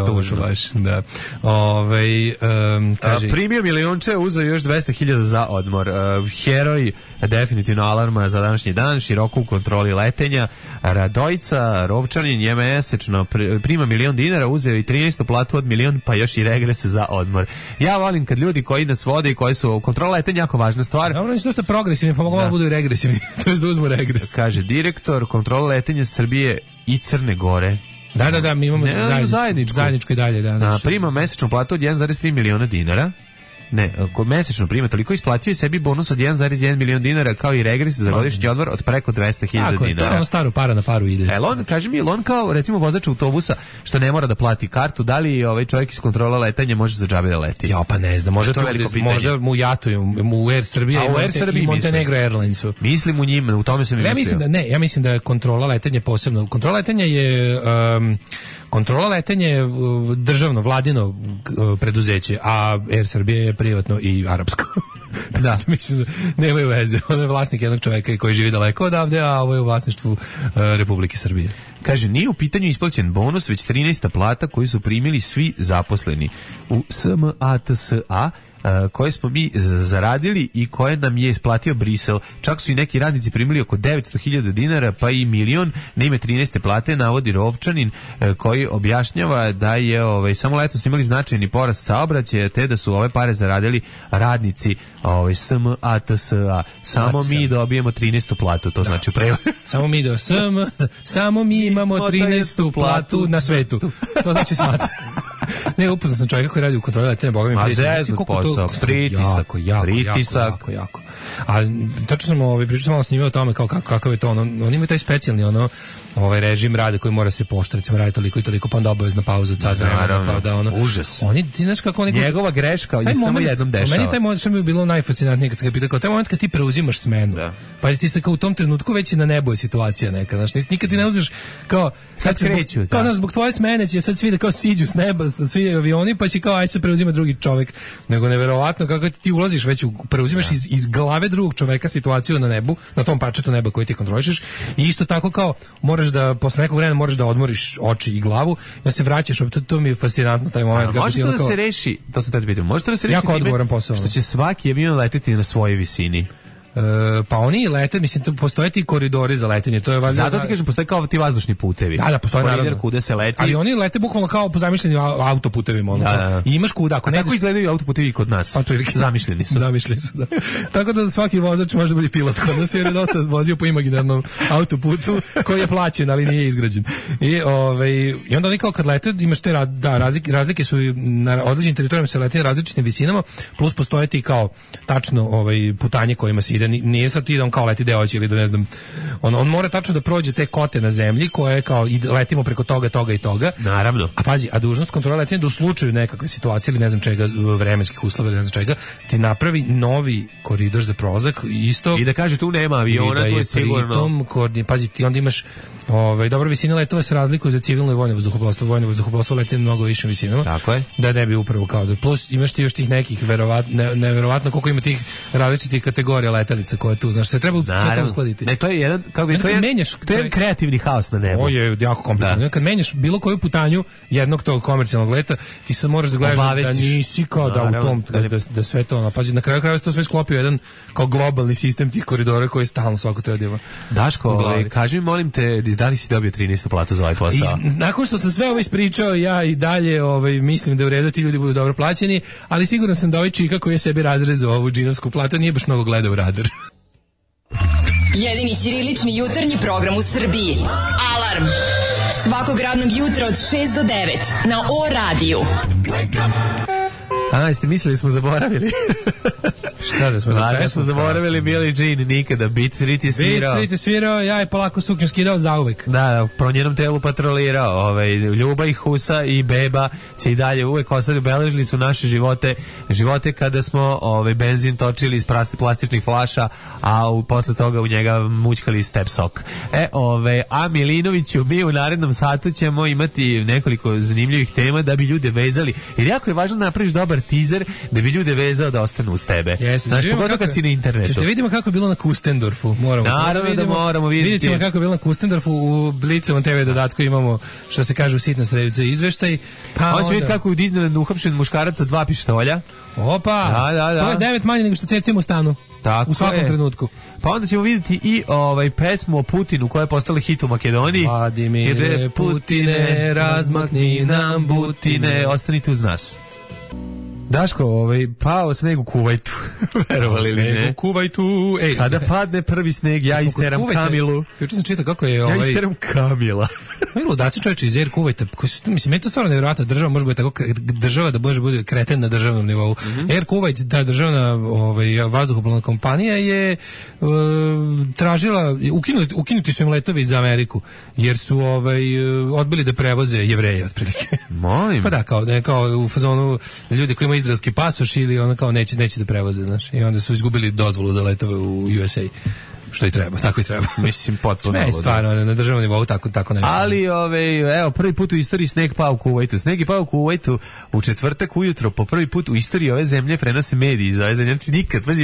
tužno. Da. Kaže, primio milionče, uzeo još 200.000 za odmor. Heroj definitivno alarma za današnji dan, široko u kontroli letenja. Radojica Rovčanin je mesečno prima $1.000.000, uzeo i 13. platu od 1.000.000, pa još i regres za odmor. Ja volim kad ljudi koji nas vode i koji su kontrola letenja jako važna stvar. Dobro, oni su dosta progresivni, pa mogu da budu i regresivni. To je da uzmu regres. Kaže direktor kontrola letenja Srbije i Crne Gore. Da, mi imamo zajedničko i dalje. Prima mesečnu platu od 1,3 miliona dinara. Ne, ako mesečno prima toliko, isplatio je sebi bonus od 1,1 milion dinara kao i regres za godišnji odmor od preko 200.000 dinara. To je ono staro para na paru ide. Kaže mi, on kao recimo vozač autobusa što ne mora da plati kartu, da li ovaj čovjek iz kontrola letanja može za džabe da leti? Ja pa ne znam, možda mu jatuju, mu Air Srbija i Montenegro Airlinesu. Mislim u njima, u tome sam i mislio. Ja mislim da je kontrola letenja posebno. Kontrola letenja je državno, vladino preduzeće, a Air Srbija je privatno i arapsko. Da, mislim, nemaju veze. On je vlasnik jednog čovjeka koji živi daleko odavde, a ovo je u vlasništvu Republike Srbije. Kaže, nije u pitanju isplaćen bonus, već 13. plata koju su primili svi zaposleni u SMATSA, koje smo mi zaradili i koje nam je isplatio Brisel. Čak su i neki radnici primili oko 900.000 dinara, pa i milion na ime 13. plate, navodi Rovčanin, koji objašnjava da je samo letos imali značajni porast saobraćaja, te da su ove pare zaradili radnici SMATSA. Samo mi dobijemo 13. platu, to znači u prevodu. Samo mi imamo 13. platu na svetu. To znači SMATS. Ne, upoznao sam čovjeka koji radi u kontroli letenja, boga mi pritisak. Jako. A tačno sam pričao malo s njima o tome kakav je to on ima taj specijalni režim rada koji mora se poštovati, recimo radi toliko i toliko, pa onda obavezna pauza od sat vremena, pa da užas. Ti znaš kako njegova greška je samo jednom dešava. Meni taj moment što mi je bilo najfascinantnije kad se ga pitao, kao taj moment kad ti preuzimaš smenu. Pa ti se kao u tom trenutku već na nebu je situacija neka, znaš, nikad ti ne uzmeš kao sad kreću, kao zbog tvoje smene će sad svi da kao siđu s neba, svi avioni, pa će kao aj se preuzima drugi čovjek, nego neverovatno kako ti ulaziš već preuzimaš iz glave drugog čoveka situaciju na nebu, na tom parčetu neba koji ti kontrolišeš, i isto tako kao moraš da posle nekog vremena moraš da odmoriš oči i glavu, da se vraćaš, to mi je fascinantno taj moment. Može to da se reši, to sam te pitao, može to da se reši jako odgovoran posao, što će svaki avion leteti na svojoj visini. pa oni lete, mislim, postoje ti koridori za letenje, to je važno. Zato ti kažem, postoje kao ti vazdušni putevi. Da, postoje koridor kuda se leti. Ali oni lete bukvalno kao po zamišljenim autoputevima, ono. Da. I imaš kuda, ako ne. Tako izgledaju autoputevi kod nas. Zamišljeni su. Zamišljeni su, da. Tako da svaki vozač može biti pilot kod nas, jer je dosta vozio po imaginarnom autoputu koji je plaćen, ali nije izgrađen. I onda oni kao kad lete, imaš te razlike su na određenim teritorijama se leti na različitim visinama, plus postoje ti kao tačno putanje kojima se ide. Nije sad ti da on kao leti deoći ili da ne znam. On mora tačno da prođe te kote na zemlji koje kao i letimo preko toga i toga. Naravno. A pazi, a dužnost kontrole letenja da u slučaju nekakve situacije ili ne znam čega, vremenskih uslova ili ne znam čega, ti napravi novi koridor za prolazak isto. I da kaže tu nema aviona, to je sigurno. Pazi, ti onda imaš dobra visina letova se razlikuje za civilno i vojno vazduhoplovstvo. Vojno vazduhoplovstvo leti na mnogo višim visinama. Tako je. Da ne bi upravo kao da. Plus imaš ti još tih nekih neverovatno koliko ima tih različitih kategorija letelica koje tu, znaš, se treba sve to uskladiti. Ne, to je jedan, kako bi, to je kreativni haos na nebu. Ovo je jako komplikovano. Kad menjaš bilo koju putanju jednog tog komercijalnog leta, ti sad moraš da gledaš da nisi kao da u tom, da sve to, pazi, na kraju krajeva se to sve sklopio jedan kao globalni sistem tih koridora koji stalno svako treba da ima. Daško, kaži mi, molim te, da li si dobio 13. platu za ovaj posao? Nakon što sam sve ovo ispričao, ja i dalje mislim da je u redu ti ljudi budu dobro plaćeni, ali siguran sam da ovaj čika koji je sebi razrezao ovu džinovsku platu nije baš mnogo gledao Radar. Jedini ćirilični jutarnji program u Srbiji. Alarm! Svakog radnog jutra od 6 do 9 na O radiju. Jeste mislili smo zaboravili? Šta da smo zaboravili? Smo zaboravili Billie Jean nikada. Beat Street je svirao. Beat Street je svirao, ja je polako suknju skidao zauvek. Da, po njenom telu patrolirao. Ljuba i Husa i Beba će i dalje uvek ostati, obeležili su naše živote kada smo benzin točili iz plastičnih flaša, a posle toga u njega mućkali step sok. A Milinoviću, mi u narednom satu ćemo imati nekoliko zanimljivih tema da bi ljude vezali. Jer jako je važno da napraviš dobar teaser da bi ljude vezao da ostanu uz tebe. Znači, pogotovo kad si na internetu. Ćete vidimo kako je bilo na Kustendorfu. Naravno da moramo vidjeti. Vidjet ćemo kako je bilo na Kustendorfu. U Blicovom TV dodatku imamo, što se kaže, u sitna sredica izveštaj. On će vidjeti kako je u Disneylandu uhapšen muškarac sa 2 pištolja. Opa, da. To je 9 manje nego što cecimo u stanu. Tako u svakom trenutku. Pa onda ćemo vidjeti i pesmu o Putinu koja je postala hit u Makedoniji. Vladimire Putine, razmakni nam butine. Ostanite uz nas. Daško, pao sneg u Kuvajtu. Verovali li ne? Sneg u Kuvajtu. Kada padne prvi sneg, ja isteram Kamilu. Juče sam čitao kako je Ja isteram Kamila. Ludaci čovječe iz Air Kuvajta. Mislim, je to stvarno nevjerojatno. Država može biti tako, država da može bude kreten na državnom nivou. Air Kuvajt, ta državna vazduhoplovna kompanija je tražila, ukinuti su im letovi za Ameriku, jer su odbili da prevoze Jevreje, otprilike. Molim. Pa da, kao u fazonu ljudi koji imaju izraelski pasoš ili ono kao neće da prevoze, znaš. I onda su izgubili dozvolu za letove u USA. Što i treba, tako i treba. Mislim, potpuno. Ne, stvarno, na državnom nivou tako nešto. Ali, evo, prvi put u istoriji sneg pao u Kuvajtu. Sneg je pao u Kuvajtu u četvrtak ujutro, po prvi put u istoriji ove zemlje prenose mediji iz ove zemlje. Znači,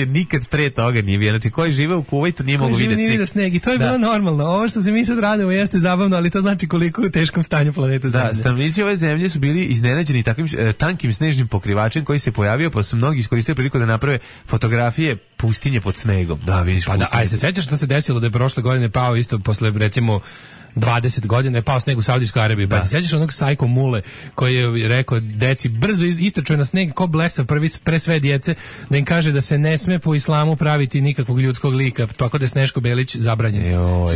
nikad pre toga nije bio. Znači, koji žive u Kuvajtu nije mogu vidjeti sneg. I to je bilo normalno. Ovo što se mi sad radimo jeste zabavno, ali to znači koliko u teškom stanju planeta Zemlje. Da, stanovnici ove zemlje su bili iznenađeni takvim tankim snežnim pokrivačem koji se pojavio, pa su mnogi iskoristili priliku da naprave fotografije pustinje pod snegom. Da, vidiš. Pa da, aj se sećaš šta se desilo da je prošle godine pao isto posle recimo 20 godina je pao sneg u Saudijskoj Arabiji. Pa se sjećaš onog sajko mule koji je rekao deci brzo istrčuje na sneg ko blesav pre sve djece da im kaže da se ne sme po islamu praviti nikakvog ljudskog lika, tako da je Sneško Belić zabranjen.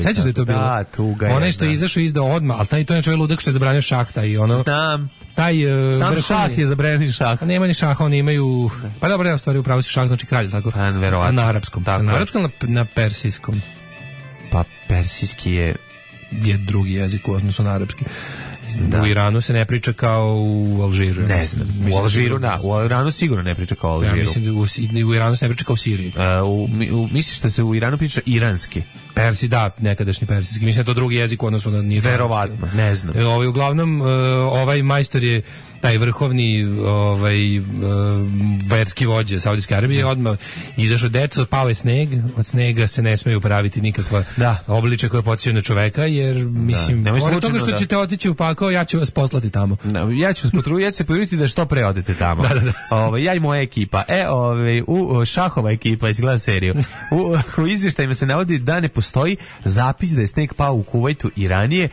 Sjećaš da je to bilo? Da, tuga je. Onaj što je izašao izdao odmah, ali to je način ludak što je zabranio šah i ono. Znam. Sam šah je zabranjen šah. Nema ni šaha, oni imaju. Pa dobro, u stvari upravo si šah znači kralj, tako. Na arapskom. Na arapskom, na persijskom. Pa persijski je drugi jezik u odnosu na arapski. Da. U Iranu se ne priča kao u Alžiru. Ne znam. U Alžiru, da. U Iranu sigurno ne priča kao u Alžiru. Ja mislim da u Iranu se ne priča kao u Siriji. Misliš da se u Iranu priča iranski? Persi, da, nekadašnji persijski. Mislim da to drugi jezik u odnosu na nije. Verovatno, ne znam. Uglavnom, ovaj majstor je taj vrhovni verski vođa Saudijske Arabije, odmah izašao deco, pao je sneg, od snega se ne smeju praviti nikakva obličja koja podsjećaju na čoveka, jer mislim, pored toga što ćete otići u pakao, ja ću vas poslati tamo. Ja ću se potruditi da što pre odete tamo. Ja i moja ekipa. U šahova ekipa, izgleda seriju. U izvještajima se navodi da ne postoji zapis da je sneg pao u Kuvajtu i ranije.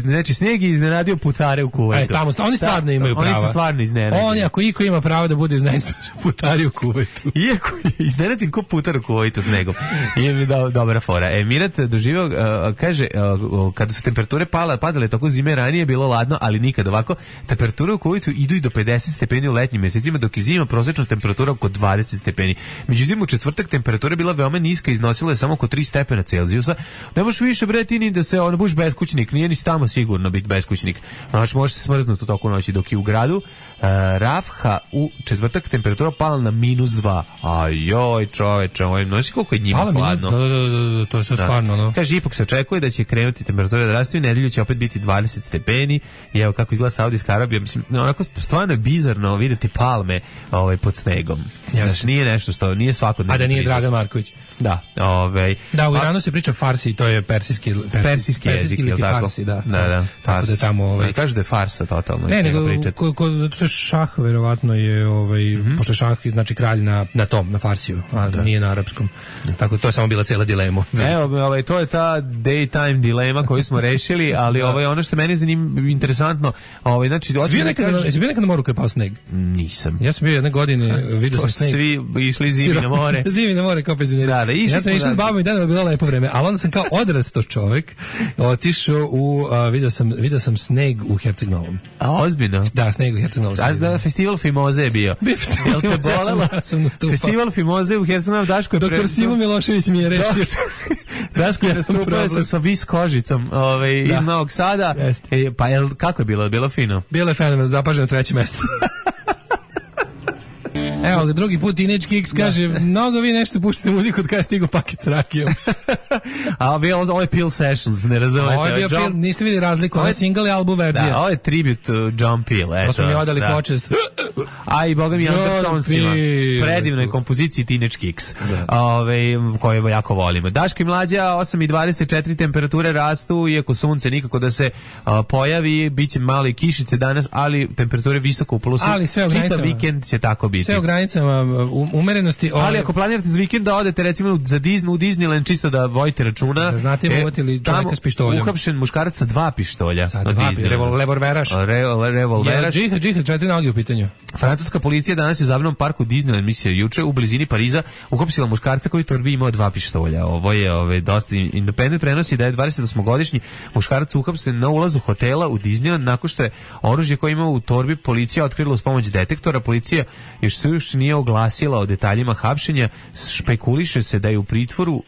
Znači sneg je iznenadio putare u Kuvajtu. Tamo, oni stvarno imaju prava. Oni su stvarno iznenađeni. Oni, ako iko ima pravo da bude iznenađen, su putari u Kuvajtu. Iako je iznenađen ko putar u Kuvajtu snegom. Nije mi dobra fora. Mirat doživio, kaže, kada su temperature padale tako zime ranije, bilo ladno, ali nikad ovako. Temperature u Kuvajtu idu i do 50 stepeni u letnjim mesecima, dok je zima prosječna temperatura oko 20 stepeni. Međutim, u četvrtak temperatura bila veoma niska, iznosila je samo oko 3 stepena Celzijusa. Ne možeš više ni da se budeš beskućnik, nije ni tamo sigurno biti beskućnik. Znači, možeš se smrznuti u toku noći, dok je u gradu Rafha u četvrtak temperatura pala na -2. Ajoj, čoveče, nosi koliko je njima hladno. To je sve stvarno, no. Kaže, ipak se očekuje da će krenuti temperatura da rastu i nedelju će opet biti 20 stepeni. I evo kako izgleda Saudijska Arabija. Mislim, onako stvarno je bizarno vidjeti palme pod snegom. Znači, nije nešto što, nije svakodnevno. A da nije Dragan Marković. Da, Da, u Iranu se priča farsi, to je persijski jezik, ili farsi, da. Da, tako da tamo kažu da je farsa totalno. Ne, nego zato što šah verovatno je pošto šah znači kralj na tom, na farsiju, a nije na arapskom. Tako to je samo bila cela dilema. Evo, to je ta daytime dilema koju smo rešili, ali ono što meni interesantno, znači hoćeš da kažeš, jesi bio nekad na moru kad je pao sneg? Nisam. Ja sam bio jedne godine, vidio sam sneg. Svi išli zimi na more. Zimi na more kao penzioneri. Ja sam išao s babom i dedom, bilo lepo vreme, ali onda sam kao odrastao čovek otišao u vidio sam sneg u Herceg Novom. A ozbiljno? Da, sneg u Herceg Novom. Da, festival Fimoze je bio. Jel te bolelo? Festival Fimoze u Herceg Novom, Daško je Doktor Simo Milošević mi je rešio. Daško je nastupao sa viskožicom iz Novog Sada. Pa kako je bilo? Bilo fino? Bilo je fenomenalno, zapaženo 3. mesto. Evo, drugi put Teenage Kicks kaže, mnogo vi nešto puštate muziku od kada je stigao paket s rakijom. A ovo je Peel Sessions, ne razumete. Ovo je bio Peel, niste vidjeli razliku, ovo je single i album verzija. Da, ovo je tribute John Peel. To smo mi odali počest. A i boga mi Undertonesima. Predivnoj kompoziciji Teenage Kicks, koje jako volimo. Daško i Mlađa, 8:24, temperature rastu, iako sunce nikako da se pojavi, bit će male kišice danas, ali temperature visoko u plusu. Čitav vikend će tako biti. Sve u granicama umerenosti. Ali ako planirate za vikend da odete recimo u Disneyland, čisto da vojite računa. Da znate ima uvotili čovjeka s pištoljom. Uhapšen muškarac sa 2 pištolja. Sa 2, revolveraš. Revolveraš. Džihad, 4 noge u pitanju. Francuska policija danas je u zabavnom parku Disneyland, misija juče, u blizini Pariza, uhapsila muškarca koji u torbi imao 2 pištolja. Ovo je dosta Independent prenosi da je 28-godišnji muškarac uhapšen na ulazu hotela u Disneyland nakon što je oružje koje imao u torbi policija otkrila uz pomoć detektora. Policija još nije oglasila o detaljima hapšenja, špekuliše se da je u pritvoru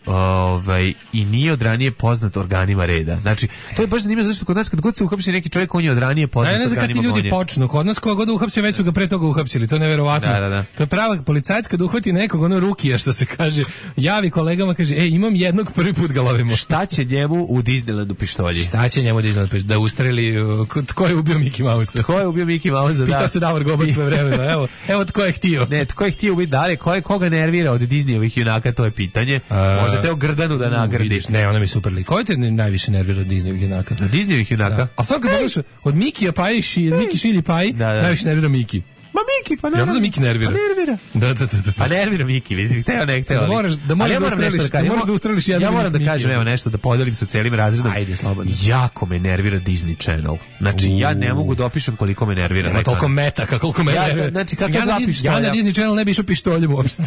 i nije od ranije poznat organima reda. Znači, to je baš zanimljivo zašto kod nas kad god se uhapsi neki čovjek, on je od ranije poznat organima gonja. Ne znam kad ti ljudi počnu, kod nas koga god uhapsi, već su ga pre toga uhapsili, to je neverovatno. Da. To je prava policajac kad uhvati nekog, ono rukija što se kaže, javi kolegama, kaže, imam jednog, prvi put ga lovimo. Šta će njemu u Disneylandu pištolji? Šta će njemu u Disneylandu? Da ustreli, tko je ubio Mickey Mouse? Tko je ubio Mickey Mouse, da. Pitao se Davor Gobac svoje vremena, evo tko je htio. Ne, tko je htio ubiti dalje, koga nervira od Disneyovih junaka, to je pitanje. Možete o Grdanu da nagradiš. Ne, ona mi super lik. Ko te najviše nervira od Disneyovih junaka? Od Disneyovih junaka? Da. A sad kad pogledaš, od Mikija Paji, Miki Šilji Paji, najviše nervira Miki. Ma Miki, pa naravno. Ja da Miki nervira. Da. Pa nervira Miki, mislim, hteo ne hteo. Da moraš da ustreliš jedan. Ja moram da kažem, evo nešto, da podelim sa celim razredom. Ajde, slobodno. Jako me nervira Disney Channel. Znači, ja ne mogu da opišem koliko me nervira. Nema toliko metaka, koliko me nervira. Znači, kako dva pištolja. Ja na Disney Channel ne bi išao pištoljem uopšte.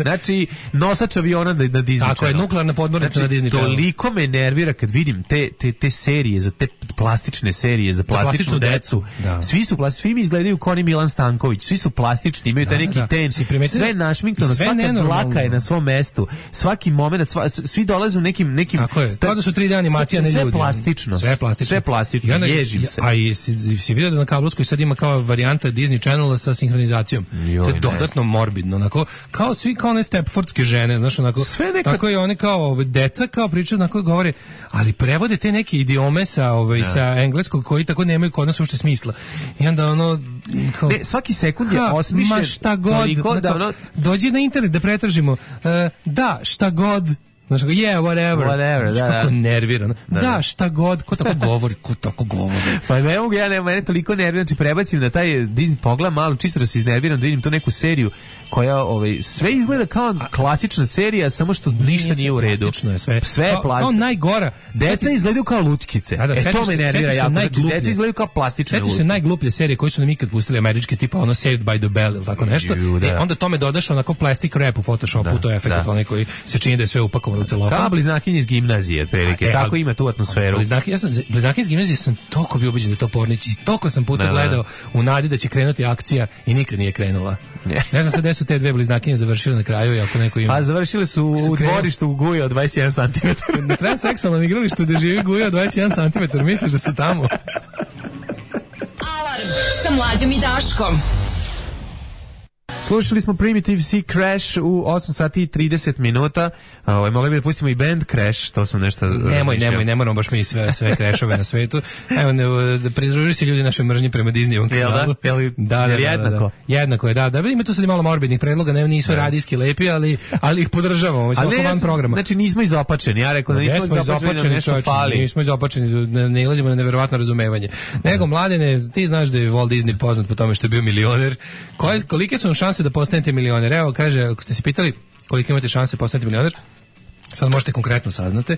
Znači, nosač aviona na Disney Channel. Tako je, nuklearna podmornica na Disney Channel. Toliko me nervira kad vidim te serije, za te plastične serije, za plastičnu decu. Svi mi izgledaju kao oni Milan Stanković. Stanković, svi su plastični, imaju taj neki ten, sve našminkano, svaka dlaka je na svom mestu, svaki moment, svi dolaze u nekim tako je, kao da su 3D animacija, ne ljudi. Sve plastično. Sve plastično, ježim se. A i si vidio da na kablovskoj sad ima kao varijanta Disney Channela sa sinhronizacijom. To je dodatno morbidno, onako, kao svi kao one Stepfordske žene, znaš, onako, tako je one kao deca, kao pričaju, onako govore, ali prevode te neke idiome sa engleskog koji tako nemaju kod nas uopšte smisla. I onda ono kao, ne, svaki sekund je osmišljen šta god, dođi na internet da pretražimo da, šta god. Znaš, whatever, da. Kako nerviran. Da, šta god, ko tako govori. Pa ne mogu, mene toliko nerviran, znači prebacim na taj Disney, pogledam malo, čisto da se iznerviram, da vidim tu neku seriju koja, sve izgleda kao klasična serija, samo što ništa nije u redu. Sve je plastično. Kao najgora. Deca izgledaju kao lutkice. To me nervira jako. Znači, deca izgledaju kao plastične lutkice. Sjetiš se najgluplje serije koje su nam ikad pustili američke, tipa ono Saved by the Bell ili tako nešto. Onda tome dodaš onako plastic wrap u Photoshopu, to je efekt onaj koji se čini da je sve upakovano u celofan. Kao bliznakinje iz gimnazije, otprilike. Tako ima tu atmosferu. Bliznakinje iz gimnazije sam toliko bio ubeđen da je to Pornić i toliko sam puta gledao u nadi da će krenuti akcija i nikad nije krenula. Ne znam sad gde su te dve bliznakinje završile na kraju i ako neko ima. Pa završile su u dvorištu u Guja od 21 cm. Na transseksualnom igralištu gde živi Guja od 21 cm, misliš da su tamo? Alarm sa Mlađom i Daškom. Slušali smo Primitive Sea Crash u 8 sati i 30 minuta. Mogli bi da pustimo i band Crash, to sam nešto... Ne moramo baš mi sve crashove na svetu. Evo, da pridruži se ljudi našoj mržnji prema Disneyovom kanalu. Da, jednako. Jednako je, da. Ima tu sad malo morbidnih predloga, nisu radijski lepi, ali ih podržavamo. Ali van programa. Znači nismo izopačeni, ja rekao da nismo izopačeni, nešto fali. Nismo izopačeni, ne ilazimo na neverovatno razumevanje. Nego, Mladene, ti znaš da je Walt Disney poznat po tome što je bio milioner. Kolike su šanse da postanete milioner? Evo, kaže, ako ste se pitali koliko imate šanse postanete milioner, sad možete konkretno saznate.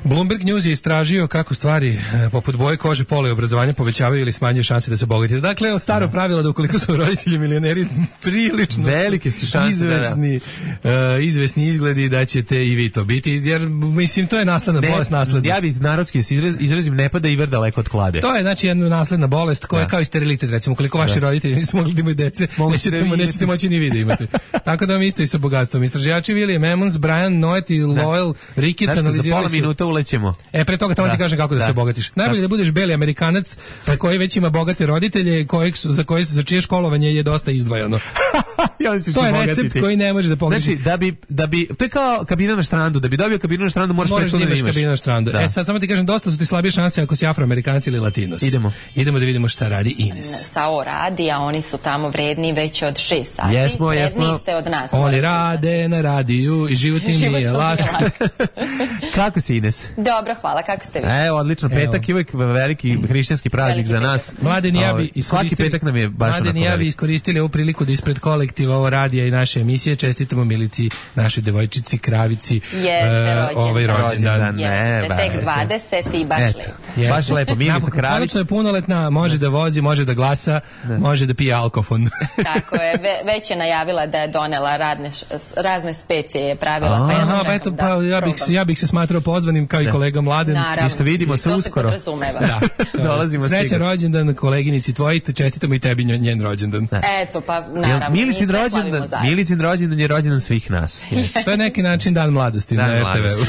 Bloomberg News je istražio kako stvari poput boje kože, pola i obrazovanja povećavaju ili smanjuju šanse da se obogatite. Dakle, staro pravilo da ukoliko su roditelji milioneri, prilično velike su šanse izvesni izgledi da ćete i vi to biti, jer mislim to je nasledna bolest nasledna. Ja bih narodski izrazim, ne pada i daleko od klade. To je znači jedna nasledna bolest koja je kao i sterilitet, recimo ukoliko vaši roditelji nisu mogli da imaju dece, nećete moći ni vi da imate. Tako da vam isto i sa bogatstvom. Istraživači William Emmons, Brian Noet i Lowell Ricketts analizirali su ulećemo. Pre toga tamo ti kažem kako da se obogatiš. Najbolje da budeš beli Amerikanac koji već ima bogate roditelje, za čije školovanje je dosta izdvajano. To je recept koji ne može da pogreši. Znači, da bi to je kao kabina na štrandu, da bi dobio kabinu na štrandu moraš da imaš kabinu na štrandu. Sad samo ti kažem, dosta su ti slabije šanse ako si Afroamerikanac ili Latinos. Idemo da vidimo šta radi Ines. SAO radi, a oni su tamo vredni već od 6 sati. Vredni ste od nas. Oni rade na radiju i život im nije lak. Kako si, Ines? Dobro, hvala, kako ste vi? Odlično, petak je uvijek veliki hrišćanski praznik za nas. Mladeni, svaki petak nam je baš Mladeni, ja bi iskoristili ovu priliku da ispred kolektiva ovo radija i naše emisije čestitamo Milici, našoj devojčici, kravici, ovaj rođendan. Jeste, tek 20 i baš lepo. Baš lepo, Milica Kravić. Konačno je punoletna, može da vozi, može da glasa, može da pije alkofon. Tako je, već je najavila da je donela razne specije je pravila, ja bih se smatrao pozvanim kao i kolega Mladen. Isto vidimo se uskoro. Dolazimo sigurno. Srećan rođendan koleginici tvoji, čestitamo i tebi njen rođendan. Eto, pa naravno, Milicin rođendan je rođendan svih nas. To je neki način dan mladosti na RTV-u.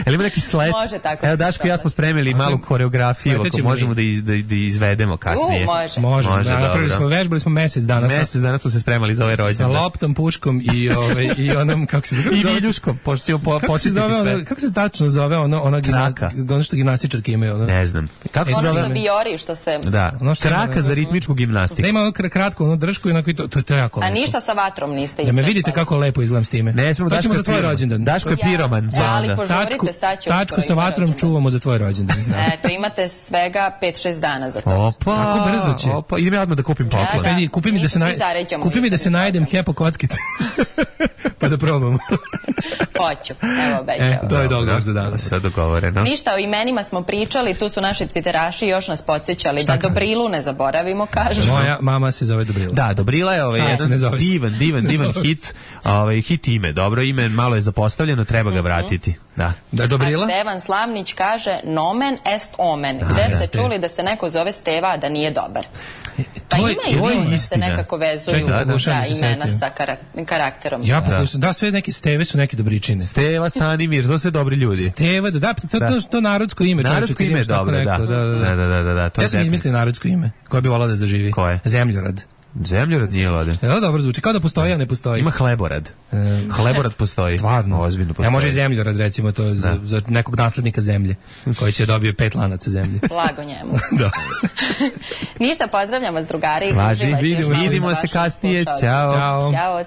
Ili ima neki sled? Evo, Daško i ja smo spremili malu koreografiju, ako možemo da izvedemo kasnije. Može. Vežbali smo mesec dana. Mesec dana smo se spremali za ovaj rođendan. Sa loptom, puškom i onom, kako se zove? I viljuškom, pošto ćemo posjetiti sve. Kako se tačno zove ono što gimnastičarke imaju? Ne znam. Kako se zove? Biori što se... Da, traka za ritmičku gimnastiku. Da ima ono kratko, držku i to je jako lepo. A ništa sa vatrom niste istrepali. Da me vidite kako lepo izgledam s time. Ne, smo Daško za tvoj rođendan. Daško je piroman. Ali požurite, sad će tačku sa vatrom čuvamo za tvoj rođendan. Eto, imate svega 5-6 dana za to. Opa, tako brzo će. Opa, idem ja odmah da kupim poklon. Kupi mi da se najedem hepo kockice. Pa da probamo. Hoću, evo obećavam. To je dogovor za danas. Sve dogovoreno. Ništa, o imenima smo pričali, tu su naši twitteraši još nas podsjećali da Dobrilu ne zaboravimo, kažu. Moja mama se zove Dobrila. Da, Dobrila je jedan divan hit, hit ime, dobro ime, malo je zapostavljeno, treba ga vratiti. Da. Dobrila? A Stevan Slavnić kaže nomen est omen. Gde ste čuli da se neko zove Steva, a da nije dobar? Pa ima i da se nekako vezuju imena sa karakterom. Ja pokušam, da, sve neke Steve su neke dobričine. Steva, Stanimir, to sve dobri ljudi. Steva, da, to narodsko ime. Narodsko ime je dobro, da. Ja sam izmislio narodsko ime, koje bi volao da zaživi. Koje? Zemljorad. Zemljorad nije lode. Evo dobro zvuči, kao da postoji, a ne postoji. Ima Hleborad. Hleborad postoji. Stvarno. Ozbiljno postoji. Može i Zemljorad, recimo, to je za nekog naslednika zemlje, koji će dobije 5 lanaca zemlje. Blago njemu. Da. Ništa, pozdravljam vas, drugari. Važi, vidimo se kasnije. Ćao. Ćao.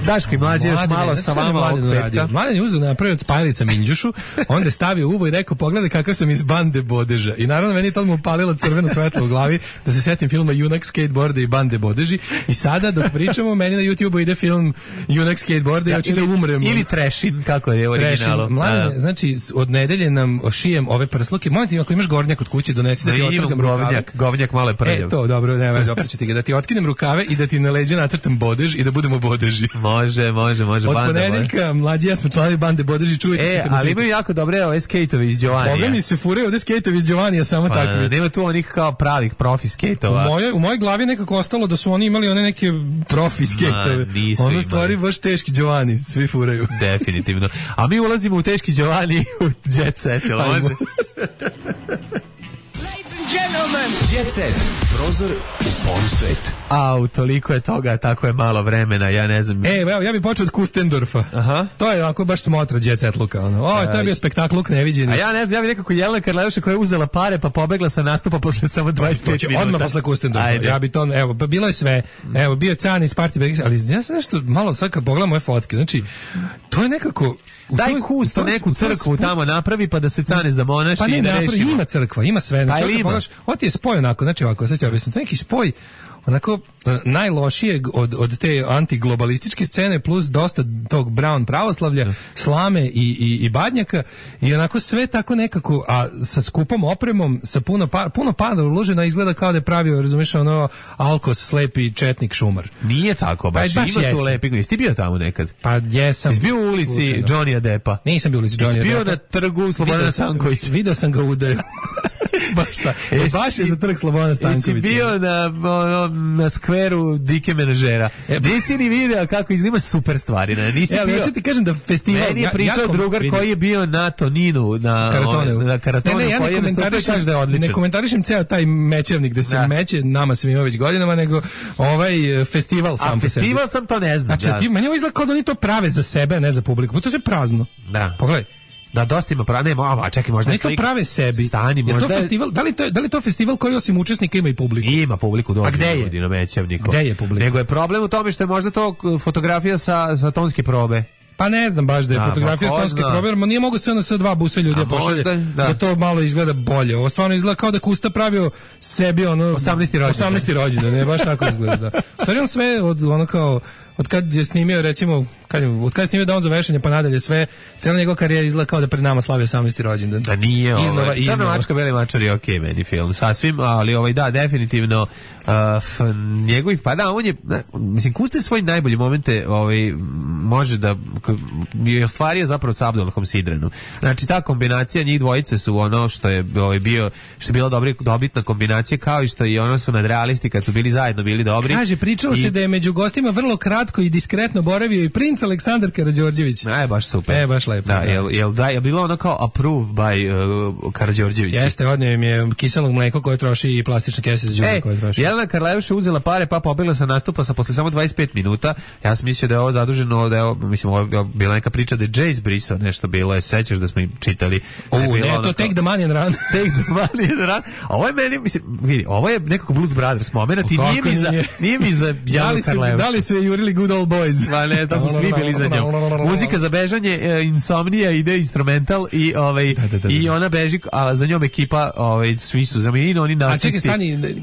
Daško i Mlađe još malo sa vama ovog petka. Mladen je uzeo napravio od spajalica minđušu, onda je stavio uvo i rekao pogledaj kakav sam iz Bande Bodeža. I naravno meni to mu upalilo crveno svetlo u glavi da se setim filma Junak skateboarda i Bande Bodeži. I sada dok pričamo meni na YouTubeu ide film Junak skateboarda i hoće da umrem. Ili Trešin, kako je u originalu. Mladen, znači od nedelje nam šijem ove prsluke. Molim ti, ako imaš gornjak kod kuće, donesi da ti otrgam rukave. Govnjak malo je prljav. To, dobro, nema veze, opreću ti ga. Da ti otkinem rukave i da ti na leđa nacrtam bodež i da budemo bodeži. Može. Od ponedeljka Mlađi ja smo članovi Bande Bodeži, čujete se. Ali imaju jako dobre ove skejtove iz Giovanija. Boga mi se furaju ovde skejtovi iz Giovanija, samo takvi. Nema tu onih kao pravih profi skejtova. U mojoj glavi nekako ostalo da su oni imali one neke profi skejtove. Ono stvari baš teški Giovanni, svi furaju. Definitivno. A mi ulazimo u teški Giovanni u Jet Set, jel može? Gentlemen, Jet Set, prozor u polsvet. Toliko je toga, tako je malo vremena, ja ne znam. Evo, ja bih počeo od Kustendorfa. Aha. To je ovako baš smotra Jet Set luka. To je bio spektakluk neviđeni. A ja ne znam, ja bih nekako Jelena Karleuša koja je uzela pare pa pobegla sa nastupa posle samo 25 minuta. Odmah posle Kustendorfa. Ja bi to, evo, bilo je sve. Evo, bio je Can iz Party, ali ja sam nešto malo sad kad pogledam moje fotke, znači, to je nekako... Daj Kusto neku crkvu tamo napravi pa da se Cane zamonaši i da rešimo. Ima crkva, ima sve. Znači, ovo ti je spoj onako, znači ovako, sad ću objasniti, to je neki spoj onako najlošijeg od te antiglobalističke scene plus dosta tog brown pravoslavlja, slame i badnjaka i onako sve tako nekako, a sa skupom opremom, sa puno para uloženo, izgleda kao da je pravio, razumiješ, ono Alkos, slepi četnik šumar. Nije tako, baš ima tu lepi. Jesi ti bio tamo nekad? Pa jesam. Jesi bio u ulici Johnnyja Deppa? Nisam bio u ulici Johnnyja Deppa. Jesi bio na trgu Slobodana Stankovića? Video sam ga u baš šta. Baš je za trg Slobodana Stankovića. Jesi bio na skveru Dike Menažera? Nisi ni video kako iznima super stvari. Nisi bio. Ja ću ti kažem da festival... Meni je pričao drugar koji je bio na Toninu, na Karatonu. Ja ne komentarišem ceo taj mećevnik gde se meće, nama se ima već godinama, nego ovaj festival sam. A festival sam to ne znam. Znači, meni ovo izgleda kao da oni to prave za sebe, a ne za publiku. Pa to je sve prazno. Da. Pogledaj. Da, dosta ima nema, čekaj, možda slika. To prave sebi. Stani, možda... to festival, da li je to festival koji osim učesnika ima i publiku? Ima publiku, dođe ljudi na Mećevniku. Gde je publika? Nego je problem u tome što je možda to fotografija sa tonske probe. Pa ne znam baš da je fotografija s tonske probe, jer nije mogu se ono sa dva busa ljudi pošalje, da to malo izgleda bolje. Ovo stvarno izgleda kao da Kusta pravio sebi ono... 18. rođendan, ne, baš tako izgleda. Stvari on sve od kad je snimio, recimo, od kad je snimio Dom za vešanje pa nadalje sve, cijela njegova karijera izgleda kao da pred nama slavio 18. rođendan. Da nije Crna mačka, Beli mačar je okej meni film, sasvim, ali da, definitivno njegovi, pa da, on je, mislim, Kusta je svoje najbolje momente može da je ostvario zapravo s Abdulahom Sidrenom. Znači, ta kombinacija njih dvojice su ono što je bila dobitna kombinacija, kao i što i ono su nadrealisti kad su bili zajedno bili dobri. Kaže, pričalo se da je među gostima vrlo kratko i diskretno boravio i princ Aleksandar Karađorđević. Baš super. Baš lepo. Da, je bilo ono kao approve by Karađorđević. Jeste, odnio im je kiselog mleko koje troši i plastične kese za đubre koje troši. Jelena Karleuša uzela pare pa pobegla sa nastupa posle samo 25 minuta. Ja sam mislio da je ovo zaduženo, ovo je bila neka priča da je Jace brisao nešto bilo, sećaš da smo im čitali. To Take the Money and Run. Take the Money and Run. Ovo je meni, mislim, vidi, ovo je nekako Blues Brothers moment i nije mi za Jelenu Karleušu. Da li su jurili Good Old Boys? Ne, to su svi mi bili za njom. Muzika za bežanje, insomnija, ide instrumental i i ona beži, a za njom ekipa, svi su zamenjeni, oni nacisti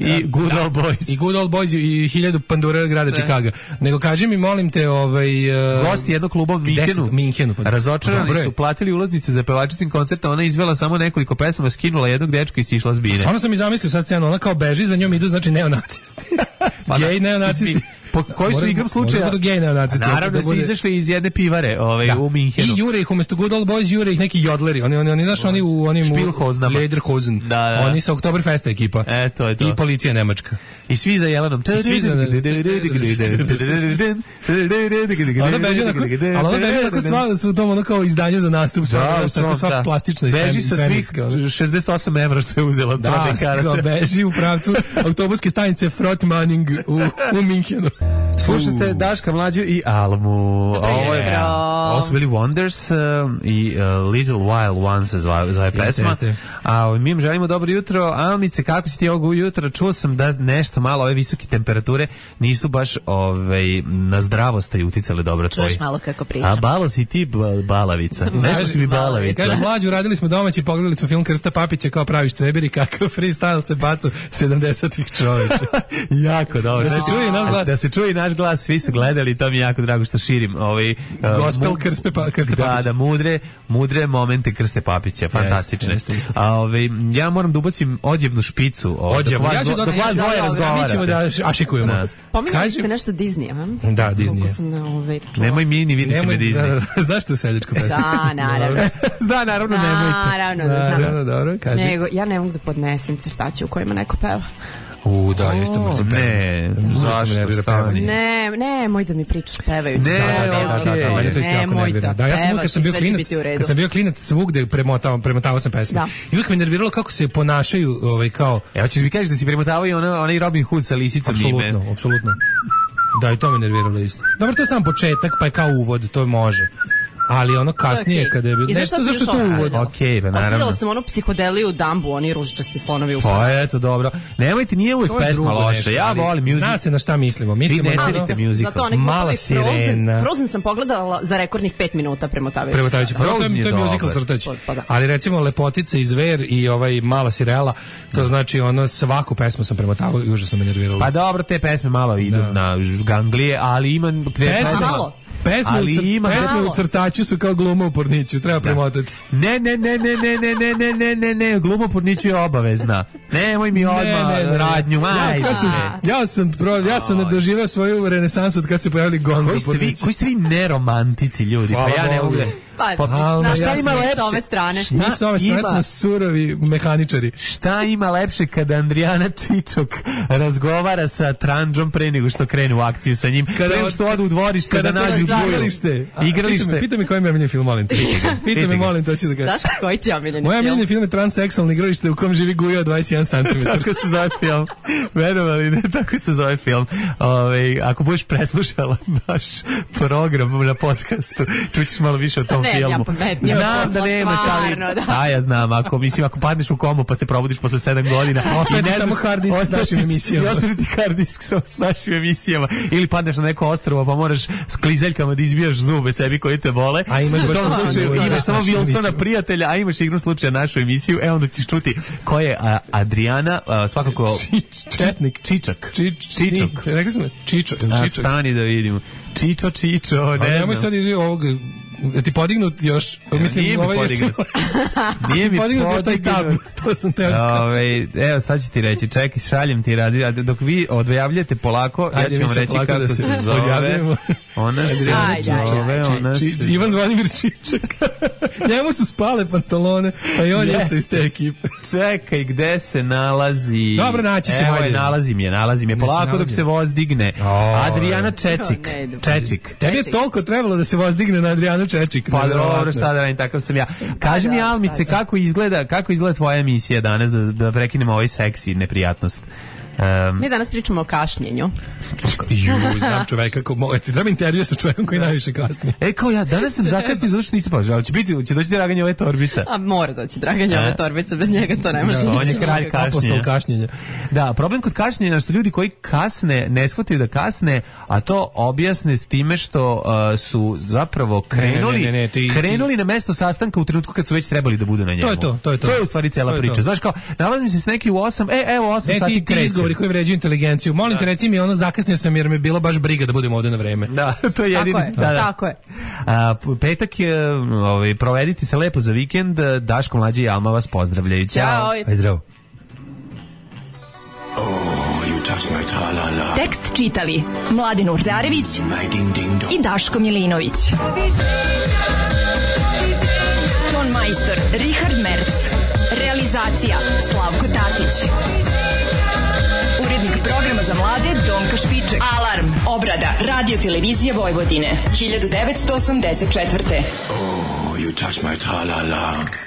i Good Old Boys. I Good Old Boys i 1000 pandura grada Čikaga. Nego kaži mi, molim te, gosti jednog kluba u Minhenu. Razočarani su, platili ulaznice za pevačicin koncert, a ona izvela samo nekoliko pesama, skinula jednog dečka i sišla s bine. Stvarno sam i zamislio sad scenu, ona kao beži, za njom idu, znači neonacisti. Gej neonacisti. Koji su igram slučaja? Naravno su izašli iz jedne pivare u Minhenu. I jure ih umesto Good Old Boys, jure ih neki jodleri. Oni znaš, oni u onim Lederhosen. Oni sa Oktoberfesta ekipa. To je to. I policija nemačka. I svi za Jelenom. Ona beži onako sva su u tom ono kao izdanju za nastup. Sva plastična i beži sa svih 68 evra što je uzela. Da, beži u pravcu autobuske stanice Frotmaning u Minhenu. Slušajte Daška, Mlađu i Almu. Ovo su bili Wonders i Little Wild Ones se zove pesma. A mi im želimo dobro jutro. Almice, kako si ti ovog jutra? Čuo sam da nešto malo ove visoke temperature nisu baš na zdravostaj uticale dobro tvoji. Čuješ malo kako pričam. A balo si ti balavica. Nešto si mi balavica. Kaže, Mlađu, radili smo domaći, pogledali smo film Krsta Papića kao pravi štreberi, kakav freestyle se bacu 70-ih čoveče. Jako dobro. Da se čuje naš glas, svi su gledali, to mi je jako drago što širim gospel Krste Papića. Da, mudre momente Krste Papića, fantastične. Ja moram da ubacim odjevnu špicu. Dok vas dvoje razgovarate. Mi ćemo da ašikujemo. Pominjali ste nešto Disneya, a? Da, Disneya. Nemoj mi ni vidit će me Disney. Znaš tu seljačku pesmu? Da, naravno. Da, naravno, nemojte. Naravno da znam. Dobro, kaži. Nego, ja ne mogu da podnesem crtaće u kojima neko peva. Da, jeste mu se peva. Ne, zašto stani? Ne, moj da mi pričaš pevajući. Nemoj da pevaš i sve će biti u redu. Kad sam bio klinac, svugde premotavao sam pesme. I uvijek me nerviralo kako se ponašaju kao... Evo ćeš mi kažeš da si premotavao i onaj Robin Hood sa lisicom ime. Apsolutno. Da, i to me nerviralo isto. Dobro, to je samo početak, pa je kao uvod, to može. Ali ono kasnije kada je bilo nešto zašto to uvod. Okej, naravno. Ostavila sam onu psihodeliju Dumbu, oni ružičasti slonovi u pravu. Pa eto, dobro. Nemojte, nije uvijek pesma loša. Ja volim music. Zna se na šta mislimo. Mislimo na musical. Mala sirena. Frozen sam pogledala za rekordnih 5 minuta premotavajući. To je musical crtać. Ali recimo Lepotica i Zver i Mala sirela, to znači ono svaku pesmu sam premotavao i užasno me nerviralo. Pa dobro, te pesme malo idu na ganglije, ali ima pesme u crtaću su kao gluma u porniću, treba premotati. Ne, gluma u porniću je obavezna. Nemoj mi odmah radnju, ja sam doživao svoju renesansu od kad se pojavili gong za porniću. Koji ste vi neromantici ljudi, pa ja ne mogu. Šta ima lepše s ove strane? Mi s ove strane smo surovi mehaničari. Šta ima lepše kada Andrijana Čičok razgovara sa Tranđom pre nego što krene u akciju sa njim, pre što odu u dvorište da nađu igralište. Pita mi koji je omiljeni film, molim te. Pita me, molim te, hoću da kažem. Znaš koji ti je omiljeni film? Moj omiljeni film je Transseksualno igralište u kom živi Guja od 21 cm. Tako se zove film. Verovali, ne, tako se zove film. Ako budeš preslušala naš program na podcastu, čućeš malo više o tom filmu. Znam da nemaš, ali ja znam, ako padneš u komu pa se probudiš posle 7 godina ostaje ti samo hard disk s našim emisijama. Ostaje ti hard disk s našim emisijama. Ili padneš na neko ostrvo pa moraš s klizeljkama da izbijaš zube sebi koji te bole. A imaš samo Wilsona prijatelja, a imaš igru slučaja našu emisiju. Onda ćeš čuti ko je Adriana, svakako Čičak. Rekli smo Čičo. Stani da vidimo. Čičo, ne znam. Nemoj sad iz ovog ti podignut još, mislim, nije mi podignut. Nije mi podignut. To sam teo. Evo, sad ću ti reći, čekaj, šaljem ti radio, dok vi odvejavljate polako, ja ću vam reći kako se zove. Ona se zove, Ivan Zvonimir Čičak. Njemu su spale pantalone, a i on jeste iz te ekipe. Čekaj, gde se nalazi? Dobro, naći ćemo. Evo, nalazim je, polako dok se voz digne. Adriana Čečik. Tebi je toliko trebalo da se voz digne na Adriana Čečik. Pa dobro, šta da radim, takav sam ja. Kaži mi, Almice, kako izgleda tvoja emisija danas, da prekinemo ovaj seksi neprijatnost? Mi danas pričamo o kašnjenju. Znam čoveka treba intervju sa čovekom koji najviše kasni. Kao ja, danas sam zakasnio zato što nisam pažao, ali će doći Draganje ove torbica. A mora doći Draganje ove torbice, bez njega to ne može ići. On je kralj kašnjenja. Da, problem kod kašnjenja je što ljudi koji kasne, ne shvataju da kasne, a to objasne s time što su zapravo krenuli na mesto sastanka u trenutku kad su već trebali da budu na njemu. To je u stvari cela priča. Znaš kao, nalazim se s neki u 8, evo 8 sati kreće. Izgovori koji vređaju inteligenciju. Molim te, reci mi, zakasnio sam jer me bilo baš briga da budem ovde na vreme. Da, to je jedini. Tako je. Petak je, provedite se lepo za vikend. Daško, Mlađa i Alma vas pozdravljaju. Ćao. Ajde, zdravo. Tekst čitali Mladin Urdarević i Daško Milinović. Ton majstor Richard Merc. Realizacija Slavko Tatić. Urednik programa za mlade Donka Špiček. Alarm, obrada, radio televizije Vojvodine, 1984. Oh, you touch my tra-la-la.